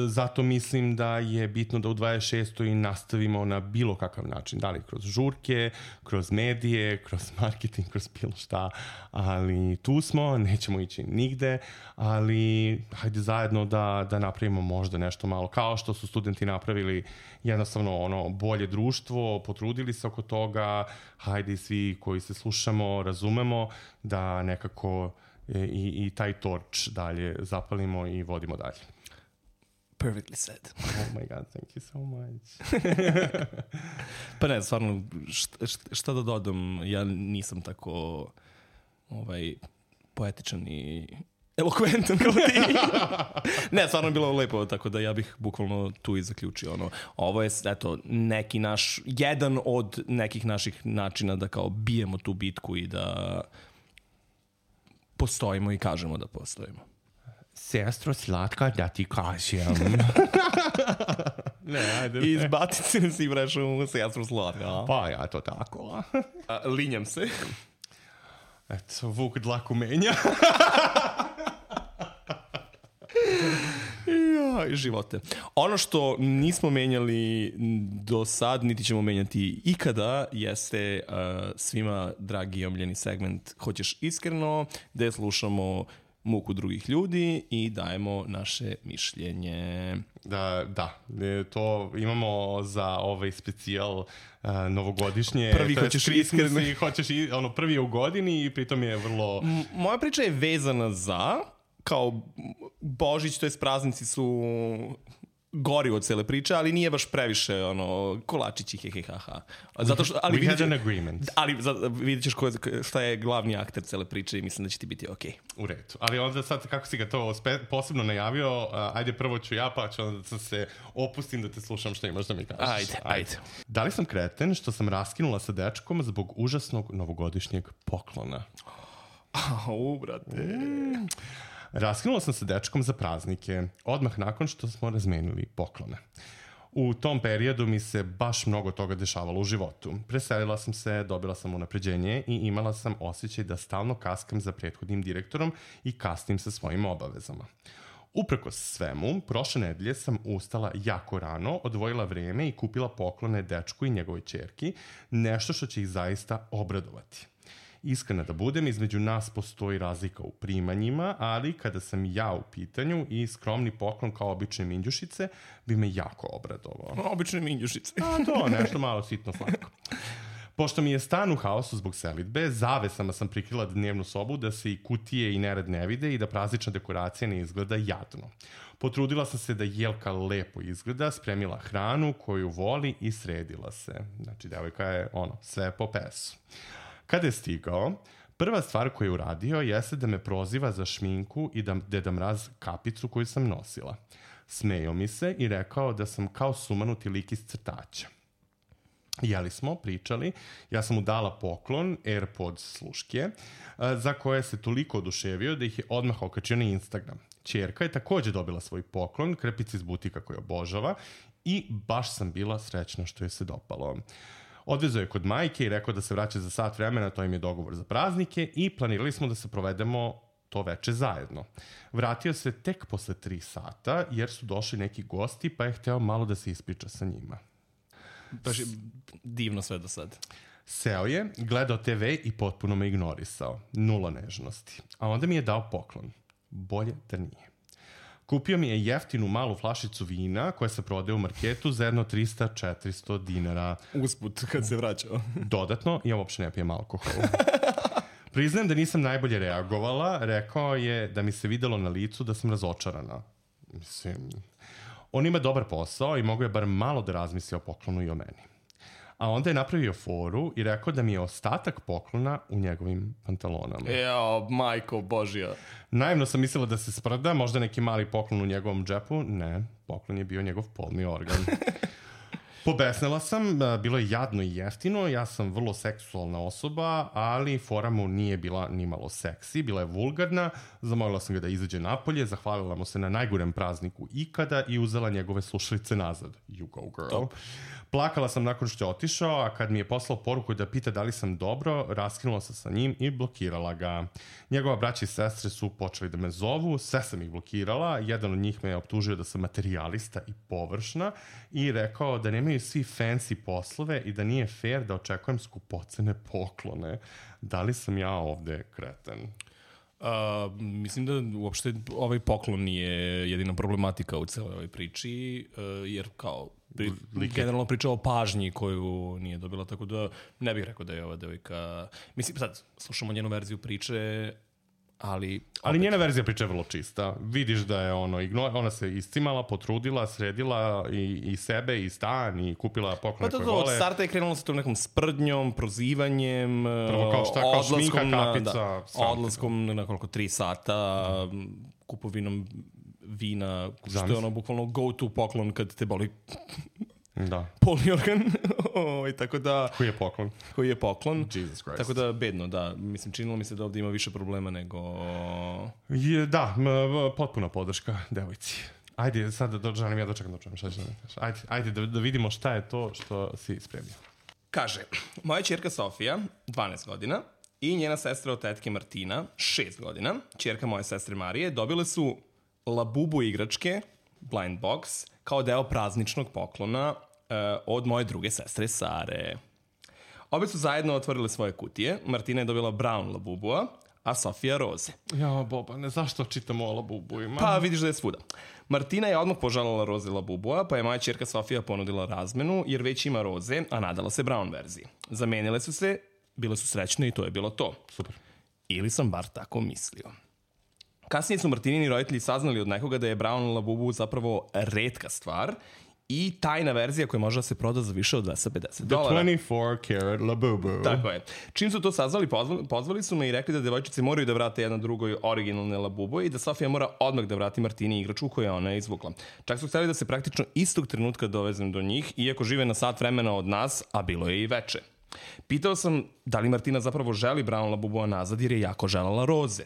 Zato mislim da je bitno da u dvadeset šestoj nastavimo na bilo kakav način, da li kroz žurke, kroz medije, kroz marketing, kroz bilo šta, ali tu smo, nećemo ići nigde, ali hajde zajedno da, da napravimo možda nešto malo, kao što su studenti napravili jednostavno ono bolje društvo, potrudili se oko toga, hajde i svi koji se slušamo, razumemo da nekako i, i taj torč dalje zapalimo i vodimo dalje. Perfectly said. Oh my god, thank you so much. Pa ne, stvarno, šta, šta da dodam, ja nisam tako ovaj, poetičan i elokventan kao ti. Ne, stvarno je bilo lepo, tako da ja bih bukvalno tu i zaključio. Ono, ovo je, eto, neki naš, jedan od nekih naših načina da kao bijemo tu bitku i da postojimo i kažemo da postojimo. Sestro slatka, da ti kažem. Ne, ajde. I izbacit se si vrešao sestro slatka. Pa ja to tako. A, linjam se. Eto, Vuk dlaku menja. Ja, živote. Ono što nismo menjali do sad, niti ćemo menjati ikada, jeste uh, svima dragi i omljeni segment Hoćeš iskreno, gde slušamo muku drugih ljudi i dajemo naše mišljenje. Da, da. To imamo za ovaj specijal uh, novogodišnje. Prvi hoćeš iskreno. Hoćeš i, ono, prvi je u godini i pritom je vrlo... M- moja priča je vezana za, kao Božić, to jest praznici su gori od cele priče, ali nije baš previše ono, kolačići, he, he, ha, ha. Zato što, ali We had an vidjet, agreement. ali za, vidjet ćeš ko, šta je glavni akter cele priče i mislim da će ti biti okej. Okay. U redu. Ali onda sad, kako si ga to spe, posebno najavio, uh, ajde prvo ću ja, pa ću onda da se opustim da te slušam što imaš da mi kažeš. Ajde, ajde. Da li sam kreten što sam raskinula sa dečkom zbog užasnog novogodišnjeg poklona? Au, brate. Mm. Raskinula sam se dečkom za praznike, odmah nakon što smo razmenili poklone. U tom periodu mi se baš mnogo toga dešavalo u životu. Preselila sam se, dobila sam unapređenje i imala sam osjećaj da stalno kaskam za prethodnim direktorom i kasnim sa svojim obavezama. Uprkos svemu, prošle nedelje sam ustala jako rano, odvojila vreme i kupila poklone dečku i njegovoj ćerki, nešto što će ih zaista obradovati. Iskreno da budem, između nas postoji razlika u primanjima, ali kada sam ja u pitanju i skromni poklon kao obične minđušice bi me jako obradovao. Obične minđušice. A to, nešto malo sitno slatko. Pošto mi je stan u haosu zbog selidbe, zavesama sam prikrila dnevnu sobu da se i kutije i nered ne vide i da praznična dekoracija ne izgleda jadno. Potrudila sam se da Jelka lepo izgleda, spremila hranu koju voli i sredila se. Znači, devojka je ono, sve po pesu. Kada je stigao, prva stvar koju je uradio jeste da me proziva za šminku i da Deda Mraz kapicu koju sam nosila. Smejao mi se i rekao da sam kao sumanuti lik iz crtača. Jeli smo, pričali, ja sam mu dala poklon, AirPods sluške, za koje se toliko oduševio da ih je odmah okačio na Instagram. Ćerka je također dobila svoj poklon, krepice iz butika koju obožava i baš sam bila srećna što je se dopalo. Odvezao je kod majke i rekao da se vraća za sat vremena, to im je dogovor za praznike i planirali smo da se provedemo to veče zajedno. Vratio se tek posle tri sata jer su došli neki gosti pa je hteo malo da se ispriča sa njima. Baš je divno sve do sad. Seo je, gledao te ve i potpuno me ignorisao. Nula nežnosti. A onda mi je dao poklon. Bolje da nije. Kupio mi je jeftinu malu flašicu vina koja se prodaje u marketu za jedno trista do četiristo dinara. Usput kad se vraćao. Dodatno, ja uopšte ne pijem alkohol. Priznajem da nisam najbolje reagovala. Rekao je da mi se videlo na licu da sam razočarana. Mislim, on ima dobar posao i mogu je bar malo da razmisli o poklonu i o meni. A onda je napravio foru i rekao da mi je ostatak poklona u njegovim pantalonama. Jao, majko Božja. Naivno sam mislila da se sprda, možda neki mali poklon u njegovom džepu. Ne, poklon je bio njegov polni organ. Pobesnela sam, bilo je jadno i jeftino, ja sam vrlo seksualna osoba, ali fora mu nije bila ni malo seksi, bila je vulgarna, zamolila sam ga da izađe napolje, zahvalila mu se na najgorem prazniku ikada i uzela njegove slušalice nazad. You go girl. Top. Plakala sam nakon što je otišao, a kad mi je poslao poruku da pita da li sam dobro, raskinula se sa njim i blokirala ga. Njegova braća i sestre su počeli da me zovu, sve sam ih blokirala, jedan od njih me je optužio da sam materijalista i površna i rekao da nemaju svi fancy poslove i da nije fair da očekujem skupocene poklone. Da li sam ja ovde kreten? Uh, mislim da uopšte ovaj poklon nije jedina problematika u celoj ovoj priči, uh, jer kao pri, generalno priča o pažnji koju nije dobila, tako da ne bih rekao da je ova devojka... Mislim, sad, slušamo njenu verziju priče, ali... Ali njena verzija priče je vrlo čista. Vidiš da je ono, igno, ona se iscimala, potrudila, sredila i, i sebe, i stan, i kupila poklone pa koje to, vole. Od starta je krenulo sa tom nekom sprdnjom, prozivanjem, Prvo kao šta, kao šminka, kapica, da, odlaskom na nekoliko tri sata, kupovinom vina, što je ono bukvalno go to poklon kad te boli da. poliorgan. o, tako da, koji je poklon? Koji je poklon. Jesus Christ. Tako da, bedno, da. Mislim, činilo mi se da ovdje ima više problema nego... Je, da, m, potpuna podrška devojci. Ajde, sad da želim ja dočekam da čujem šta će da mi kažeš. Ajde, ajde da, da vidimo šta je to što si spremio. Kaže, moja ćerka Sofija, dvanaest godina, i njena sestra od tetke Martina, šest godina, ćerka moje sestre Marije, dobile su Labubu igračke, blind box, kao deo prazničnog poklona uh, od moje druge sestre Sare. Obe su zajedno otvorile svoje kutije. Martina je dobila brown Labubua, a Sofija roze. Ja, Boba, ne zašto čitamo o Labubuima? Pa vidiš da je svuda. Martina je odmah požalala roze Labubua, pa je moja ćerka Sofija ponudila razmenu, jer već ima roze, a nadala se brown verziji. Zamenile su se, bile su srećne i to je bilo to. Super. Ili sam bar tako mislio. Kasnije su Martinini roditelji saznali od nekoga da je brown Labubu zapravo retka stvar i tajna verzija koja može da se proda za više od dvesta pedeset dolara. The twenty-four karat Labubu. Tako je. Čim su to saznali, pozvali, pozvali su me i rekli da devojčice moraju da vrate jedna drugoj originalne Labubu i da Sofija mora odmah da vrati Martini igračku koju je ona izvukla. Čak su htjeli da se praktično istog trenutka dovezem do njih, iako žive na sat vremena od nas, a bilo je i veče. Pitao sam da li Martina zapravo želi brown Labubua nazad jer je jako želala roze.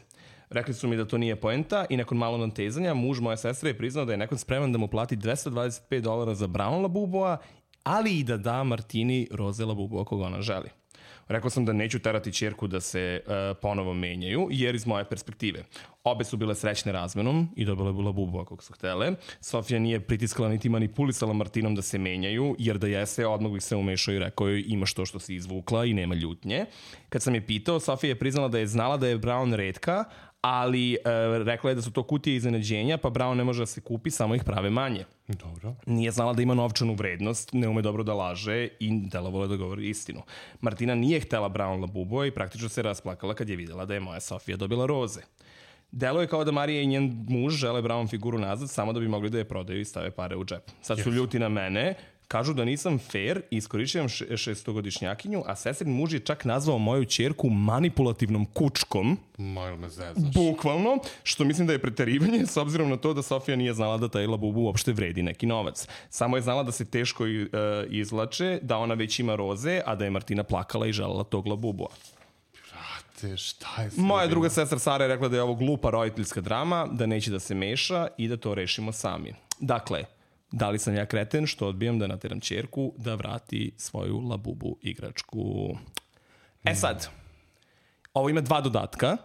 Rekli su mi da to nije poenta i nakon malo natezanja muž moje sestre je priznao da je nekon spreman da mu plati dvesta dvadeset pet dolara za brown Labubua, ali i da da Martini roze Labubua koga ona želi. Rekao sam da neću terati ćerku da se uh, ponovo menjaju, jer iz moje perspektive. Obe su bile srećne razmenom i dobile bu Labubua kog su htele. Sofija nije pritiskala niti manipulisala Martinom da se menjaju, jer da jese, odmah bih se umešao i rekao joj imaš to što si izvukla i nema ljutnje. Kad sam je pitao, Sofija je priznala da je znala da je brown retka, ali e, rekla je da su to kutije iznenađenja, pa brown ne može da se kupi, samo ih prave manje. Dobro. Nije znala da ima novčanu vrednost, ne ume dobro da laže i delovalo da govori istinu. Martina nije htela brown Labubu i praktično se rasplakala kad je videla da je moja Sofija dobila roze. Delo je kao da Marija i njen muž žele brown figuru nazad samo da bi mogli da je prodaju i stave pare u džep. Sad su ljuti na mene, kažu da nisam fair i iskorišćavam šestogodišnjakinju, a sestrin muž je čak nazvao moju ćerku manipulativnom kučkom. Mojl me zezaš. Bukvalno, što mislim da je preterivanje s obzirom na to da Sofija nije znala da taj Labubu uopšte vredi neki novac. Samo je znala da se teško uh, izlače, da ona već ima roze, a da je Martina plakala i želala tog Labubua. Brate, šta je sve? Moja druga sestra Sara je rekla da je ovo glupa roditeljska drama, da neće da se meša i da to rešimo sami. Dakle, da li sam ja kreten što odbijam da nateram ćerku da vrati svoju Labubu igračku? E sad, ovo ima dva dodatka,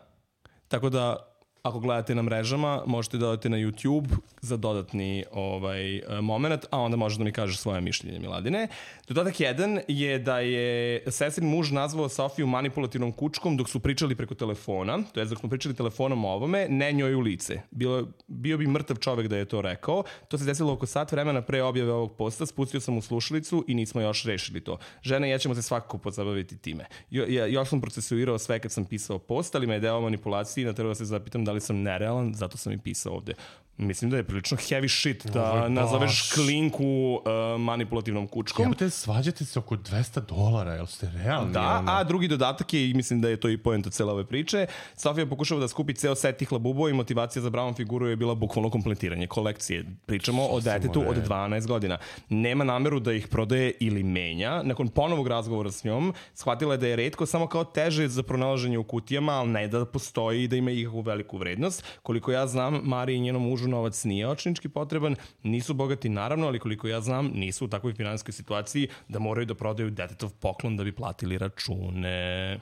tako da ako gledate na mrežama, možete da odete na YouTube za dodatni ovaj, moment, a onda možeš da mi kažeš svoje mišljenje, Miladine. Dodatak jedan je da je sestrin muž nazvao Sofiju manipulativnom kučkom dok su pričali preko telefona, to je dok smo pričali telefonom o ovome, ne njoj u lice. Bilo, bio bi mrtav čovek da je to rekao. To se desilo oko sat vremena pre objave ovog posta, spustio sam u slušalicu i nismo još rešili to. Žena i ja ćemo se svakako pozabaviti time. Jo, ja, još sam procesuirao sve kad sam pisao post, ali me je deo manipulacije i na treba da se zapitam da li sam nerealan, zato sam i pisao ovde. Mislim da je prilično heavy shit da nazoveš klinku uh, manipulativnom kučkom. Jebote, svađate se oko dvesta dolara, jel ste realni? Da, ono? a drugi dodatak je, i mislim da je to i poenta cele ove priče, Sofija pokušava da skupi ceo set tih Labubova i motivacija za brown figuru je bila bukvalno kompletiranje kolekcije. Pričamo o detetu od dvanaest godina. Nema nameru da ih prodaje ili menja. Nakon ponovog razgovora s njom, shvatila je da je retko samo kao teže za pronalaženje u kutijama, ali ne da postoji i da ima ikakvu veliku vrednost. Koliko ja znam, Mariji i njenom mužu novac nije očinički potreban, nisu bogati naravno, ali koliko ja znam, nisu u takvoj finansijskoj situaciji da moraju da prodaju detetov poklon da bi platili račune.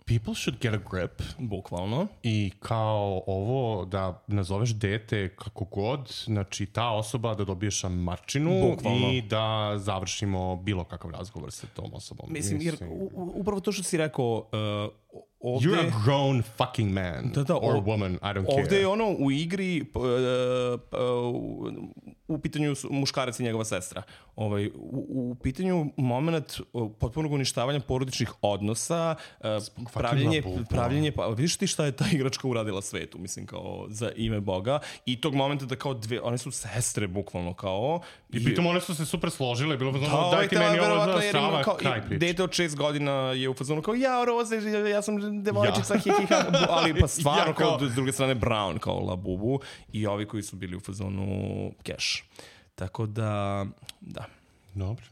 People should get a grip. Bukvalno. I kao ovo da nazoveš dete kako god, znači ta osoba da dobije šamarčinu Bukvalno. I da završimo bilo kakav razgovor sa tom osobom. Mislim, jer u, upravo to što si rekao, uh, ovde... You're a grown fucking man. Da, da, or o, woman, I don't care. Ovde je ono u igri, uh, uh, u pitanju muškarac i njegova sestra. Ovaj, u, u pitanju moment potpunog uništavanja porodičnih odnosa, pravljenje, pravljenje, pa vidiš ti šta je ta igračka uradila svetu, mislim, kao za ime Boga, i tog momenta da kao dve, one su sestre, bukvalno, kao... I, I pritom one su se super složile, bilo fazonu, da, daj ti meni ovo za strava, kraj priče. Dete od šest godina je u fazonu kao, ja, Roze, ja sam devojčica, ja. hi, hi, ha, ali pa stvarno, ja, kao, kao, s druge strane, Brown, kao Labubu, i ovi koji su bili u fazonu Cash. Tako da, da. Dobro.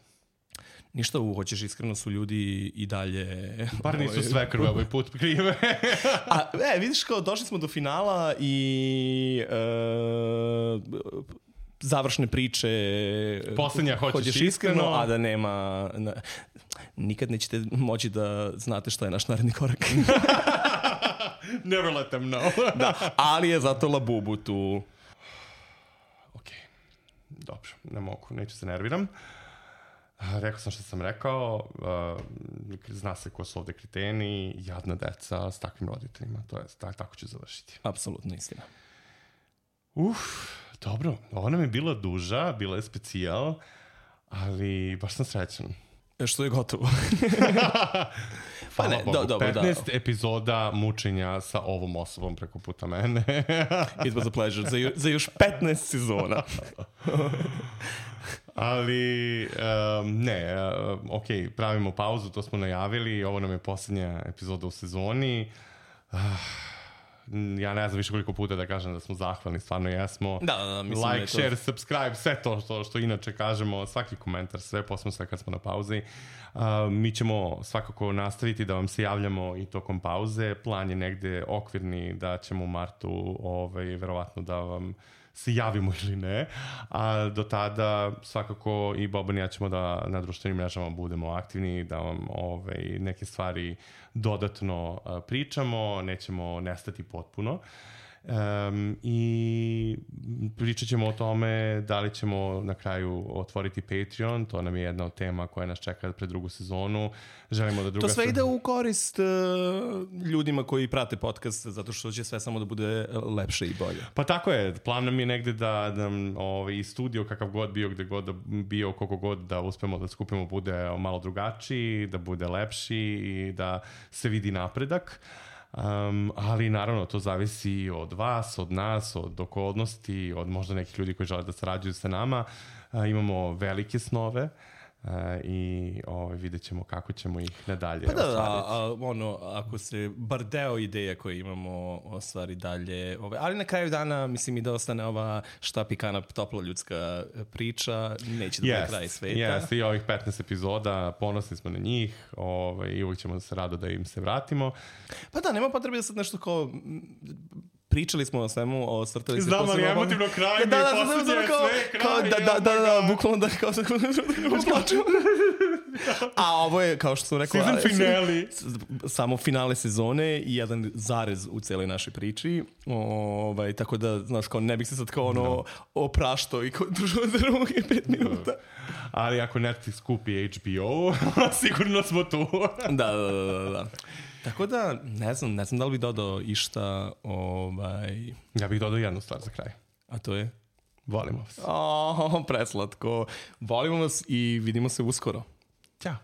Ništa, u hoćeš, iskreno su ljudi i dalje... Bar nisu sve krve ovaj put krive. A, e, vidiš, kao, došli smo do finala i... Uh, završne priče poslednja hoćeš, hoćeš iskreno, iskreno, a da nema... Na, nikad nećete moći da znate šta je naš naredni korak. Never let them know. Da, ali je zato Labubu tu. Ok, dobro, ne mogu, neću se nerviram. Rekao sam što sam rekao, zna se ko su ovde kreteni, jadna deca s takvim roditeljima, to je, tako ću završiti. Apsolutno istina. Uf, dobro, ovo nam je bila duža, bila je specijal, ali baš sam srećan. Što je gotovo. Pa ne, do, dobro, petnaest da. Epizoda mučenja sa ovom osobom preko puta mene. It was a pleasure. Za, ju, za još petnaest sezona. Ali, um, ne, uh, ok, pravimo pauzu, to smo najavili, ovo nam je posljednja epizoda u sezoni. Uh, ja ne znam više koliko puta da kažem da smo zahvalni, stvarno jesmo. Da, da, da, mislim like, da share, to... subscribe, sve to što, što inače kažemo, svaki komentar, sve, posebno sve kad smo na pauzi. Uh, mi ćemo svakako nastaviti da vam se javljamo i tokom pauze. Plan je negde okvirni da ćemo u martu ovaj, verovatno da vam se javimo ili ne, a do tada svakako i Boban i ja ćemo da na društvenim mrežama budemo aktivni, da vam ovaj, neke stvari dodatno uh, pričamo, nećemo nestati potpuno. Um, i pričat ćemo o tome da li ćemo na kraju otvoriti Patreon, to nam je jedna od tema koja nas čeka pred drugu sezonu. Želimo da druga... To sve ide u korist uh, ljudima koji prate podcast, zato što će sve samo da bude lepše i bolje. Pa tako je, plan nam je negde da, da ovaj, i studio kakav god bio, gde god da bio, koliko god da uspemo da skupimo bude malo drugačiji, da bude lepši i da se vidi napredak. Um, ali naravno to zavisi od vas, od nas, od okolnosti, od možda nekih ljudi koji žele da sarađuju sa nama. Uh, imamo velike snove uh, i ovaj, vidjet ćemo kako ćemo ih nadalje pa da, ostvariti. A, a, ono, ako se bar deo ideja koje imamo ostvari dalje, ovaj, ali na kraju dana mislim i da ostane ova štapikana topla ljudska priča, neće da yes, bude kraj sveta. Yes, i ovih petnaest epizoda, ponosni smo na njih ovaj, i uvijek ćemo se rado da im se vratimo. Pa da, nema potrebe da sad nešto kao... Pričali smo o svemu, o strtali se... Znam, ali emotivno kraj mi je posljednje, sve kraj. Da, da, da, da, bukvalno da kao se plačemo. A ovo je, kao što sam rekao... Season finale. Samo finale sezone i jedan zarez u cijeloj našoj priči. Ovaj, tako da, znaš, kao ne bih se sad kao ono opraštao i držao za ruke pet minuta. Ali ako Netflix kupi H B O, sigurno smo tu. Da, da, da, da. Tako da, ne znam, ne znam da li bih dodao išta, ovaj... Ja bih dodao jednu stvar za kraj. A to je? Volimo vas. O, preslatko. Volimo vas i vidimo se uskoro. Ćao.